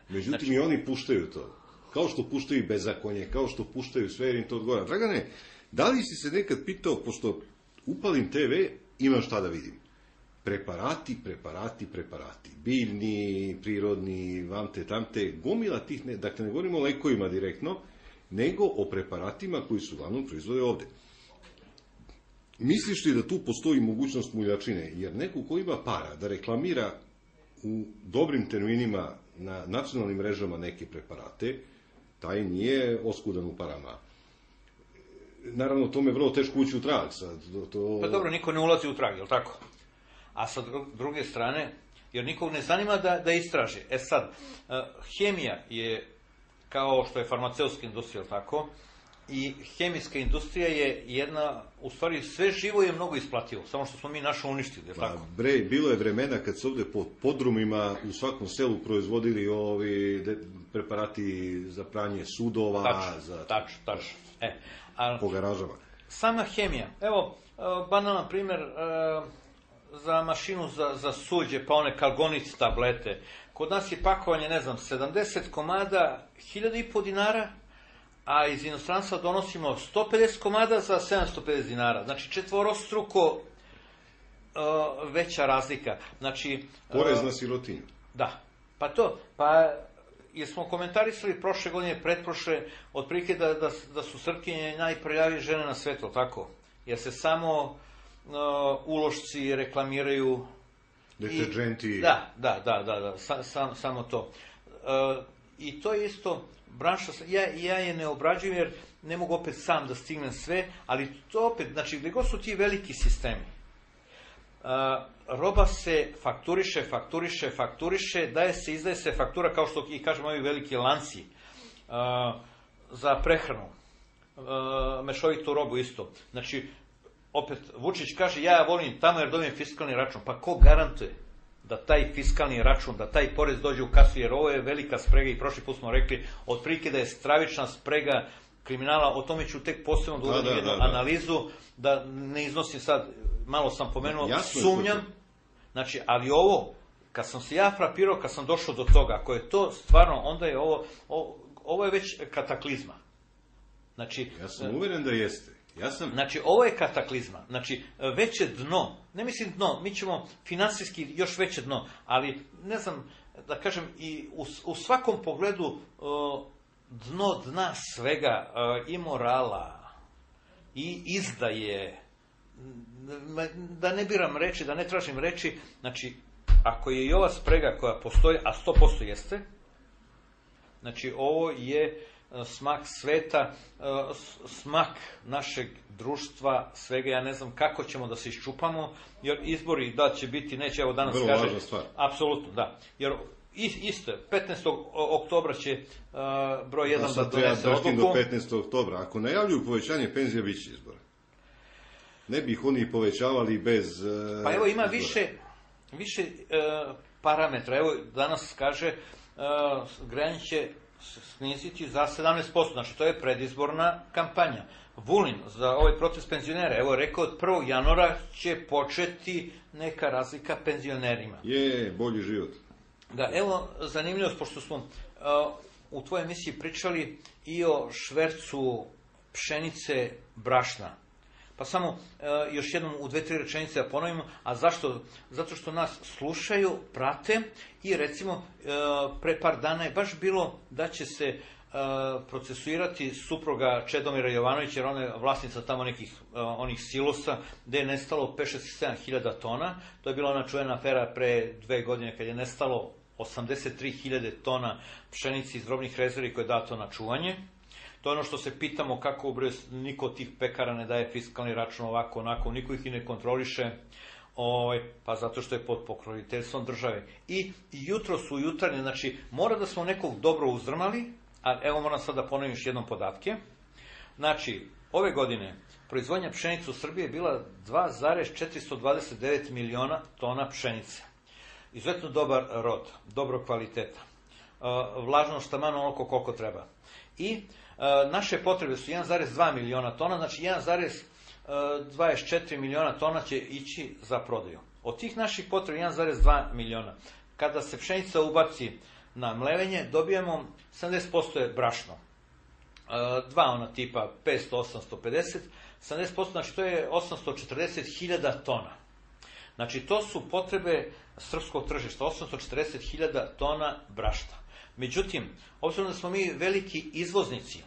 Međutim, i oni puštaju to. Kao što puštaju bezakonje, kao što puštaju sve, jer im to odgovara. Dragane, da li si se nekad pitao, pošto upalim TV, imam šta da vidim? Preparati. Biljni, prirodni, vamte, tamte, gomila tih, dakle ne govorimo o lekovima direktno, nego o preparatima koji su uglavnom proizvode ovde. Misliš li da tu postoji mogućnost muljačine? Jer neko ko ima para da reklamira u dobrim terminima na nacionalnim mrežama neke preparate, taj nije oskudan u parama. Naravno, tome je vrlo teško ući u trag. Pa dobro, niko ne ulazi u trag, je li tako? A sa druge strane, jer nikog ne zanima da istraži. Sad, hemija je, kao što je farmaceutska industrija, tako, i hemijska industrija je jedna, u stvari sve živo je mnogo isplativo, samo što smo mi naše uništili, je tako? Bilo je vremena kad se ovde po podrumima u svakom selu proizvodili ovi preparati za pranje sudova. Tačno. Po garažama. Sama hemija, evo, banalan primer za mašinu za suđe, pa one kalgonic tablete. Kod nas je pakovanje, 70 komada, 1.500 dinara, a iz inostranstva donosimo 150 komada za 750 dinara. Znači, četvorostruko veća razlika. Znači, porez na sirotinju. Da. Jer smo komentarisali prošle godine, pretprošle, otprilike da su Srpkinje najprljavije žene na svetu, tako? Jer se samo ulošci reklamiraju. Deterđenti. Da, samo to. i to je isto branša, ja je ne obrađujem jer ne mogu opet sam da stignem sve, ali to opet, znači gdje god su ti veliki sistemi, roba se fakturiše, izdaje se faktura, kao što i kažemo ovi veliki lanci, za prehranu, mešovitu robu isto. Znači, opet, Vučić kaže, ja volim tamo jer dobijem fiskalni račun. Pa ko garantuje da taj fiskalni račun, da taj porez dođe u kasu, jer ovo je velika sprega i prošli put smo rekli, otprilike da je stravična sprega kriminala, o tome ću tek posebno da uradim jednu analizu, da ne iznosim sad, malo sam pomenuo, sumnjam, znači, ali ovo, kad sam se ja frapirao, kad sam došao do toga, ako je to stvarno, onda je ovo je već kataklizma. Znači, ja sam uvjeren da jeste. Znači, ovo je kataklizma. Znači, veće dno, ne mislim dno, mi ćemo finansijski još veće dno, ali, ne znam, da kažem, i u svakom pogledu dno dna svega, i morala, i izdaje, da ne biram reči, da ne tražim reči, znači, ako je i ova sprega koja postoji, a 100% jeste, znači, ovo je smak sveta, smak našeg društva, svega, ja ne znam kako ćemo da se iščupamo, jer izbori da će biti, neće, evo danas vrlo kaže, važna stvar. Apsolutno, da, jer isto, 15. oktobra će broj 1 da donese odluku. Do 15. oktobra, ako najavljuju povećanje penzija, bit će izbora. Ne bi ih oni povećavali bez pa evo ima izbora. više parametra, evo danas kaže grejanje će sniziti za 17%, znači to je predizborna kampanja. Vulin za ovaj protest penzionera, evo rekao od 1. januara će početi neka razlika penzionerima. Je, bolji život. Da, evo zanimljivost, pošto smo u tvojoj emisiji pričali i o švercu pšenice, brašna. Pa samo još jednom u 2-3 rečenice da ponovimo, a zašto? Zato što nas slušaju, prate i recimo pre par dana je baš bilo da će se procesuirati supruga Čedomira Jovanovića, jer ona je vlasnica tamo nekih onih silosa gde je nestalo 5-7 tona. To je bila ona čuvena afera pre 2 godine kad je nestalo 83.000 tona pšenici iz robnih rezervi koje je dato na čuvanje. To je ono što se pitamo kako niko od tih pekara ne daje fiskalni račun ovako, onako, niko ih i ne kontroliše, pa zato što je pod pokroviteljstvom države. I jutro su jutarnje, znači mora da smo nekog dobro uzdrmali, a evo moram sad da ponovim još jednom podatke. Znači, ove godine proizvodnja pšenice u Srbiji je bila 2,429 miliona tona pšenice. Izuzetno dobar rod, dobro kvaliteta. Vlažnost taman onoliko koliko treba. I naše potrebe su 1,2 miliona tona, znači 1,24 miliona tona će ići za prodaju. Od tih naših potreba 1,2 miliona. Kada se pšenica ubaci na mlevenje, dobijemo 70% je brašno. Dva ona tipa 500, 850, 70%, znači to je 840.000 tona. Znači to su potrebe srpskog tržišta, 840.000 tona brašna. Međutim, obzirom da smo mi veliki izvoznici,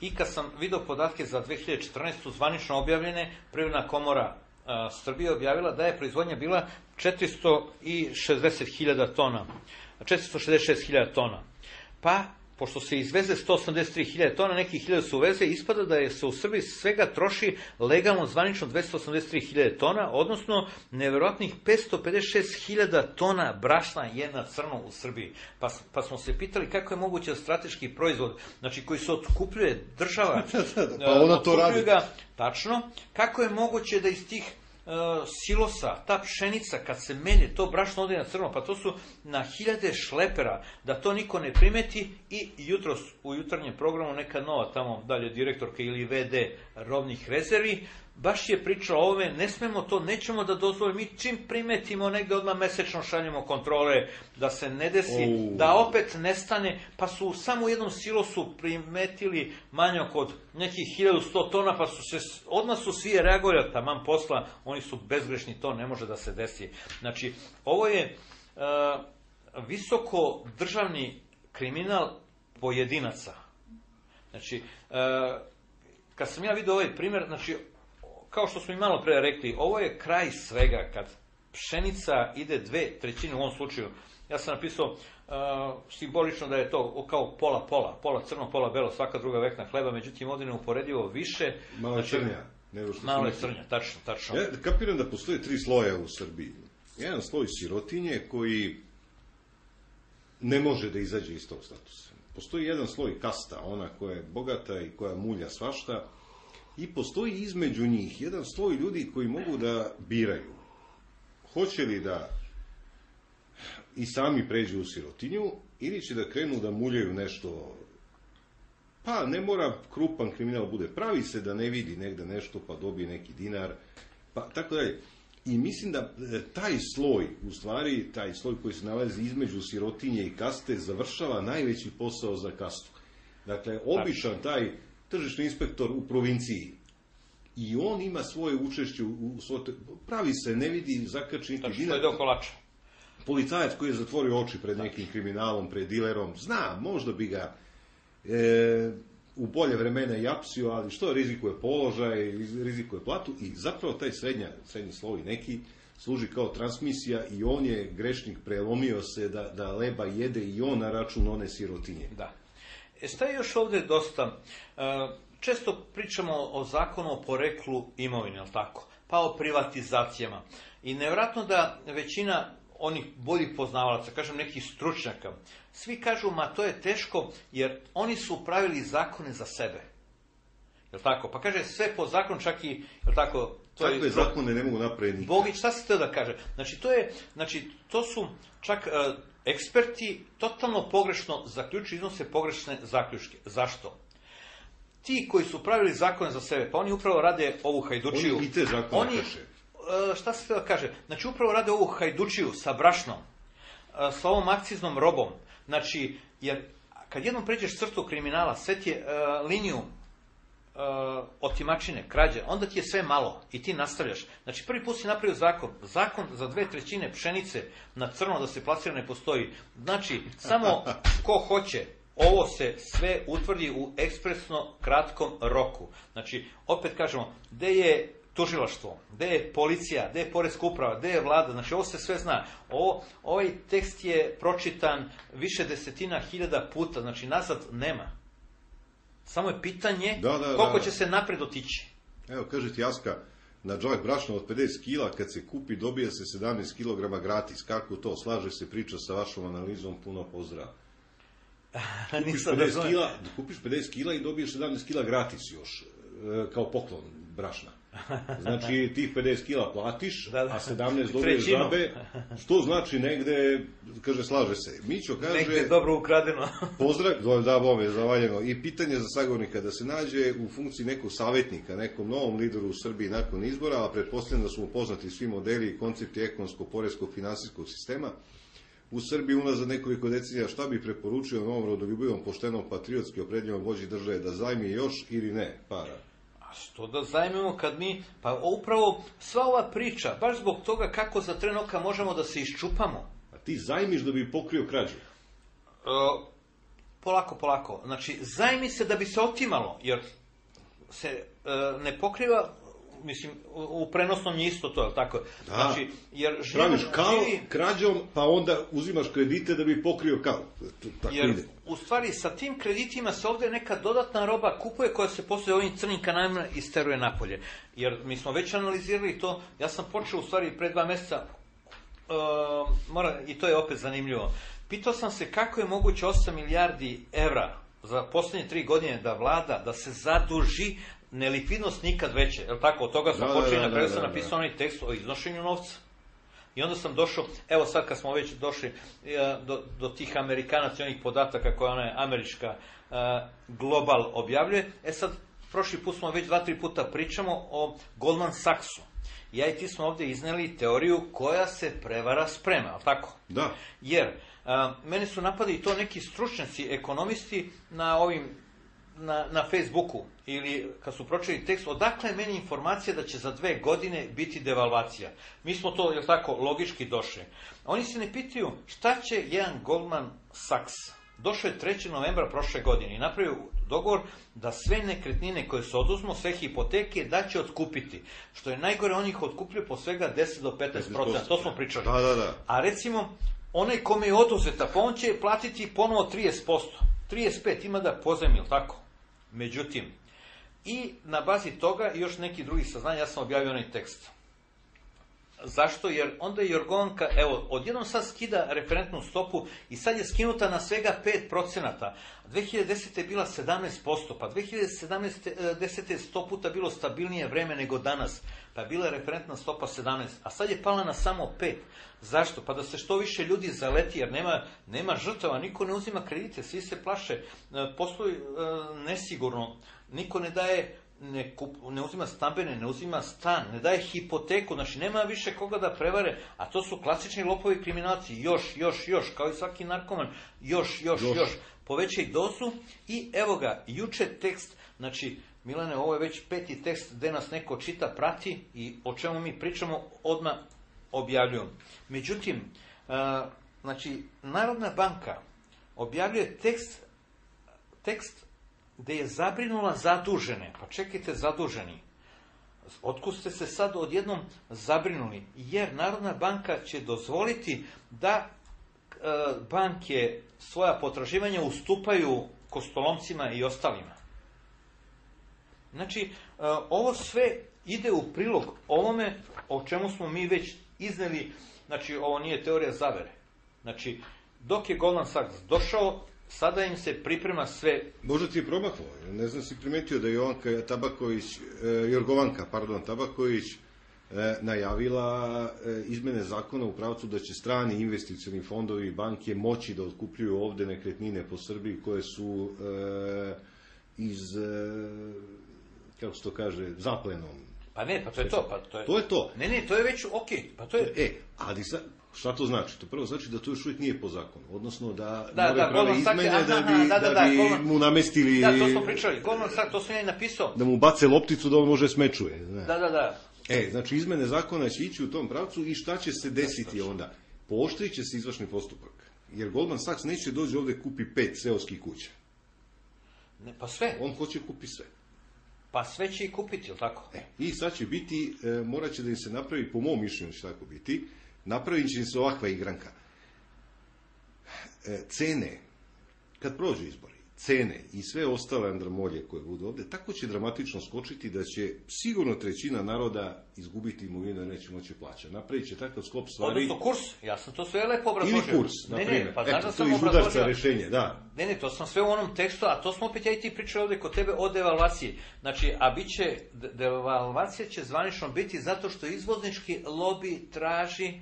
i kad sam vidio podatke za 2014. zvanično objavljene, Privredna komora Srbije objavila da je proizvodnja bila 460.000 tona, 466.000 tona. Pa, pošto se izveze 183.000 tona, nekih 1000 se uveze, ispada da se u Srbiji svega troši legalno zvanično 283.000 tona, odnosno nevjerojatnih 556.000 tona brašna je na crno u Srbiji. Pa smo se pitali kako je moguće da strateški proizvod, znači koji se otkupljuje država, pa ona to radi. Ga, tačno, kako je moguće da iz tih silosa, ta pšenica kad se melje, to brašno ode na crno, pa to su na 1000 šlepera, da to niko ne primeti. I jutros u jutarnjem programu neka nova tamo dalje direktorka ili VD robnih rezervi baš je pričala o ovome, ne smemo to, nećemo da dozvolimo, mi čim primetimo negde odmah mesečno šaljemo kontrole, da se ne desi, da opet nestane, pa su samo u jednom silosu primetili manjak od nekih 1100 tona, pa odmah su svi reagovali, taman posla, oni su bezgrešni, to ne može da se desi. Znači, ovo je visoko državni kriminal pojedinaca. Znači, kad sam ja vidio ovaj primjer, znači, kao što smo i malo pre rekli, ovo je kraj svega, kad pšenica ide 2/3, u ovom slučaju ja sam napisao simbolično da je to kao pola crno, pola belo, svaka druga vekna hleba, međutim ovdje neuporedivo više. Malo je crnja. Malo je crnja, tačno. Ja kapiram da postoje 3 sloja u Srbiji. Jedan sloj sirotinje koji ne može da izađe iz tog statusa. Postoji jedan sloj kasta, ona koja je bogata i koja mulja svašta, i postoji između njih jedan sloj ljudi koji mogu da biraju. Hoće li da i sami pređu u sirotinju ili će da krenu da muljaju nešto, pa ne mora krupan kriminal bude, pravi se da ne vidi negde nešto pa dobije neki dinar, pa tako dalje. I mislim da taj sloj, u stvari taj sloj koji se nalazi između sirotinje i kaste, završava najveći posao za kastu. Dakle, običan taj tržišni inspektor u provinciji, i on ima svoje učešće pravi se, ne vidi, zakači neki dinar. To je do kolača. Policajac koji je zatvorio oči pred nekim kriminalom, pred dilerom, zna, možda bi ga u bolje vremena i apsio, ali što rizikuje položaj, rizikuje platu, i zapravo taj srednji sloj neki služi kao transmisija i on je grešnik, prelomio se da leba jede i on na račun one sirotinje. Da. Šta je još ovdje dosta? Često pričamo o zakonu o poreklu imovine, jel tako? Pa o privatizacijama. I nevjerojatno da većina onih boljih poznavalaca, kažem nekih stručnjaka, svi kažu, ma to je teško, jer oni su pravili zakone za sebe. Jel tako? Pa kaže sve po zakonu, čak i, jel tako? Takve zakone ne mogu napraviti nikad. Bogić, šta se to da kaže? Znači, to su čak eksperti totalno pogrešno zaključuju, iznose pogrešne zaključke. Zašto? Ti koji su pravili zakone za sebe, pa oni upravo rade ovu hajdučiju. Oni i te zakone krše. Šta se to kaže? Znači, upravo rade ovu hajdučiju sa brašnom, sa ovom akciznom robom. Znači, jer kad jednom pređeš crtu kriminala, sve ti je liniju otimačine, krađe, onda ti je sve malo i ti nastavljaš. Znači, prvi put si napravio zakon za 2/3 pšenice na crno da se plasira ne postoji. Znači, samo ko hoće, ovo se sve utvrdi u ekspresno kratkom roku. Znači, opet kažemo, gde je tužilaštvo, gde je policija, gde je poreska uprava, gde je vlada, znači ovo se sve zna. Ovaj tekst je pročitan više desetina hiljada puta, znači nazad nema. Samo je pitanje koliko će se napred otići. Evo, kaže ti Aska, na džak brašna od 50 kila, kad se kupi, dobije se 17 kilograma gratis. Kako to? Slaže se priča sa vašom analizom, puno pozdrava. Kupiš 50 kila i dobiješ 17 kila gratis još, kao poklon brašna. Znači, tih 50 kila platiš, a 17 dobiješ džabe, što znači negde, kaže, slaže se. Mićo kaže... Negde dobro ukradeno. Pozdrav, da, bome, zavaljeno. I pitanje za sagovornika, da se nađe u funkciji nekog savjetnika, nekom novom lideru u Srbiji nakon izbora, a pretpostavljam da su mu poznati svi modeli i koncepti ekonomskog, poreskog, finansijskog sistema. U Srbiji unazad nekoliko decenija, šta bi preporučio novom rodoljubivom, poštenom, patriotski opredjeljenom vođi države, da zajmi još ili ne para? A što da zajmimo kad mi, pa upravo sva ova priča, baš zbog toga kako za tren oka možemo da se iščupamo. A ti zajmiš da bi pokrio krađu? Polako. Znači, zajmi se da bi se otimalo, jer se ne pokriva, mislim, u prenosnom je isto to, je li tako? Da, znači, jer praviš krađom, pa onda uzimaš kredite da bi pokrio kao. Jer, ide. U stvari, sa tim kreditima se ovdje neka dodatna roba kupuje koja se posle ovim crnim kanalima isteruje napolje. Jer mi smo već analizirali to, ja sam počeo u stvari pre 2 mjeseca, i to je opet zanimljivo, pitao sam se kako je moguće 8 milijardi evra za posljednje 3 godine da vlada, da se zaduži, nelikvidnost nikad veće, je li tako? Od toga sam počeo i na kraju sam napisao onaj tekst o iznošenju novca. I onda sam došao, evo sad kad smo već došli do tih Amerikanaca i onih podataka koje ona američka Global objavljuje, sad prošli put smo već 2-3 puta pričamo o Goldman Sachsu. Ja i ti smo ovdje izneli teoriju koja se prevara sprema, je li tako? Da. Jer mene su napadali to neki stručnjaci, ekonomisti na Facebooku ili kad su pročitali tekst, odakle je meni informacija da će za 2 godine biti devalvacija. Mi smo to, jel tako, logički došli. Oni se ne pitaju šta će jedan Goldman Sachs. Došao je 3. novembra prošle godine i napravio dogovor da sve nekretnine koje se oduzmu, sve hipoteke, da će otkupiti. Što je najgore, oni ih otkupljuju po svega 10 do 15%. To smo pričali. Da. A recimo, onaj kome je oduzeta, pa on će platiti ponovo 30%. 35 ima da pozajmi, ili tako? Međutim, i na bazi toga i još neki drugi saznanja, ja sam objavio onaj tekst. Zašto? Jer onda je Jorgovanka, evo, odjednom sad skida referentnu stopu i sad je skinuta na svega 5%. 2010. je bila 17%, pa 2010. je 100 puta bilo stabilnije vreme nego danas, pa je bila referentna stopa 17, a sad je pala na samo 5. Zašto? Pa da se što više ljudi zaleti, jer nema žrtava, niko ne uzima kredite, svi se plaše, posluju nesigurno, niko ne daje, ne uzima stambene, ne uzima stan, ne daje hipoteku, znači nema više koga da prevare, a to su klasični lopovi kriminalci, još, kao i svaki narkoman, još, povećaj dozu i evo ga, juče tekst, znači, Milane, ovo je već 5. tekst gde nas neko čita, prati i o čemu mi pričamo, odmah objavljujem. Međutim, znači, Narodna banka objavljuje tekst gde je zabrinula zadužene. Pa čekajte, zaduženi. Otkud ste se sad odjednom zabrinuli? Jer Narodna banka će dozvoliti da banke svoja potraživanja ustupaju kostolomcima i ostalima. Znači, ovo sve ide u prilog ovome o čemu smo mi već izneli, znači ovo nije teorija zavere. Znači, dok je Goldman Sachs došao, sada im se priprema sve... Možda ti je promaklo, ne znam si primetio da je Jorgovanka Tabaković najavila izmene zakona u pravcu da će strani investicioni fondovi i banke moći da otkupljuju ovde nekretnine po Srbiji koje su iz, kako se to kaže, zaplenom. Pa ne, pa to je to. To je to. Ne, to je već okej. Pa to je... Ali šta to znači? To prvo znači da to još uvijek nije po zakonu. Odnosno da prave izmene da bi mu namestili... Da, to smo pričali. Goldman Sachs, to sam ja i napisao. Da mu bace lopticu da on može smečuje. Da. Znači izmene zakona će ići u tom pravcu i šta će se desiti onda? Pooštrit će se izvršni postupak. Jer Goldman Sachs neće dođe ovde kupi 5 seoskih kuća. Ne, pa sve. On hoće kupi sve. Pa sve će i kupiti, ili tako? I sad će biti, morat će da im se napravi, po mom mišljenju će tako biti, napravit će se ovakva igranka. Cene, kad prođu izbori, cene i sve ostale andramolje koje budu ovde, tako će dramatično skočiti da će sigurno trećina naroda izgubiti imovinu i neće moći plaćati. Napravit će takav sklop stvari... Odnosno kurs, ja sam to sve lepo obrazložio. Ili kurs, na primjer. Ne, pa znaš da sam to iz udarca rešenje, da. Ne, to sam sve u onom tekstu, a to smo opet ja i ti pričali ovde kod tebe o devalvaciji. Znači, a bit će, devalvacija će zvanično biti zato što izvoznički lobi traži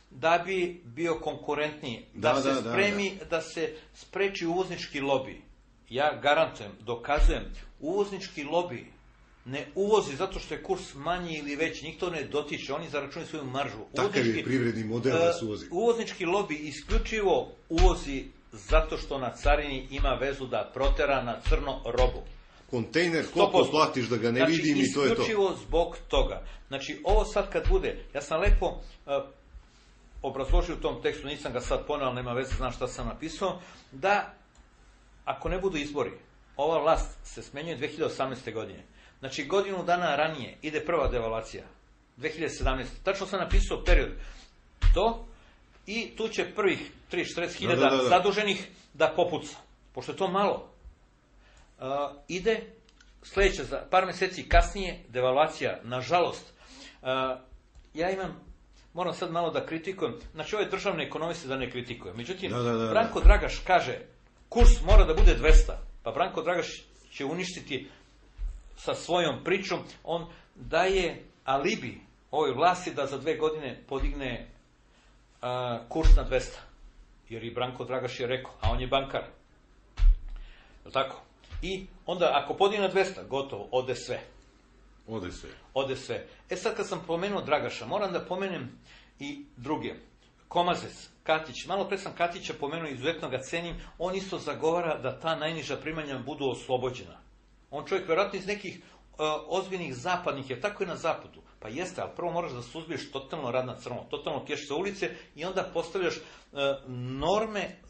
da bi bio konkurentniji, da se spreči uvoznički lobi. Ja garantujem, dokazujem, uvoznički lobi ne uvozi zato što je kurs manji ili veći, njih to ne dotiče, oni zaračunaju svoju maržu. Takav je privredni model da se uvozi. Uvoznički lobi isključivo uvozi zato što na carini ima vezu da protera na crno robu. Kontejner, koliko platiš da ga ne vidim i to je to. Isključivo zbog toga. Znači, ovo sad kad bude, ja sam lepo obrazložio u tom tekstu, nisam ga sad poneo, ali nema veze, znam šta sam napisao, da ako ne budu izbori, ova vlast se smenjuje 2018. godine. Znači, godinu dana ranije ide prva devalvacija, 2017. Tačno sam napisao period. To i tu će prvih 30-40 zaduženih da popuca. Pošto je to malo. Ide sledeća, za par meseci kasnije, devalvacija, nažalost. Moram sad malo da kritikujem. Znači, ove državne ekonomiste da ne kritikujem. Međutim, Branko Dragaš kaže, kurs mora da bude 200. Pa Branko Dragaš će uništiti sa svojom pričom. On daje alibi ovoj vlasti da za 2 godine podigne kurs na 200. Jer i Branko Dragaš je rekao, a on je bankar. Je tako? I onda, ako podigne na 200, gotovo, ode sve. Ode sve. Sad kad sam pomenuo Dragaša, moram da pomenem i druge. Komazec, Katić, malo pre sam Katića pomenuo, izuzetno ga cenim, on isto zagovara da ta najniža primanja budu oslobođena. On čovjek vjerojatno iz nekih ozbiljnih zapadnih, jer tako je na zapadu. Pa jeste, ali prvo moraš da suzbiješ totalno rad na crno, totalno pješ sa ulice i onda postavljaš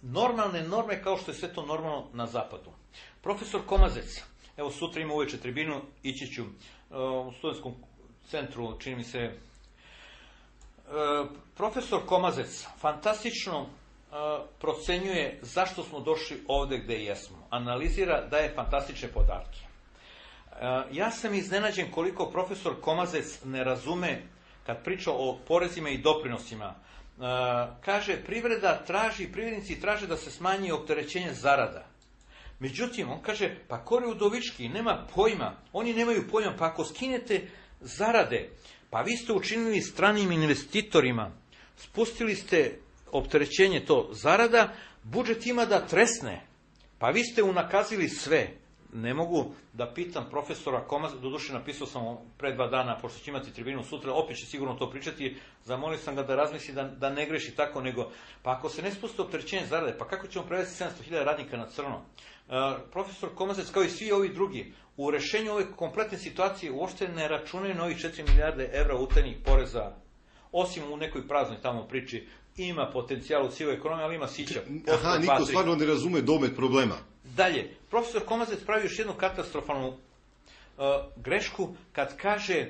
normalne norme kao što je sve to normalno na zapadu. Profesor Komazec, evo sutra ima uveče tribinu, ići ću u studentskom centru, čini mi se, profesor Komazec fantastično procenjuje zašto smo došli ovde gde jesmo. Analizira, daje fantastične podatke. Ja sam iznenađen koliko profesor Komazec ne razume kad priča o porezima i doprinosima. Kaže, privrednici traže da se smanji opterećenje zarada. Međutim, on kaže, pa Kori Udovički nema pojma, oni nemaju pojma, pa ako skinete zarade, pa vi ste učinili stranim investitorima, spustili ste opterećenje to zarada, budžet ima da tresne, pa vi ste unakazili sve. Ne mogu da pitam profesora Komaz, doduše napisao sam pre 2 dana, pošto će imati tribinu sutra, opet će sigurno to pričati, zamolio sam ga da razmisli da ne greši tako, nego, pa ako se ne spuste opterećenje zarade, pa kako ćemo prevesti 700.000 radnika na crno? Profesor Komazec, kao i svi ovi drugi, u rešenju ove kompletne situacije uopšte ne računaju na ovih 4 milijarde evra utajnih poreza, osim u nekoj praznoj tamo priči, ima potencijal u sivoj ekonomiji, ali ima sića. Aha, niko stvarno ne razume domet problema. Dalje, profesor Komazec pravi još jednu katastrofalnu grešku kad kaže,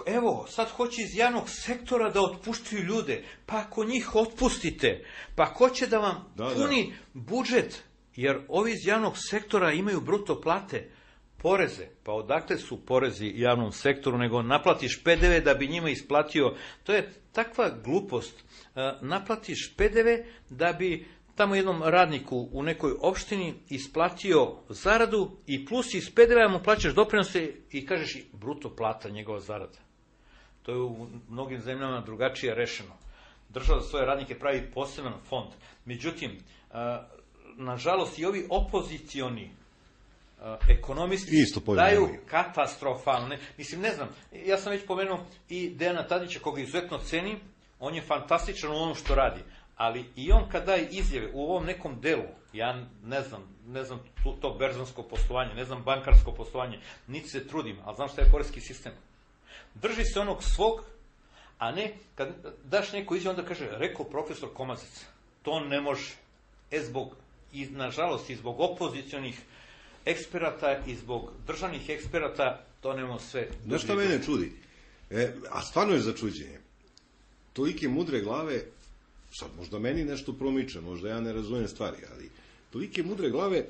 evo, sad hoće iz javnog sektora da otpuštaju ljude, pa ako njih otpustite, pa ko će da vam puni budžet, jer ovi iz javnog sektora imaju bruto plate, poreze, pa odakle su porezi javnom sektoru, nego naplatiš PDV da bi njima isplatio, to je takva glupost, naplatiš PDV da bi tamo jednom radniku u nekoj opštini isplatio zaradu i plus iz PDV-a mu plaćaš doprinose i kažeš bruto plata njegova zarada. To je u mnogim zemljama drugačije rešeno. Država za svoje radnike pravi poseban fond. Međutim, nažalost i ovi opozicioni ekonomisti daju katastrofalne, mislim, ne znam, ja sam već pomenuo i Dejana Tadića, koga izuzetno cenim, on je fantastičan u onom što radi, ali i on kad daje izjave u ovom nekom delu, ja ne znam to berzansko poslovanje, ne znam bankarsko poslovanje, niti se trudim, ali znam šta je poreski sistem. Drži se onog svog, a ne, kad daš neku izjavu, onda kaže, rekao profesor Komazec, to ne može, nažalost, i zbog opozicionih eksperata i zbog državnih eksperata, to nemamo sve. Znaš šta mene čudi? A stvarno je začuđenje. Tolike mudre glave, sad možda meni nešto promiče, možda ja ne razumijem stvari, ali tolike mudre glave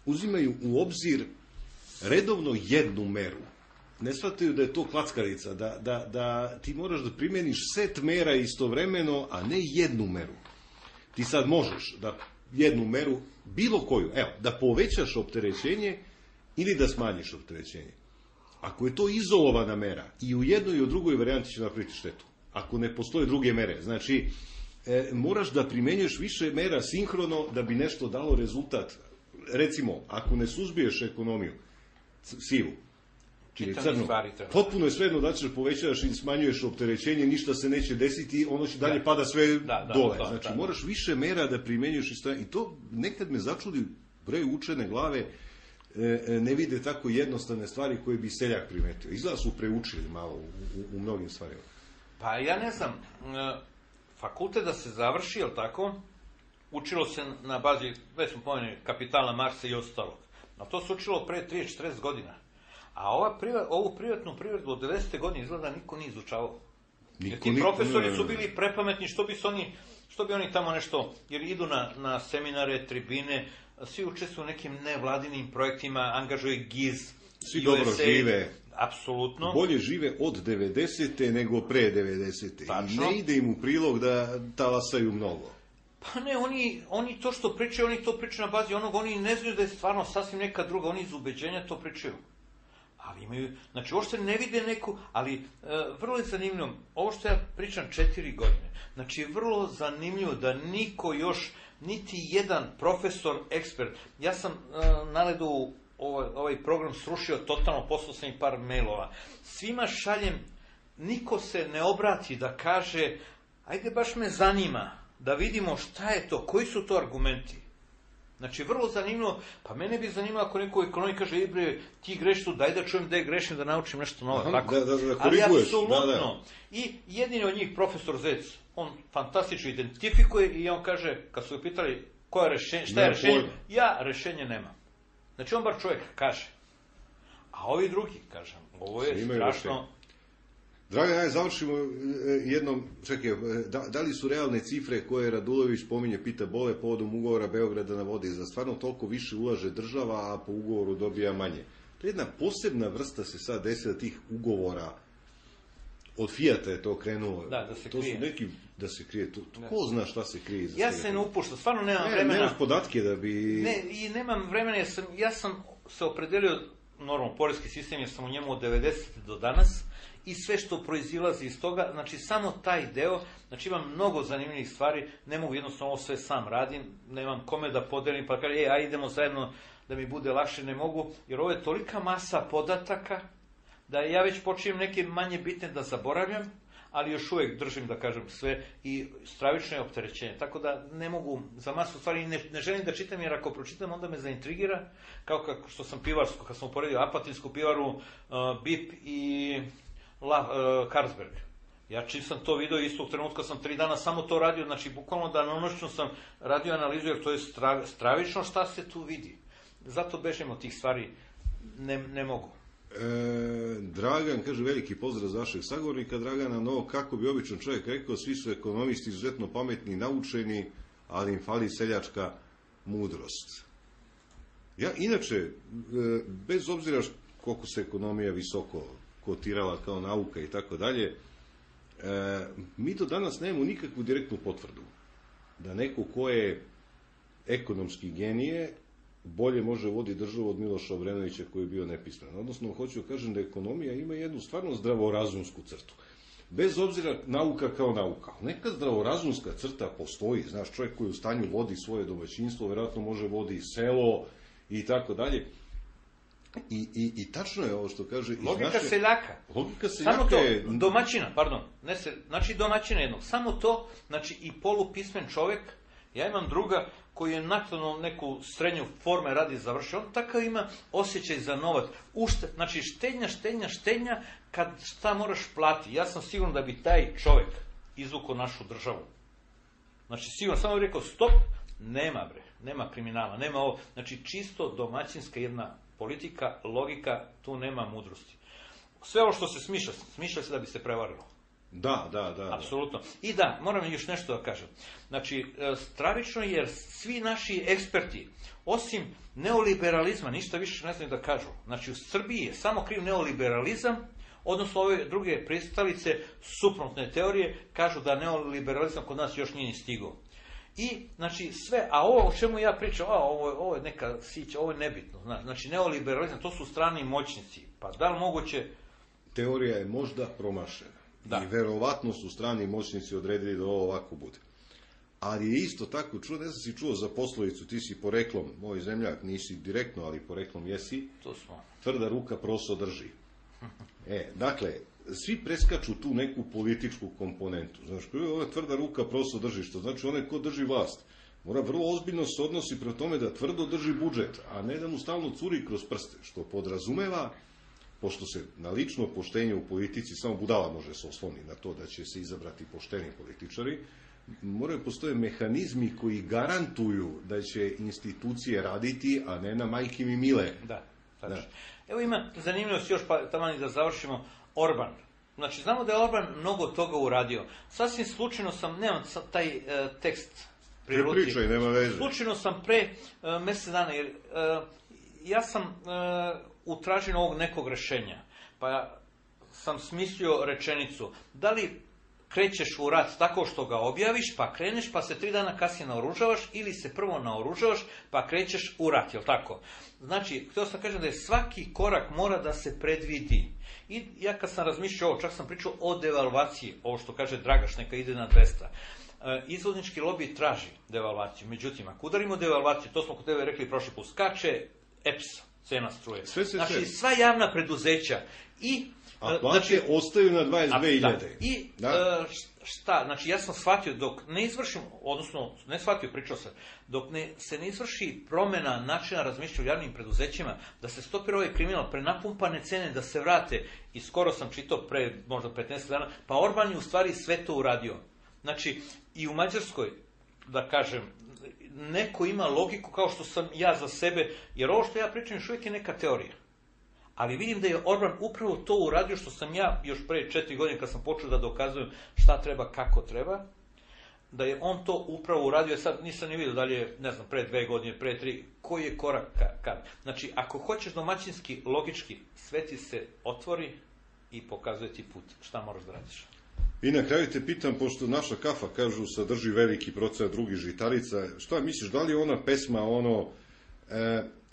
uzimaju u obzir redovno jednu meru. Ne shvataju da je to klackarica, da ti moraš da primjeniš set mera istovremeno, a ne jednu meru. Ti sad možeš da jednu meru, bilo koju, evo, da povećaš opterećenje ili da smanjiš opterećenje. Ako je to izolovana mera, i u jednoj i u drugoj varijanti će napraviti štetu. Ako ne postoje druge mere, znači, moraš da primenjuješ više mera sinhrono da bi nešto dalo rezultat. Recimo, ako ne suzbiješ ekonomiju, sivu, čini crnu, potpuno je svejedno da ćeš povećavaš i smanjuješ opterećenje, ništa se neće desiti, ono će dalje pada sve dole. Znači, moraš više mera da primenjuješ i to nekad me začudi, bre, učene glave ne vide tako jednostavne stvari koje bi seljak primetio. Izgleda su preučili malo u mnogim stvarima. Pa ja ne znam, fakultet da se završi, jel tako, učilo se na bazi, već smo pomenuli, kapitala Marksa i ostalog. A to se učilo pre 30-40 godina. A ovu privatnu privredu od 90. godine izgleda niko nije izučavao. Jer ti profesori su bili prepametni, što bi oni tamo nešto, jer idu na seminare, tribine, svi učestvuju u nekim nevladinim projektima, angažuje GIZ, svi dobro žive. Apsolutno. Bolje žive od 90. nego pre 90. Tačno. I ne ide im u prilog da talasaju mnogo. Pa ne, oni to što pričaju, oni to pričaju na bazi onog, oni ne znaju da je stvarno sasvim neka druga, oni iz ubeđenja to pričaju. Ali imaju, znači uopšte ne vide neku, ali vrlo je zanimljivo, ovo što ja pričam 4 godine, znači vrlo zanimljivo da niko još, niti jedan profesor, ekspert, ja sam naledu ovaj program srušio totalno, poslao sam i par mailova, svima šaljem, niko se ne obrati da kaže, ajde baš me zanima, da vidimo šta je to, koji su to argumenti. Znači, vrlo zanimljivo, pa mene bi zanimalo ako neko u ekonomiji kaže, bre, ti greš tu, daj da čujem da je grešim, da naučim nešto novo. Tako. Da ali apsolutno. I jedini od njih, profesor Zec, on fantastično identifikuje i on kaže, kad su ga pitali koja je rešenje, šta je rešenje, ja rešenje nemam. Znači, on bar čovjek kaže. A ovi drugi, kažem, ovo je strašno... Dragan, aj završimo jednom, čekaj, da li su realne cifre koje Radulović pominje, pita Bole, povodom ugovora Beograda na vodi, za stvarno toliko više ulaže država, a po ugovoru dobija manje? To je jedna posebna vrsta se sad desila tih ugovora. Od Fijata je to krenulo. Da se to krije. Su neki da se krije. Ko zna šta se krije iza Ja svega se ne toga? upuštam, stvarno nemam vremena. Nemaš podatke da bi... Ne, i nemam vremena, ja sam se opredelio, normalno, poreski sistem, jer sam u njemu od 90. do danas, i sve što proizilazi iz toga, znači samo taj deo, znači imam mnogo zanimljivih stvari, ne mogu jednostavno ovo sve sam radim, nemam kome da podelim, pa kaže, aj idemo zajedno da mi bude lakše, ne mogu, jer ovo je tolika masa podataka, da ja već počinjem neke manje bitne da zaboravljam, ali još uvijek držim, da kažem, sve i stravično je opterećenje. Tako da ne mogu za masu stvari, ne želim da čitam, jer ako pročitam, onda me zaintrigira, kao što sam pivarsko, kad sam uporedio Apatinsku pivaru, BIP i Carlsberg. Ja čim sam to video, istog trenutka sam 3 dana samo to radio, znači bukvalno danonoćno sam radio analizu, jer to je stravično šta se tu vidi. Zato bežem od tih stvari, ne mogu. Dragan, kaže, veliki pozdrav za vašeg sagovornika Dragana, no kako bi običan čovjek rekao, svi su ekonomisti izuzetno pametni i naučeni, ali im fali seljačka mudrost. Ja, inače, bez obzira koliko se ekonomija visoko kotirala kao nauka i tako dalje, mi do danas nemamo nikakvu direktnu potvrdu da neko ko je ekonomski genije bolje može voditi državu od Miloša Obrenovića koji je bio nepismen. Odnosno, hoću da kažem da ekonomija ima jednu stvarno zdravorazumsku crtu. Bez obzira nauka kao nauka. Neka zdravorazumska crta postoji. Znaš, čovjek koji u stanju vodi svoje domaćinstvo, vjerojatno može vodi selo i tako dalje. I tačno je ovo što kaže... Logika seljaka. Logika seljaka samo to, je... domaćina, pardon. Znači domaćina jednog. Samo to, znači i polupismen čovjek. Ja imam druga koji je nakon neku srednju forme radi završio, on takav ima osjećaj za novac. Znači štednja, kad šta moraš plati. Ja sam siguran da bi taj čovjek izvukao našu državu. Znači sigurno, samo bih rekao stop, nema kriminala, nema ovo. Znači čisto domaćinska jedna politika, logika, tu nema mudrosti. Sve ovo što se smišlja se da bi se prevarilo. Da. Apsolutno. I da, moram još nešto da kažem. Znači, stravično je jer svi naši eksperti, osim neoliberalizma, ništa više ne znaju da kažu. Znači, u Srbiji je samo kriv neoliberalizam, odnosno ove druge pristalice suprotne teorije kažu da neoliberalizam kod nas još nije ni stigao. I, znači, sve, a ovo o čemu ja pričam, ovo je neka sića, ovo je nebitno. Znači, neoliberalizam, to su strani moćnici. Pa da li moguće... Teorija je možda promašena. Da. I verovatno su strani moćnici odredili da ovo ovako bude. Ali je isto tako čuo, ne znam si čuo za poslovicu, ti si poreklom, moj zemljak, nisi direktno, ali poreklom jesi, to smo. Tvrda ruka proso drži. Dakle, svi preskaču tu neku političku komponentu. Znaš, ova tvrda ruka proso drži, što znači onaj ko drži vlast. Mora vrlo ozbiljno se odnosi prema tome da tvrdo drži budžet, a ne da mu stalno curi kroz prste, što podrazumeva, pošto se na lično poštenje u politici, samo budala može se osloniti na to da će se izabrati pošteni političari, moraju postoje mehanizmi koji garantuju da će institucije raditi, a ne na majke mi mile. Da. Evo ima zanimljivost još, pa tamo da završimo, Orban. Znači, znamo da je Orban mnogo toga uradio. Sasvim slučajno sam, nemam taj tekst pri ruci. Ne pričaj, nema veze. Slučajno sam pre mjesec dana, jer ja sam u traženju ovog nekog rešenja, pa sam smislio rečenicu, da li krećeš u rat tako što ga objaviš, pa kreneš, pa se 3 dana kasnije naoružavaš, ili se prvo naoružavaš, pa krećeš u rat, jel tako? Znači, htio sam kažem da je svaki korak mora da se predvidi. I ja kad sam razmišljao ovo, čak sam pričao o devalvaciji, ovo što kaže Dragaš, neka ide na 200. Izvoznički lobby traži devalvaciju, međutim, ako udarimo devalvaciju, to smo kod tebe rekli prošli put, skače EPS, cena struje. Znači, sva javna preduzeća i... A plaće ostaju na 22.000. I šta? Znači, ja sam shvatio, dok ne izvršim, odnosno, ne shvatio, pričao sam, dok se ne izvrši promjena načina razmišljanja u javnim preduzećima, da se stopira ovaj kriminal, prenapumpane cene, da se vrate, i skoro sam čitao pre možda 15 dana, pa Orban je u stvari sve to uradio. Znači, i u Mađarskoj, da kažem, neko ima logiku kao što sam ja za sebe, jer ovo što ja pričam još uvijek je neka teorija. Ali vidim da je Orban upravo to uradio što sam ja još pre 4 godine kad sam počeo da dokazujem šta treba, kako treba, da je on to upravo uradio. Sad nisam ni vidio da li je, ne znam, pre 2 godine, pre 3, koji je korak kad. Znači, ako hoćeš domaćinski, logički, sve ti se otvori i pokazuje ti put. Šta moraš da radiš? I na kraju te pitam, pošto naša kafa, kažu, sadrži veliki procenat drugih žitarica, šta misliš, da li je ona pesma,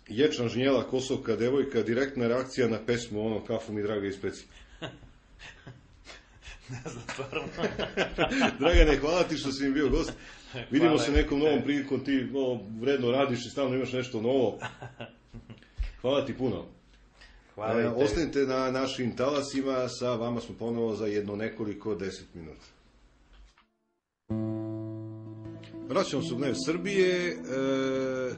Ječan žnjela, kosovka devojka, direktna reakcija na pesmu, kafu mi draga ispeci? Ne znam, stvarno. Dragane, hvala ti što si mi bio gost. Vidimo se nekom novom prilikom, ti vredno radiš i stalno imaš nešto novo. Hvala ti puno. Ostanite na našim talasima, sa vama smo ponovo za nekoliko 10 minuta. Vraćamo se u Dnev Srbije,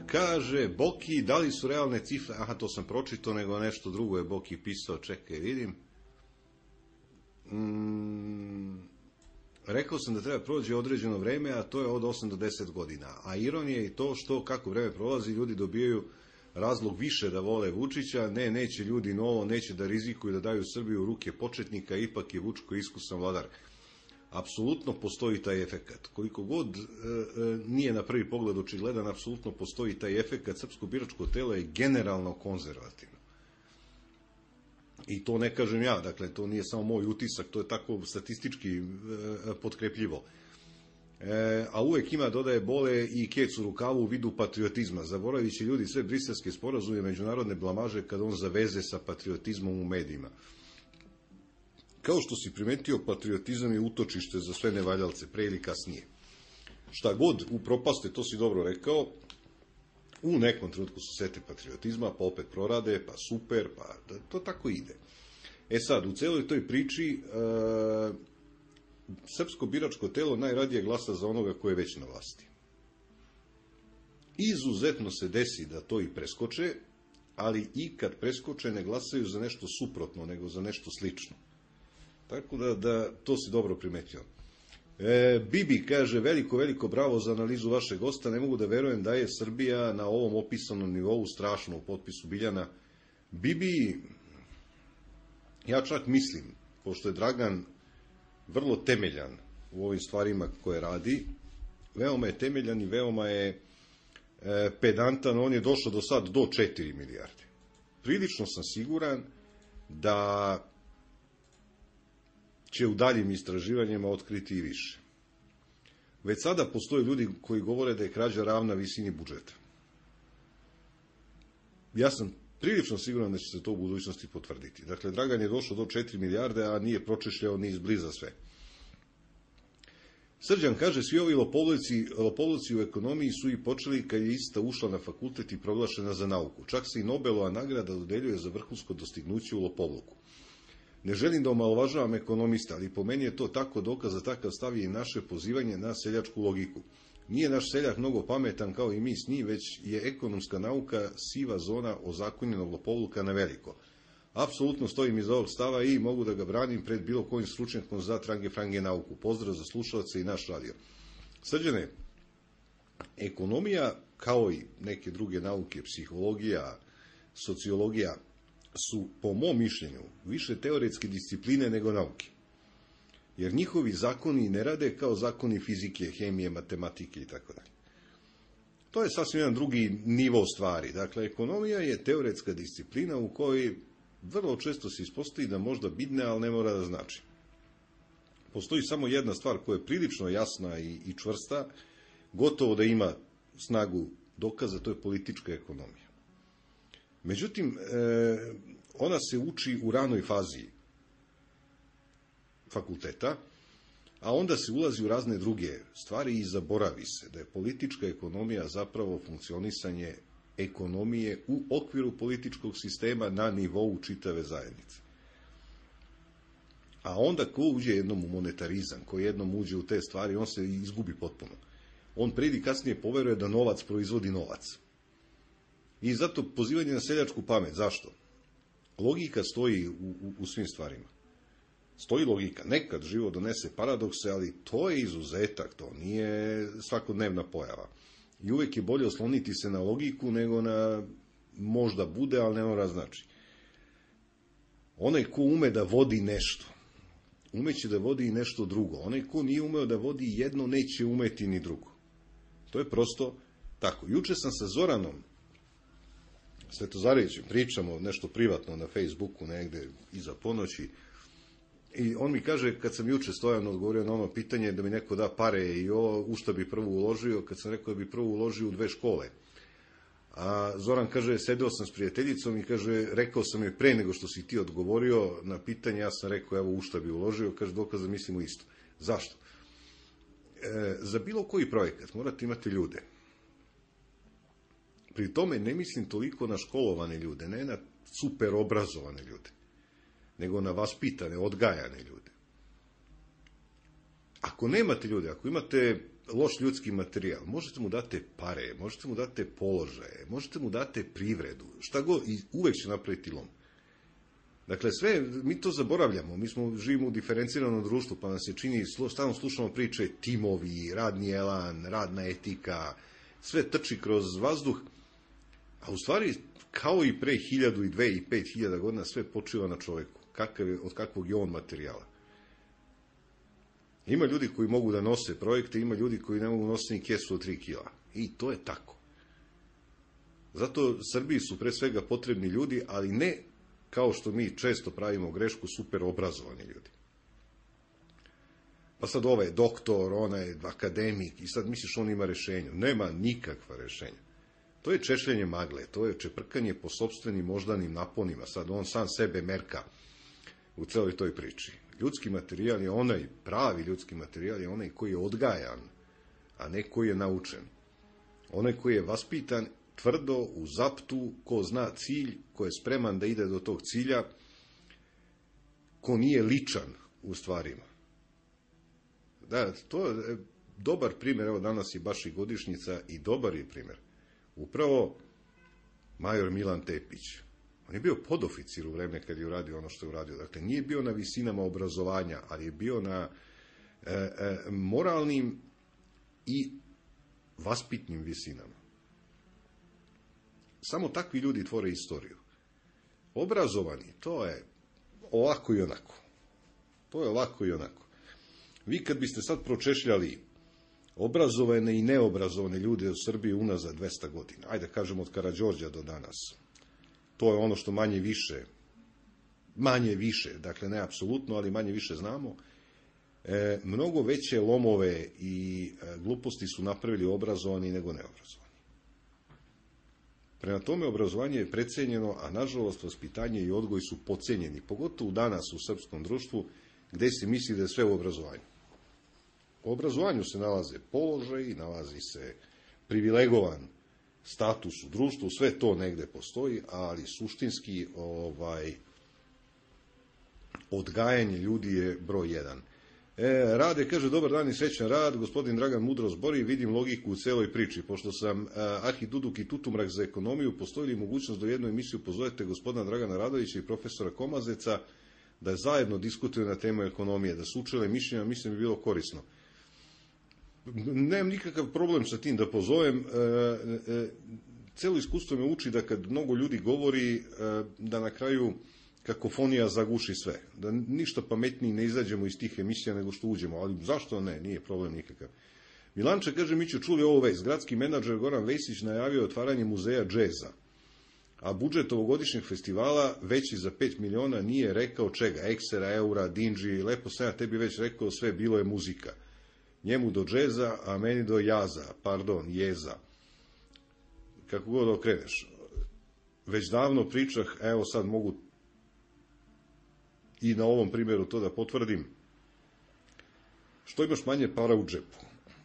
kaže Boki, da li su realne cifre, to sam pročitao, nego nešto drugo je Boki pisao, čekaj, vidim. Rekao sam da treba prođe određeno vreme, a to je od 8 do 10 godina. A ironija je i to što kako vreme prolazi, ljudi dobijaju razlog više da vole Vučića, neće ljudi novo, neće da rizikuju da daju Srbiju u ruke početnika, ipak je Vučko iskusan vladar. Apsolutno postoji taj efekat. Koliko god nije na prvi pogled očigledan, apsolutno postoji taj efekat. Srpsko biračko telo je generalno konzervativno. I to ne kažem ja, dakle, to nije samo moj utisak, to je tako statistički potkrepljivo. A uvek ima, dodaje, bole i kec u rukavu u vidu patriotizma. Zaboravit će ljudi sve briselske sporazume, međunarodne blamaže kad on zaveze sa patriotizmom u medijima. Kao što si primetio, patriotizam je utočište za sve nevaljalce, pre ili kasnije. Šta god upropaste, to si dobro rekao, u nekom trenutku se sete patriotizma, pa opet prorade, pa super, pa to tako ide. Sad, u celoj toj priči, srpsko biračko telo najradije glasa za onoga ko je već na vlasti. Izuzetno se desi da to i preskoče, ali i kad preskoče ne glasaju za nešto suprotno, nego za nešto slično. Tako da to si dobro primetio. Bibi kaže, veliko bravo za analizu vašeg gosta, ne mogu da verujem da je Srbija na ovom opisanom nivou strašno u potpisu Biljana. Bibi, ja čak mislim, pošto je Dragan vrlo temeljan u ovim stvarima koje radi, veoma je temeljan i veoma je pedantan, on je došao do sad do 4 milijarde. Prilično sam siguran da će u daljim istraživanjima otkriti i više. Već sada postoje ljudi koji govore da je krađa ravna visini budžeta. Ja sam prilično siguran da će se to u budućnosti potvrditi. Dakle, Dragan je došao do 4 milijarde, a nije pročešljao ni izbliza sve. Srđan kaže, svi ovi lopovluci u ekonomiji su i počeli kad je ista ušla na fakultet i proglašena za nauku. Čak se i Nobelova nagrada dodeljuje za vrhunsko dostignuće u lopovluku. Ne želim da omalovažavam ekonomista, ali po meni je to tako dokaz, za takav stav je i naše pozivanje na seljačku logiku. Nije naš seljak mnogo pametan kao i mi s njim, već je ekonomska nauka siva zona ozakonjenog lopovluka na veliko. Apsolutno stojim iza ovog stava i mogu da ga branim pred bilo kojim stručnjakom za trange nauku. Pozdrav za slušalce i naš radio. Srđane, ekonomija, kao i neke druge nauke, psihologija, sociologija, su, po mom mišljenju, više teoretske discipline nego nauke. Jer njihovi zakoni ne rade kao zakoni fizike, hemije, matematike itd. To je sasvim jedan drugi nivo stvari. Dakle, ekonomija je teoretska disciplina u kojoj vrlo često se ispostavi da možda bidne, ali ne mora da znači. Postoji samo jedna stvar koja je prilično jasna i čvrsta, gotovo da ima snagu dokaza, to je politička ekonomija. Međutim, ona se uči u ranoj fazi fakulteta, a onda se ulazi u razne druge stvari i zaboravi se da je politička ekonomija zapravo funkcionisanje ekonomije u okviru političkog sistema na nivou čitave zajednice. A onda ko uđe jednom u monetarizam, ko jednom uđe u te stvari, on se izgubi potpuno. On prije kasnije poveruje da novac proizvodi novac. I zato pozivanje na seljačku pamet. Zašto? Logika stoji u svim stvarima. Stoji logika. Nekad život donese paradokse, ali to je izuzetak, to nije svakodnevna pojava. I uvek je bolje osloniti se na logiku nego na možda bude, ali ne mora znači. Onaj ko ume da vodi nešto, umeće da vodi i nešto drugo. Onaj ko nije umeo da vodi jedno, neće umeti ni drugo. To je prosto tako. Juče sam sa Zoranom Svetozarevićem, pričamo nešto privatno na Facebooku negde iza ponoći, i on mi kaže, kad sam juče Stojanu odgovorio na ono pitanje da mi neko da pare i u šta bi prvo uložio, kad sam rekao da bi prvo uložio u 2 škole. A Zoran kaže, sedeo sam s prijateljicom i kaže, rekao sam joj pre nego što si ti odgovorio na pitanje, ja sam rekao, evo u šta bi uložio, kaže, dokaz da mislimo isto. Zašto? Za bilo koji projekat morate imati ljude. Pri tome ne mislim toliko na školovane ljude, ne na super obrazovane ljude, nego na vaspitane, odgajane ljude. Ako nemate ljude, ako imate loš ljudski materijal, možete mu date pare, možete mu date položaje, možete mu date privredu, šta god, i uvek će napraviti lom. Dakle, sve, mi to zaboravljamo, mi živimo u diferenciranom društvu, pa nam se čini, stalno slušamo priče, timovi, radni elan, radna etika, sve trči kroz vazduh, a u stvari, kao i pre 1000 i 2 i 5000 godina, sve počiva na čoveku, od kakvog je on materijala. Ima ljudi koji mogu da nose projekte, ima ljudi koji ne mogu nositi ni kesu od 3 kila. I to je tako. Zato Srbiji su pre svega potrebni ljudi, ali ne kao što mi često pravimo grešku, super obrazovani ljudi. Pa sad ovaj doktor, onaj akademik, i sad misliš on ima rešenje. Nema nikakva rešenja. To je češljenje magle, to je čeprkanje po sopstvenim moždanim naponima. Sad on sam sebe merka u celoj toj priči. Ljudski materijal je onaj, pravi ljudski materijal je onaj koji je odgajan, a ne koji je naučen. Onaj koji je vaspitan tvrdo, u zaptu, ko zna cilj, ko je spreman da ide do tog cilja, ko nije ličan u stvarima. Da, to je dobar primjer, evo danas je baš i godišnjica i dobar je primjer. Upravo major Milan Tepić. On je bio podoficir u vreme kad je uradio ono što je uradio. Dakle, nije bio na visinama obrazovanja, ali je bio na moralnim i vaspitnim visinama. Samo takvi ljudi tvore istoriju. Obrazovani, to je ovako i onako. To je ovako i onako. Vi kad biste sad pročešljali obrazovane i neobrazovane ljude u Srbiji unazad 200 godina, ajde kažemo od Karađorđa do danas, to je ono što manje više, dakle ne apsolutno, ali manje više znamo, mnogo veće lomove i gluposti su napravili obrazovani nego neobrazovani. Prema tome, obrazovanje je precenjeno, a nažalost vaspitanje i odgoj su podcenjeni, pogotovo danas u srpskom društvu, gde se misli da je sve u obrazovanju. U obrazovanju se nalaze položaj, nalazi se privilegovan status u društvu, sve to negde postoji, ali suštinski odgajanje ljudi je broj 1. Rade, kaže, dobar dan i srećan rad, gospodin Dragan mudro zbori, vidim logiku u celoj priči. Pošto sam Ahi Duduk i Tutumrak za ekonomiju, postoji li mogućnost da u jednu emisiju pozovete gospodina Dragana Radovića i profesora Komazeca da zajedno diskutuju na temu ekonomije, da se učele mišljenja, mislim bi bilo korisno. Nemam nikakav problem sa tim da pozovem. Celo iskustvo me uči da kad mnogo ljudi govori, da na kraju kakofonija zaguši sve. Da ništa pametniji ne izađemo iz tih emisija nego što uđemo. Ali zašto ne? Nije problem nikakav. Milanče kaže, mi ću čuli ovo vest. Gradski menadžer Goran Vesić najavio otvaranje muzeja džeza. A budžet ovogodišnjeg festivala veći za 5 miliona nije rekao čega. Eksera, eura, dinđi, lepo sam ja tebi već rekao, sve bilo je muzika. Njemu do džeza, a meni do jeza. Kako god okreneš. Već davno pričah, evo sad mogu i na ovom primjeru to da potvrdim. Što imaš manje para u džepu,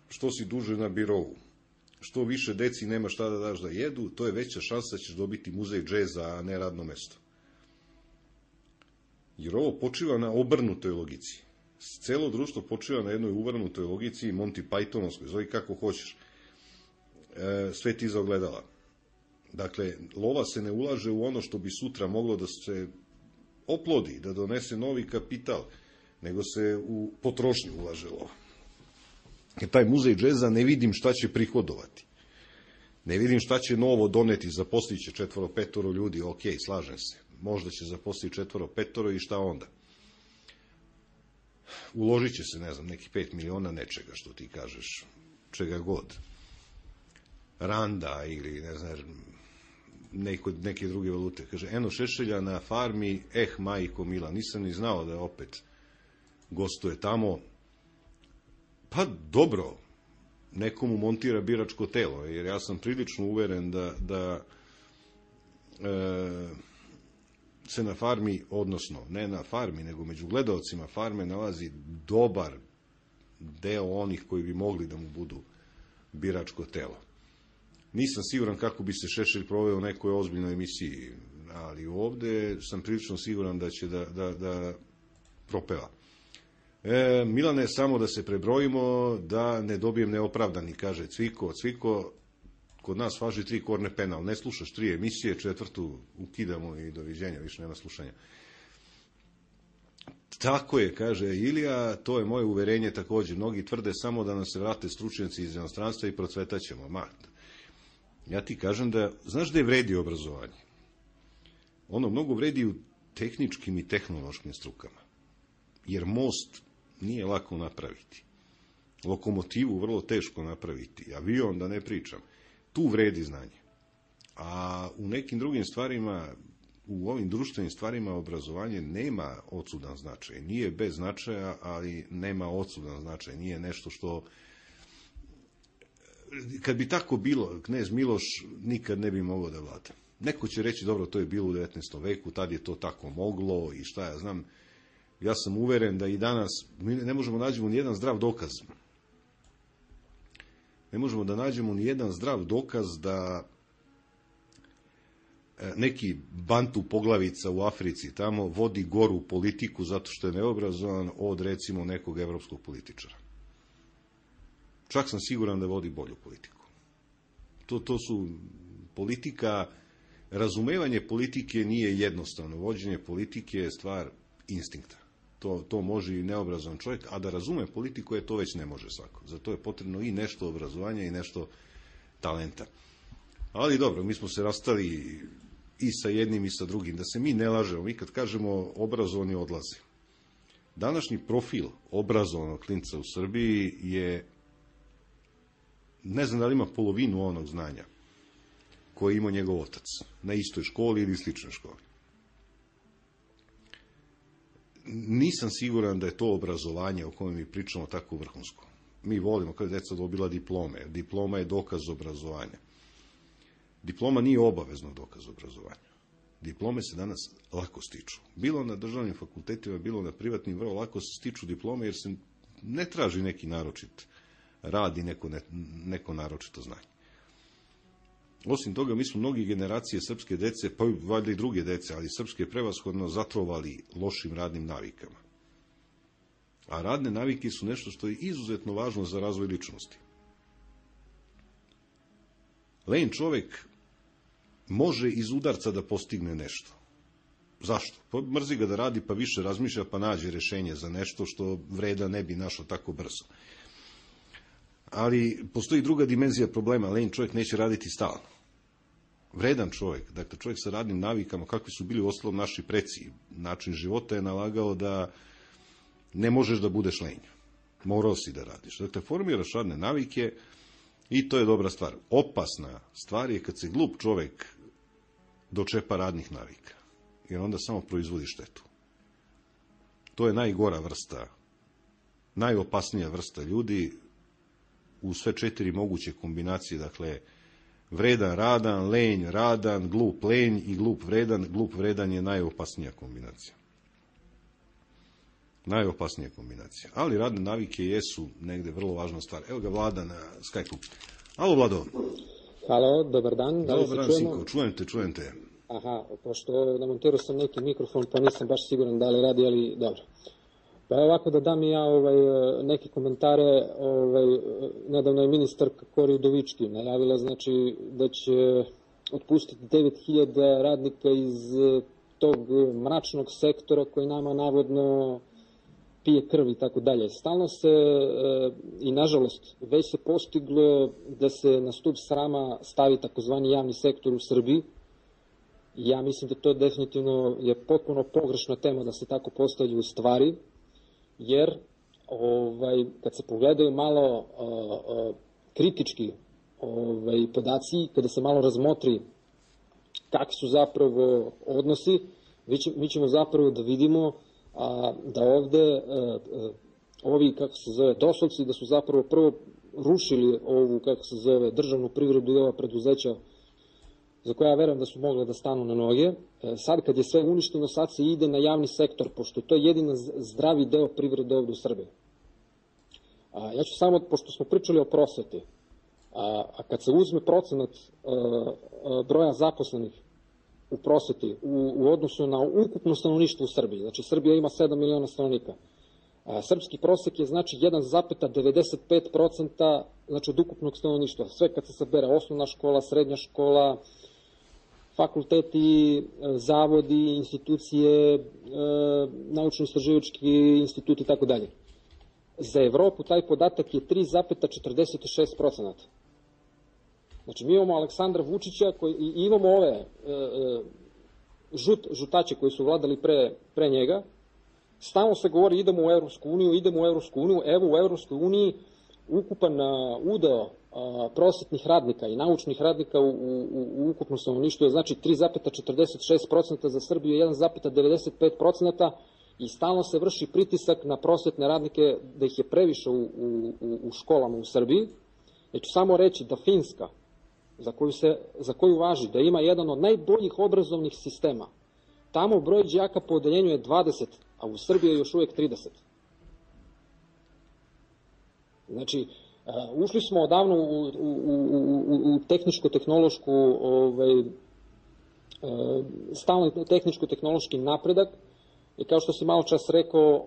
što si duže na birovu, što više deci nema šta da daš da jedu, to je veća šansa da ćeš dobiti muzej džeza, a ne radno mesto. Jer ovo počiva na obrnutoj logici. Celo društvo počiva na jednoj uvrnutoj logici, Monty Pythonovskoj, zove kako hoćeš. Sve ti za ogledala. Dakle, lova se ne ulaže u ono što bi sutra moglo da se oplodi, da donese novi kapital, nego se u potrošnju ulaže lova. Jer taj muzej džeza ne vidim šta će prihodovati. Ne vidim šta će novo doneti, zaposlit će 4-5 ljudi, ok, slažem se. možda će zaposliti 4-5 i šta onda? Uložit će se, ne znam, neki 5 miliona nečega, što ti kažeš, čega god. Randa ili, ne znam, neke druge valute. Kaže, eno Šešelja na farmi, majko mila, nisam ni znao da opet gostuje tamo. Pa dobro, nekomu montira biračko telo, jer ja sam prilično uveren da se na farmi, odnosno ne na farmi, nego među gledaocima farme nalazi dobar deo onih koji bi mogli da mu budu biračko telo. Nisam siguran kako bi se Šešelj proveo u nekoj ozbiljnoj emisiji, ali ovde sam prilično siguran da će da propeva. Milane, samo da se prebrojimo, da ne dobijem neopravdani, kaže Cviko, kod nas važi 3 korne penal, ne slušaš 3 emisije, 4. ukidamo i doviđenja, više nema slušanja. Tako je, kaže Ilija, to je moje uverenje također. Mnogi tvrde samo da nam se vrate stručnjaci iz inostranstva i procvetaćemo. Ja ti kažem da, znaš da je vredi obrazovanje? Ono mnogo vredi u tehničkim i tehnološkim strukama. Jer most nije lako napraviti. Lokomotivu vrlo teško napraviti. Avion da ne pričam. Tu vredi znanje. A u nekim drugim stvarima, u ovim društvenim stvarima obrazovanje nema odsudan značaj. Nije bez značaja, ali nema odsudan značaj. Nije nešto što... Kad bi tako bilo, knez Miloš nikad ne bi mogao da vlada. Neko će reći, dobro, to je bilo u 19. veku, tad je to tako moglo i šta ja znam. Ja sam uveren da i danas mi ne možemo nađemo ni jedan zdrav dokaz. Ne možemo da nađemo ni jedan zdrav dokaz da neki bantu poglavica u Africi tamo vodi goru politiku zato što je neobrazovan od, recimo, nekog evropskog političara. Čak sam siguran da vodi bolju politiku. To su politika, razumevanje politike nije jednostavno. Vođenje politike je stvar instinkta. To može i neobrazovan čovjek, a da razume politiku, to već ne može svako. Zato je potrebno i nešto obrazovanja i nešto talenta. Ali dobro, mi smo se rastali i sa jednim i sa drugim. Da se mi ne lažemo, mi kad kažemo obrazovani odlaze. Današnji profil obrazovanog klinca u Srbiji je, ne znam da li ima polovinu onog znanja koje ima njegov otac na istoj školi ili sličnoj školi. Nisam siguran da je to obrazovanje o kojem mi pričamo tako vrhunsko. Mi volimo kada deca dobila diplome. Diploma je dokaz obrazovanja. Diploma nije obavezno dokaz obrazovanja. Diplome se danas lako stiču. Bilo na državnim fakultetima, bilo na privatnim, vrlo lako se stiču diplome jer se ne traži neki naročit rad i neko naročito znanje. Osim toga, mi smo mnogi generacije srpske dece, pa valjda i druge dece, ali srpske prevashodno zatrovali lošim radnim navikama. A radne navike su nešto što je izuzetno važno za razvoj ličnosti. Lenj čovek može iz udarca da postigne nešto. Zašto? Pa mrzi ga da radi, pa više razmišlja, pa nađe rešenje za nešto što vreda ne bi našao tako brzo. Ali postoji druga dimenzija problema. Lenj čovjek neće raditi stalno. Vredan čovjek, dakle čovjek sa radnim navikama, kakvi su bili uostalom naši preci, način života je nalagao da ne možeš da budeš lenj. Morao si da radiš. Dakle, formiraš radne navike i to je dobra stvar. Opasna stvar je kad se glup čovjek dočepa radnih navika. Jer onda samo proizvodi štetu. To je najgora vrsta, najopasnija vrsta ljudi u sve 4 moguće kombinacije, dakle, vredan, radan, lenj, radan, glup, lenj i glup, vredan je najopasnija kombinacija. Najopasnija kombinacija. Ali radne navike jesu negde vrlo važna stvar. Evo ga Vlada na Skype-u. Alo, Vlado. Halo, dobar dan. Dobar dan, Sinko, čujem te. Aha, pošto namontirao sam neki mikrofon, pa nisam baš siguran da li radi, ali dobro. Pa ovako da dam i ja neke komentare. Nedavno je ministarka Kori Udovički najavila, znači, da će otpustiti 9000 radnika iz tog mračnog sektora koji nama navodno pije krv i tako dalje. Stalno se, i nažalost, već se postiglo da se na stup srama stavi takozvani javni sektor u Srbiji Ja mislim da to definitivno je potpuno pogrešna tema da se tako postavljaju stvari, jer kad se pogledaju malo kritički podaci, kada se malo razmotri kakvi su zapravo odnosi, mi ćemo zapravo da vidimo da ovde ovi, kako se zove, dosovci, da su zapravo prvo rušili ovu, kako se zove, državnu privredu i ova preduzeća za koja ja verujem da su mogle da stanu na noge. Sad kad je sve uništeno, sad se ide na javni sektor, pošto to je jedina zdravi deo privrede ovde u Srbiji. Ja ću samo, pošto smo pričali o prosveti, a kad se uzme procenat broja zaposlenih u prosveti u odnosu na ukupno stanovništvo u Srbiji, znači Srbija ima 7 miliona stanovnika, srpski prosek je znači 1,95% znači od ukupnog stanovništva. Sve kad se sabere, osnovna škola, srednja škola, fakulteti, zavodi, institucije, naučno-istraživački instituti i tako dalje. Za Evropu taj podatak je 3,46%. Znači mi imamo Aleksandra Vučića i imamo ove žutače koji su vladali pre njega. Stalno se govori idemo u Evropsku uniju, evo u Evropskoj uniji ukupan udeo prosvetnih radnika i naučnih radnika u ukupnom stanovništvu je znači 3,46%, za Srbiju 1,95% i stalno se vrši pritisak na prosvetne radnike da ih je previše u školama u Srbiji. Ja ću samo reći da Finska, za koju važi da ima jedan od najboljih obrazovnih sistema, tamo broj đaka po odeljenju je 20, a u Srbiji je još uvek 30. Znači, ušli smo odavno u tehničko-tehnološku, stalno tehničko-tehnološki napredak i kao što si malo čas rekao,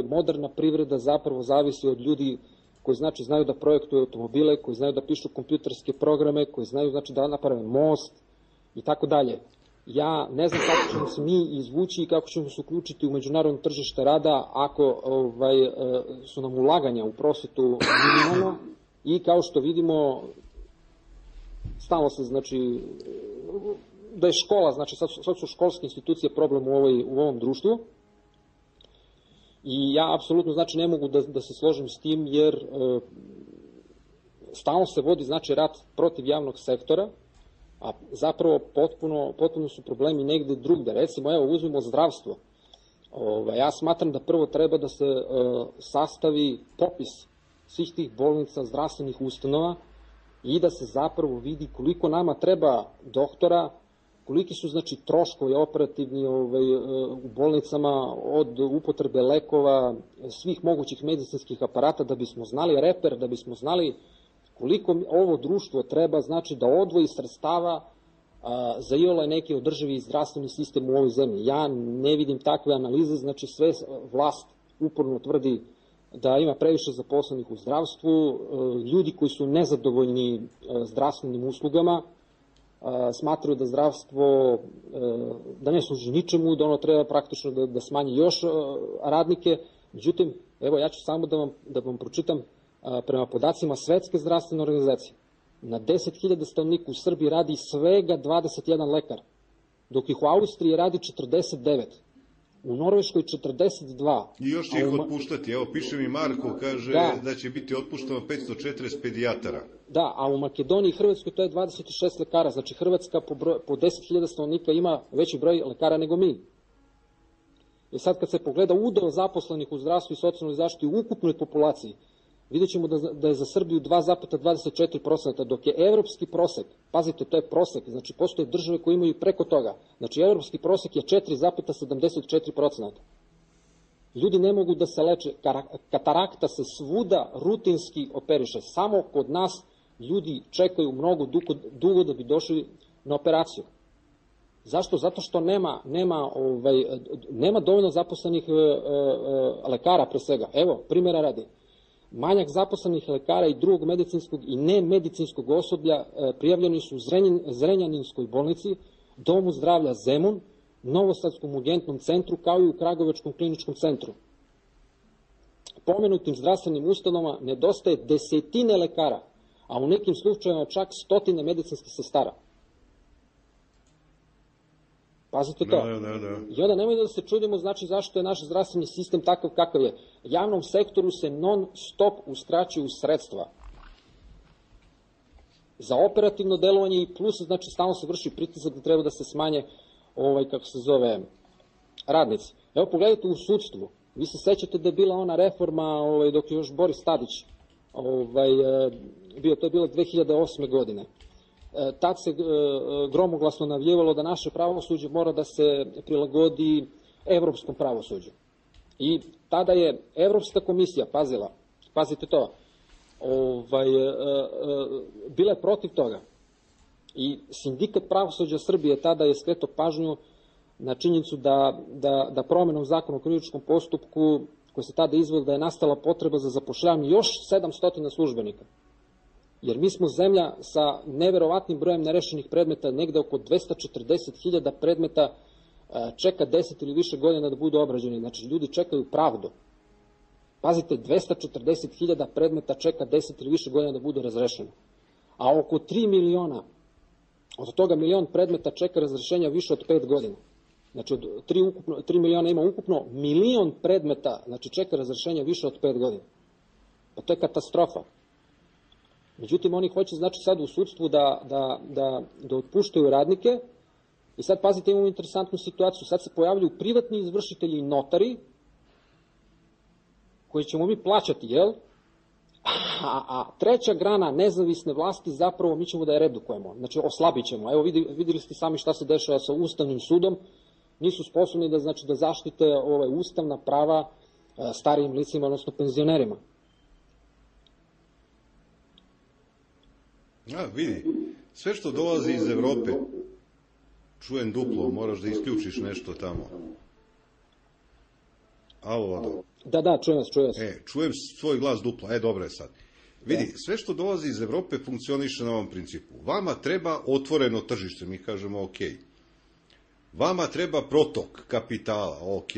moderna privreda zapravo zavisi od ljudi koji znači znaju da projektuju automobile, koji znaju da pišu kompjuterske programe, koji znaju znači da naprave most i tako dalje. Ja ne znam kako ćemo se mi izvući i kako ćemo se uključiti u međunarodno tržište rada ako su nam ulaganja u prosvetu minimalno i kao što vidimo stalno se znači da je škola, znači sad su školske institucije problem u ovom društvu i ja apsolutno znači ne mogu da se složim s tim jer stalno se vodi znači rat protiv javnog sektora, a zapravo potpuno su problemi negde drugde. Recimo, evo, uzmemo zdravstvo. Ja smatram da prvo treba da se sastavi popis svih tih bolnica, zdravstvenih ustanova i da se zapravo vidi koliko nama treba doktora, koliki su znači troškovi operativni u bolnicama od upotrebe lekova, svih mogućih medicinskih aparata, da bismo znali reper, da bismo znali koliko ovo društvo treba znači da odvoji sredstava za iole neki održivi zdravstveni sistem u ovoj zemlji. Ja ne vidim takve analize, znači sve vlast uporno tvrdi da ima previše zaposlenih u zdravstvu, ljudi koji su nezadovoljni zdravstvenim uslugama, smatraju da zdravstvo da ne služi ničemu, da ono treba praktično da smanji još radnike. Međutim, evo ja ću samo da vam pročitam prema podacima Svetske zdravstvene organizacije. Na 10.000 stanovnika u Srbiji radi svega 21 lekar, dok ih u Austriji radi 49. U Norveškoj 42. I još će ih otpuštati. Evo, piše mi Marko, kaže da će biti otpušteno 540 pedijatara. Da, a u Makedoniji i Hrvatskoj to je 26 lekara. Znači Hrvatska po 10.000 stanovnika ima veći broj lekara nego mi. I sad kad se pogleda udeo zaposlenih u zdravstvu i socijalnoj zaštiti u ukupnoj populaciji, vidjet ćemo da je za Srbiju 2,24%, dok je evropski prosek, pazite, to je prosek, znači postoje države koje imaju preko toga, znači evropski prosek je 4,74%. Ljudi ne mogu da se leče, katarakta se svuda rutinski operiše, samo kod nas ljudi čekaju mnogo dugo da bi došli na operaciju. Zašto? Zato što nema dovoljno zaposlenih lekara pre svega. Evo, primjera radi. Manjak zaposlenih lekara i drugog medicinskog i nemedicinskog osoblja prijavljeni su u Zrenjaninskoj bolnici, Domu zdravlja Zemun, Novosadskom urgentnom centru, kao i u Kragujevačkom kliničkom centru. Pomenutim zdravstvenim ustanovama nedostaje desetine lekara, a u nekim slučajevima čak stotine medicinskih sestara. Pazite to. I onda nemoj da se čudimo, znači, zašto je naš zdravstveni sistem takav kakav je. Javnom sektoru se non stop uskraćuju sredstva za operativno delovanje i plus, znači, stalno se vrši pritisak da treba da se smanje, kako se zove, radnici. Evo, pogledajte u sudstvu. Vi se sećate da je bila ona reforma dok je još Boris Tadić bio, to je bilo 2008. godine. Tad se gromoglasno navijevalo da naše pravosuđe mora da se prilagodi evropskom pravosuđu. I tada je Evropska komisija pazite to, bila je protiv toga. I Sindikat pravosuđa Srbije tada je skretao pažnju na činjenicu da promenom zakona o krivičnom postupku koji se tada izveo da je nastala potreba za zapošljavanje još 700 službenika. Jer mi smo zemlja sa neverovatnim brojem nerešenih predmeta, negde oko 240.000 predmeta čeka 10 ili više godina da budu obrađeni. Znači, ljudi čekaju pravdu. Pazite, 240.000 predmeta čeka 10 ili više godina da budu razrešeni. A oko 3 miliona, od toga milion predmeta čeka razrešenja više od 5 godina. Znači, od 3 miliona ima ukupno, milion predmeta, znači čeka razrešenja više od 5 godina. Pa to je katastrofa. Međutim, oni hoće, znači, sad u sudstvu da otpuštaju radnike i sad, pazite, imamo interesantnu situaciju. Sad se pojavljaju privatni izvršitelji i notari koji ćemo mi plaćati, jel? A treća grana nezavisne vlasti zapravo mi ćemo da je redukujemo. Znači, oslabit ćemo. Evo, videli ste sami šta se dešava sa Ustavnim sudom. Nisu sposobni da zaštite ustavna prava starijim licima, odnosno penzionerima. Vidi, sve što dolazi iz Evrope, čujem duplo, moraš da isključiš nešto tamo. Alo. Da, čujem vas. Čujem svoj glas duplo, dobro je sad. Vidi, sve što dolazi iz Evrope funkcioniše na ovom principu. Vama treba otvoreno tržište, mi kažemo ok. Vama treba protok kapitala, ok.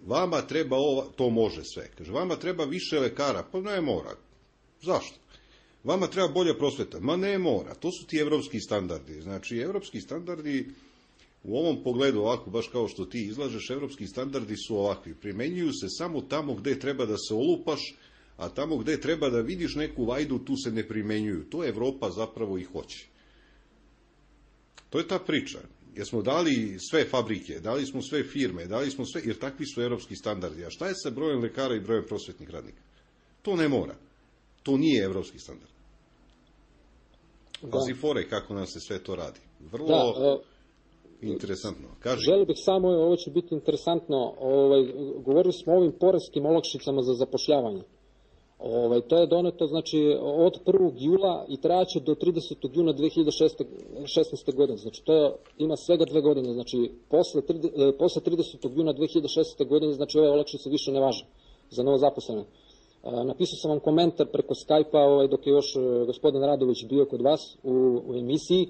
Vama treba to može sve. Kaže, vama treba više lekara, pa ne mora. Zašto? Vama treba bolja prosveta, ma ne mora. To su ti evropski standardi. Znači, evropski standardi u ovom pogledu, ovako, baš kao što ti izlažeš, evropski standardi su ovakvi. Primenjuju se samo tamo gde treba da se olupaš, a tamo gde treba da vidiš neku vajdu, tu se ne primenjuju. To Evropa zapravo i hoće. To je ta priča. Jer smo dali sve fabrike, dali smo sve firme, dali smo sve, jer takvi su evropski standardi. A šta je sa brojem lekara i brojem prosvetnih radnika? To ne mora. To nije evropski standard. Pazi fore kako nam se sve to radi. Vrlo interesantno. Kaži. Želio bih samo, ovo će biti interesantno, govorili smo o ovim poreskim olakšicama za zapošljavanje. To je doneto, znači, od 1. jula i trajaće do 30. juna 2016. godine. Znači, to ima svega 2 godine. Znači, posle 30. juna 2016. godine, znači, ove olakšice više ne važe za novozaposlene. Napisao sam vam komentar preko Skype-a dok je još gospodin Radović bio kod vas u emisiji.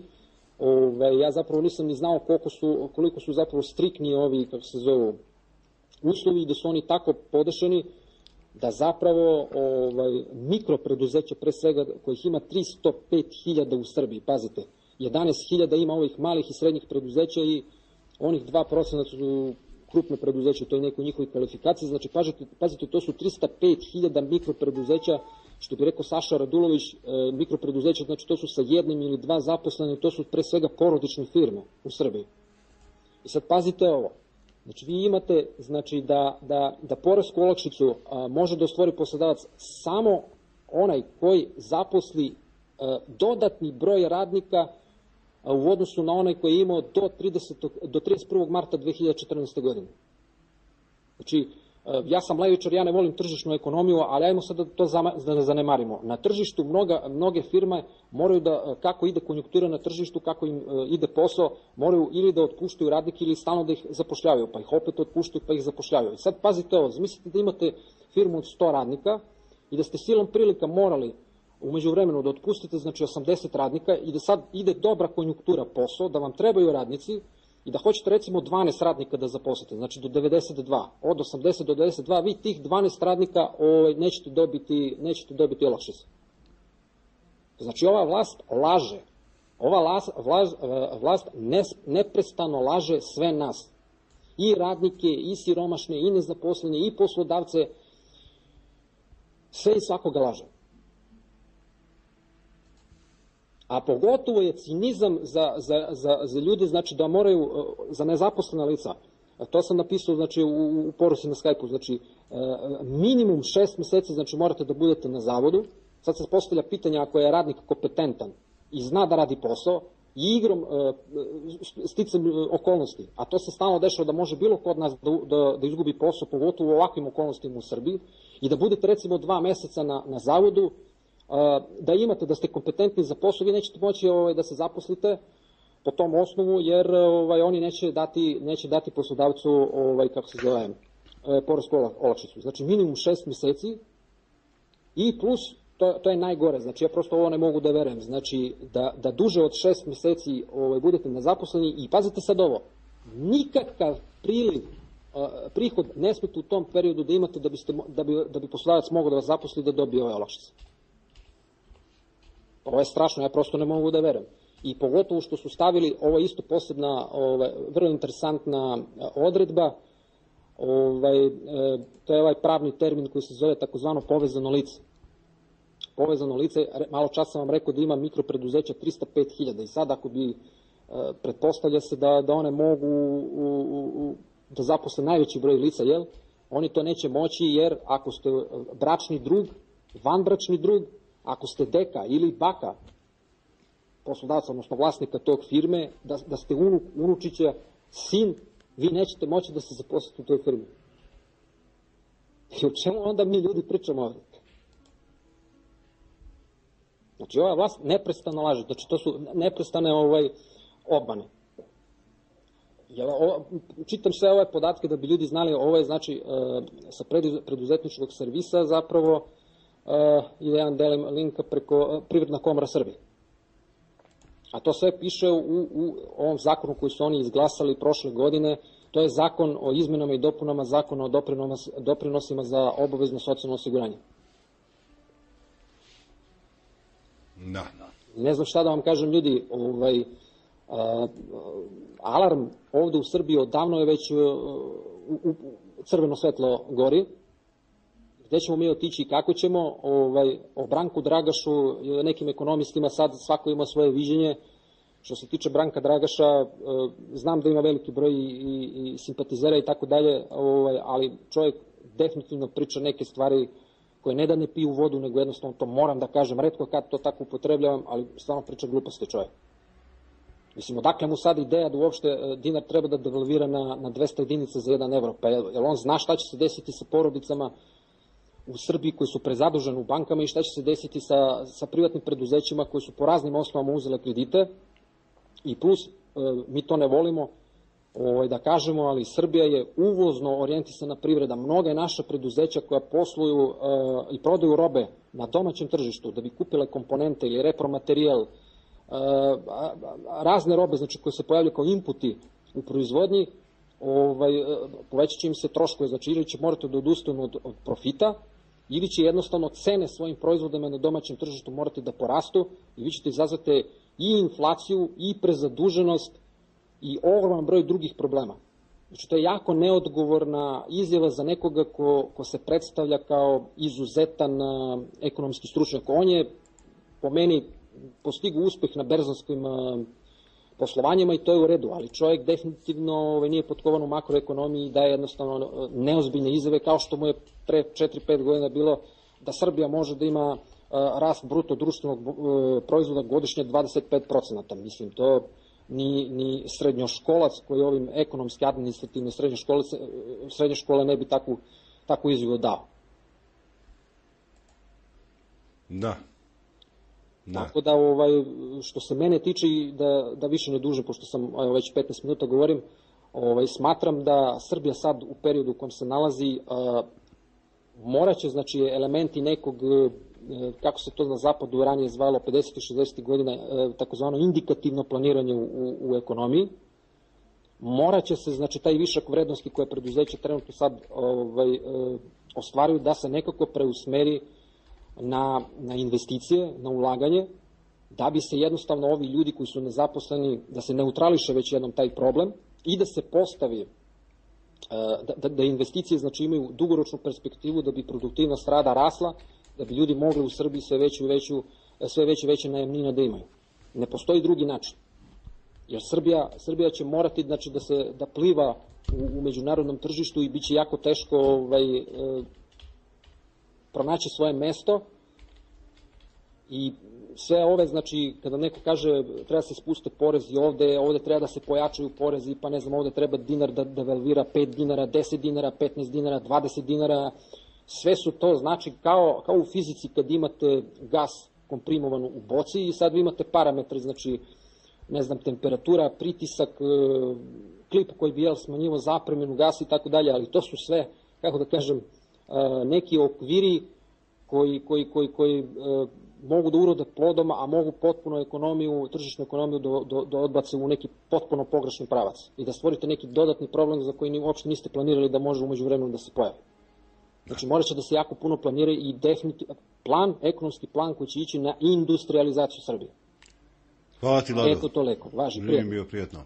Ja zapravo nisam ni znao koliko su zapravo striktni ovi, kako se zovu, uslovi, da su oni tako podešeni da zapravo mikropreduzeća, pre svega kojih ima 305.000 u Srbiji, pazite, 11.000 ima ovih malih i srednjih preduzeća i onih 2% su krupne preduzeće, to je neko njihovi kvalifikacije, znači pazite, to su 305.000 mikropreduzeća, što bi rekao Saša Radulović, mikropreduzeća, znači to su sa 1 ili 2 zaposlene, to su pre svega porodične firme u Srbiji. I sad pazite ovo, znači vi imate, znači da poresku olakšicu može da ostvari poslodavac samo onaj koji zaposli dodatni broj radnika u odnosu na onaj koji je imao do 31. marta 2014. godine. Znači, ja sam levičar, ja ne volim tržišnu ekonomiju, ali ajmo sad da to zanemarimo. Na tržištu mnoge firme moraju da, kako ide konjunktura na tržištu, kako im ide posao, moraju ili da otpuštaju radnike ili stalno da ih zapošljavaju, pa ih opet otpuštaju pa ih zapošljavaju. I sad pazite ovo, zamislite da imate firmu od 100 radnika i da ste silom prilika morali umeđu vremenu da otpustite, znači 80 radnika i da sad ide dobra konjunktura posao, da vam trebaju radnici i da hoćete recimo 12 radnika da zaposlite, znači do 92, od 80 do 92, vi tih 12 radnika nećete dobiti olakšice. Znači ova vlast laže. Ova vlast neprestano laže sve nas. I radnike, i siromašne, i nezaposlene, i poslodavce. Sve i svakoga laže. A pogotovo je cinizam za ljude, znači da moraju, za nezaposlena lica. To sam napisao, znači, u poruci na Skype-u, znači, minimum 6 meseci, znači, morate da budete na zavodu. Sad se postavlja pitanje, ako je radnik kompetentan i zna da radi posao, i igrom, sticam okolnosti, a to se stalno dešava da može bilo ko od nas da izgubi posao, pogotovo u ovakvim okolnostima u Srbiji, i da budete recimo 2 meseca na zavodu, da imate, da ste kompetentni za posao, vi nećete moći da se zaposlite po tom osnovu, jer oni neće dati poslodavcu, kako se zove, poresku olakšicu. Znači minimum 6 meseci i plus, to je najgore, znači ja prosto ovo ne mogu da verujem, znači da duže od 6 meseci budete nezaposleni i pazite sad ovo, nikakav prihod ne smete u tom periodu da imate da bi poslodavac mogao da vas zaposli da dobije ove olakšice. Ovo je strašno, ja prosto ne mogu da verujem. I pogotovo što su stavili, ovo je isto posebna, vrlo interesantna odredba, to je ovaj pravni termin koji se zove takozvano povezano lice. Povezano lice, malo čas sam vam rekao da ima mikropreduzeća 305.000 i sad ako bi, pretpostavlja se da one mogu da zaposle najveći broj lica, jel? Oni to neće moći jer ako ste bračni drug, vanbračni drug, ako ste deka ili baka poslodavca, odnosno vlasnika tog firme, da ste unučića, sin, vi nećete moći da se zaposlite u toj firmi. I o čemu onda mi ljudi pričamo ovdje? Znači, ova vlast neprestano laže, znači to su neprestane obmane. Čitam sve ove podatke da bi ljudi znali, ovo je znači sa preduzetničkog servisa zapravo i da ja delim linka preko Privredna komora Srbije. A to sve piše u ovom zakonu koji su oni izglasali prošle godine, to je zakon o izmenama i dopunama zakona o doprinosima za obavezno socijalno osiguranje. Da. Ne znam šta da vam kažem, ljudi, alarm ovde u Srbiji odavno je već crveno svetlo gori. Gde ćemo mi otići i kako ćemo, o Branku Dragašu, nekim ekonomistima sad svako ima svoje viđenje. Što se tiče Branka Dragaša, znam da ima veliki broj i simpatizera i tako dalje, ali čovjek definitivno priča neke stvari koje ne da ne piju vodu, nego jednostavno to moram da kažem, retko kad to tako upotrebljavam, ali stvarno priča gluposti čovjek. Mislim, odakle mu sad ideja da uopšte dinar treba da devalvira na 200 jedinica za 1 evro, pa jel on zna šta će se desiti sa porodicama u Srbiji koji su prezaduženi u bankama i šta će se desiti sa privatnim preduzećima koji su po raznim osnovama uzele kredite i plus, mi to ne volimo da kažemo, ali Srbija je uvozno orijentisana privreda. Mnoga je naša preduzeća koja posluju i prodaju robe na domaćem tržištu da bi kupile komponente ili repromaterijal, razne robe, znači koje se pojavljaju kao inputi u proizvodnji, povećat će im se troškove, znači ili će morati da odustanu od profita, ili će jednostavno cene svojim proizvodima na domaćem tržištu morati da porastu i vi ćete izazvati i inflaciju i prezaduženost i ogroman broj drugih problema. Znači to je jako neodgovorna izjava za nekoga ko se predstavlja kao izuzetan ekonomski stručnjak. On je po meni postigao uspeh na berzanskim poslovanjima i to je u redu, ali čovjek definitivno nije potkovan u makroekonomiji i daje jednostavno neozbiljne izjave, kao što mu je pre 4-5 godina bilo da Srbija može da ima rast bruto društvenog proizvoda godišnje 25%. Mislim, to ni srednjoškolac koji ovim ekonomski administrativne srednje škole ne bi takvu izjavu dao. Da. Tako da, što se mene tiče, da više ne dužim, pošto sam već 15 minuta govorim, smatram da Srbija sad u periodu u kojem se nalazi moraće, znači, elementi nekog, kako se to na zapadu ranije zvalo 50. i 60. godina, takozvano indikativno planiranje u ekonomiji, moraće se, znači, taj višak vrednosti koje preduzeće trenutno sad ostvaruju da se nekako preusmeri na investicije, na ulaganje da bi se jednostavno ovi ljudi koji su nezaposleni, da se neutrališe već jednom taj problem i da se postavi, da investicije znači imaju dugoročnu perspektivu, da bi produktivnost rada rasla, da bi ljudi mogli u Srbiji sve veće i veće najamnine da imaju. Ne postoji drugi način. Jer Srbija će morati znači, da pliva u međunarodnom tržištu i bit će jako teško pronaći svoje mesto i sve ove, znači, kada neko kaže treba se spuste porezi ovde treba da se pojačaju porezi, pa ne znam, ovde treba dinar da devalvira 5 dinara, 10 dinara, 15 dinara, 20 dinara, sve su to, znači, kao u fizici kad imate gas komprimovan u boci i sad vi imate parametre, znači, ne znam, temperatura, pritisak, klip koji bi smanjivo zapremljenu gasa i tako dalje, ali to su sve, kako da kažem, neki okviri koji mogu da urode plodom, a mogu potpuno tržišnu ekonomiju da odbace u neki potpuno pogrešni pravac i da stvorite neki dodatni problem za koji uopšte niste planirali da može umeđu vremenu da se pojavi. Znači, morat će da se jako puno planira i ekonomski plan koji će ići na industrializaciju Srbije. Hvala ti, Lado. Eto toliko, važi, prijatno. Bio prijatno.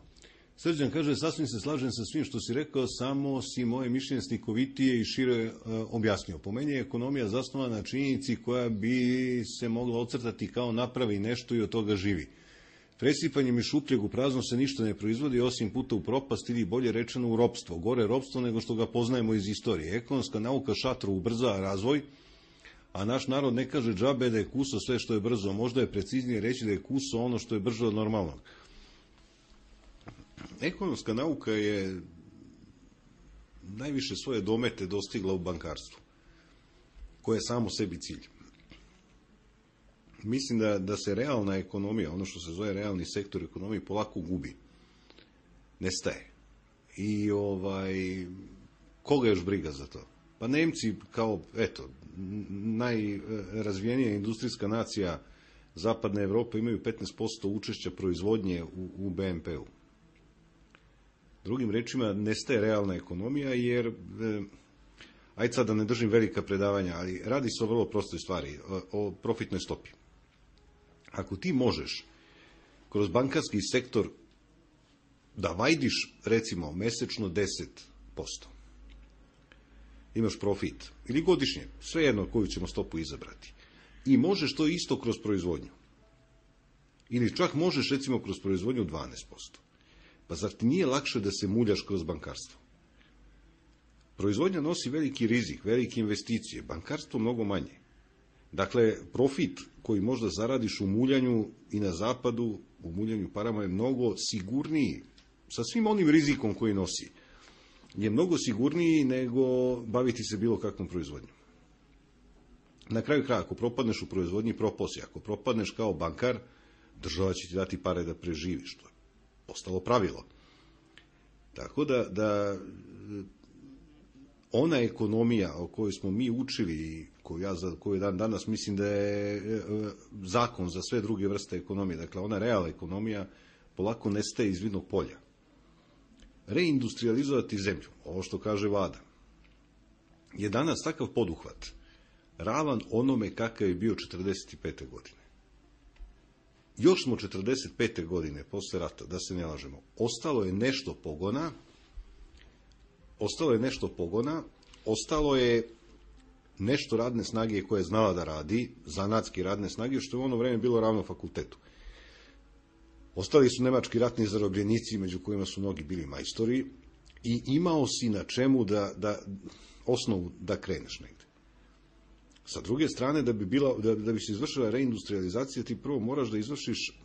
Srđan kaže, sasvim se slažem sa svim što si rekao, samo si moje mišljenje slikovitije i šire objasnio. Po meni je ekonomija zasnovana na činjenici koja bi se mogla ocrtati kao napravi nešto i od toga živi. Presipanjem i šupljeg u prazno se ništa ne proizvodi osim puta u propast ili bolje rečeno u ropstvo. Gore ropstvo nego što ga poznajemo iz istorije. Ekonomska nauka šatro ubrza razvoj, a naš narod ne kaže džabe da je kuso sve što je brzo. Možda je preciznije reći da je kuso ono što je brže od normalnog. Ekonomska nauka je najviše svoje domete dostigla u bankarstvu, koje je samo sebi cilj. Mislim da se realna ekonomija, ono što se zove realni sektor ekonomije, polako gubi. Nestaje. I koga još briga za to? Pa Nemci kao, najrazvijenija industrijska nacija zapadne Evrope imaju 15% učešća proizvodnje u BNP-u. Drugim rečima, nestaje realna ekonomija jer, ajde sad da ne držim velika predavanja, ali radi se o vrlo prostoj stvari, o profitnoj stopi. Ako ti možeš kroz bankarski sektor da vajdiš, recimo, mesečno 10%, imaš profit, ili godišnje, svejedno koju ćemo stopu izabrati, i možeš to isto kroz proizvodnju, ili čak možeš, recimo, kroz proizvodnju 12%, pa zar ti nije lakše da se muljaš kroz bankarstvo? Proizvodnja nosi veliki rizik, velike investicije, bankarstvo mnogo manje. Dakle, profit koji možda zaradiš u muljanju i na zapadu, u muljanju parama je mnogo sigurniji, sa svim onim rizikom koji nosi, je mnogo sigurniji nego baviti se bilo kakvom proizvodnjom. Na kraju kraja, ako propadneš u proizvodnji, propao si. Ako propadneš kao bankar, država će ti dati pare da preživiš. To je postalo pravilo. Tako da ona ekonomija o kojoj smo mi učili i koju dan danas mislim da je zakon za sve druge vrste ekonomije, dakle ona realna ekonomija polako nestaje iz vidnog polja. Reindustrializovati zemlju, ovo što kaže vlada, je danas takav poduhvat ravan onome kakav je bio 45. godine. Još smo 45. godine posle rata, da se ne lažemo, ostalo je nešto pogona, ostalo je nešto radne snage koje je znala da radi, zanatski radne snage, što je u ono vreme bilo ravno fakultetu. Ostali su nemački ratni zarobljenici, među kojima su mnogi bili majstori, i imao si na čemu osnovu da kreneš negde. Sa druge strane, da bi se izvršila reindustrializacija, ti prvo moraš da izvršiš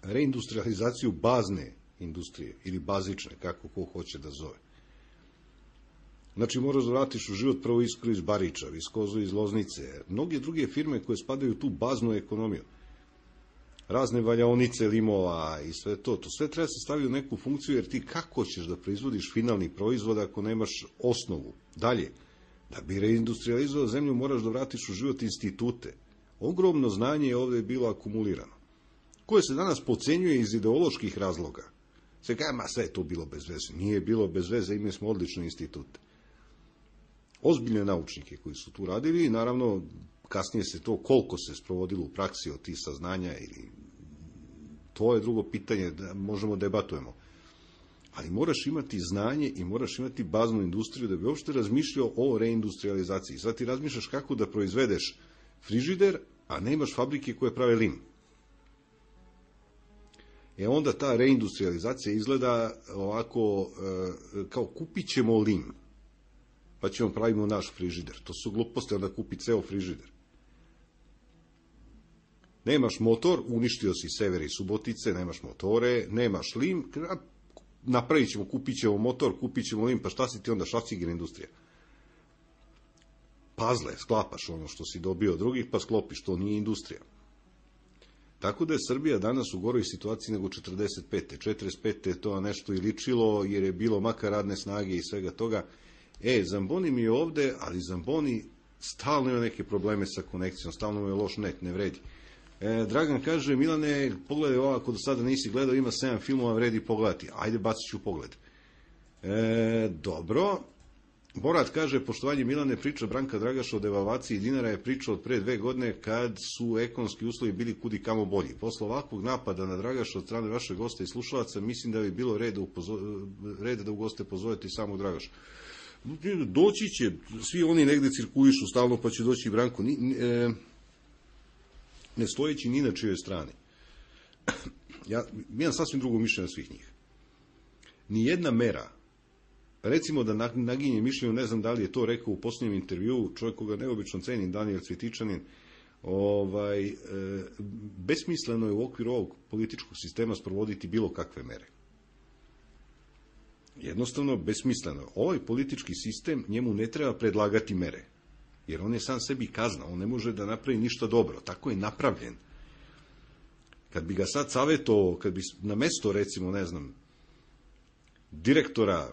reindustrializaciju bazne industrije, ili bazične, kako ko hoće da zove. Znači, moraš da vratiš u život prvo Iskru iz Bariča, Viskozu iz Loznice, mnoge druge firme koje spadaju u tu baznu ekonomiju. Razne valjaonice limova i sve to sve treba se staviti u neku funkciju, jer ti kako ćeš da proizvodiš finalni proizvod ako nemaš osnovu? Dalje, da bi reindustrializovao zemlju moraš da vratiš u život institute. Ogromno znanje je ovde bilo akumulirano, koje se danas podcenjuje iz ideoloških razloga. Se kaže, sve je to bilo bez veze. Nije bilo bez veze, imali smo odlične institute. Ozbiljne naučnike koji su tu radili i naravno kasnije se to, koliko se sprovodilo u praksi od tih saznanja, ili to je drugo pitanje, da možemo debatujemo. Ali moraš imati znanje i moraš imati baznu industriju da bi uopšte razmišljao o reindustrializaciji. Sad ti razmišljaš kako da proizvedeš frižider, a ne imaš fabrike koje prave lim. Onda ta reindustrializacija izgleda ovako, kao kupit ćemo lim, pa ćemo pravimo naš frižider. To su gluposti, onda kupi ceo frižider. Nemaš motor, uništio si Sever i Subotice, nemaš motore, nemaš lim, napravit ćemo, kupit ćemo motor, kupit ćemo lim, pa šta si ti onda, šaciger industrija? Pazle, sklapaš ono što si dobio od drugih, pa sklopiš, to nije industrija. Tako da je Srbija danas u goroj situaciji nego 45. 45. je to nešto i ličilo, jer je bilo makar radne snage i svega toga. Zamboni mi je ovde, ali Zamboni stalno ima neke probleme sa konekcijom, stalno mu je loš net, ne vredi. Dragan kaže, Milane, pogledaj ovo, ako do sada nisi gledao, ima 7 filmova, vredi pogledati. Ajde, bacit ću pogled. Dobro. Borat kaže, poštovanje Milane, priča Branka Dragaša o devalvaciji dinara je priča od pre 2 godine kad su ekonomski uslovi bili kudi kamo bolji. Posle ovakvog napada na Dragaša od strane vašeg gosta i slušalaca, mislim da bi bilo red da u goste pozovete i samog Dragaša. Doći će, svi oni negde cirkulišu stalno, pa će doći i Branko. Ne stojeći ni na čijoj strani. Ja imam sasvim drugo mišljenje svih njih. Nijedna mera, recimo da naginje mišljenju, ne znam da li je to rekao u posljednjem intervjuu, čovjek koga neobično cenim, Daniel Cvjetičanin, besmisleno je u okviru ovog političkog sistema sprovoditi bilo kakve mere. Jednostavno, besmisleno. Ovaj politički sistem, njemu ne treba predlagati mere, jer on je sam sebi kazna, on ne može da napravi ništa dobro, tako je napravljen. Kad bi ga sad savjetovao, kad bi na mesto, recimo, ne znam, direktora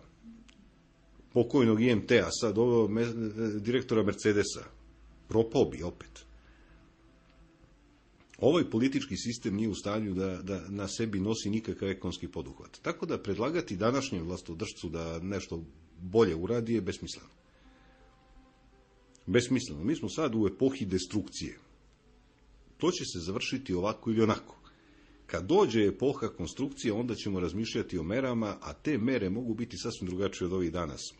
pokojnog IMT-a, sad ovo direktora Mercedesa, propao bi opet. Ovaj politički sistem nije u stanju da na sebi nosi nikakav ekonomski poduhvat. Tako da predlagati današnjem vlastodržcu da nešto bolje uradi je besmisleno. Besmisleno. Mi smo sad u epohi destrukcije. To će se završiti ovako ili onako. Kad dođe epoha konstrukcije, onda ćemo razmišljati o merama, a te mere mogu biti sasvim drugačije od ovih danas.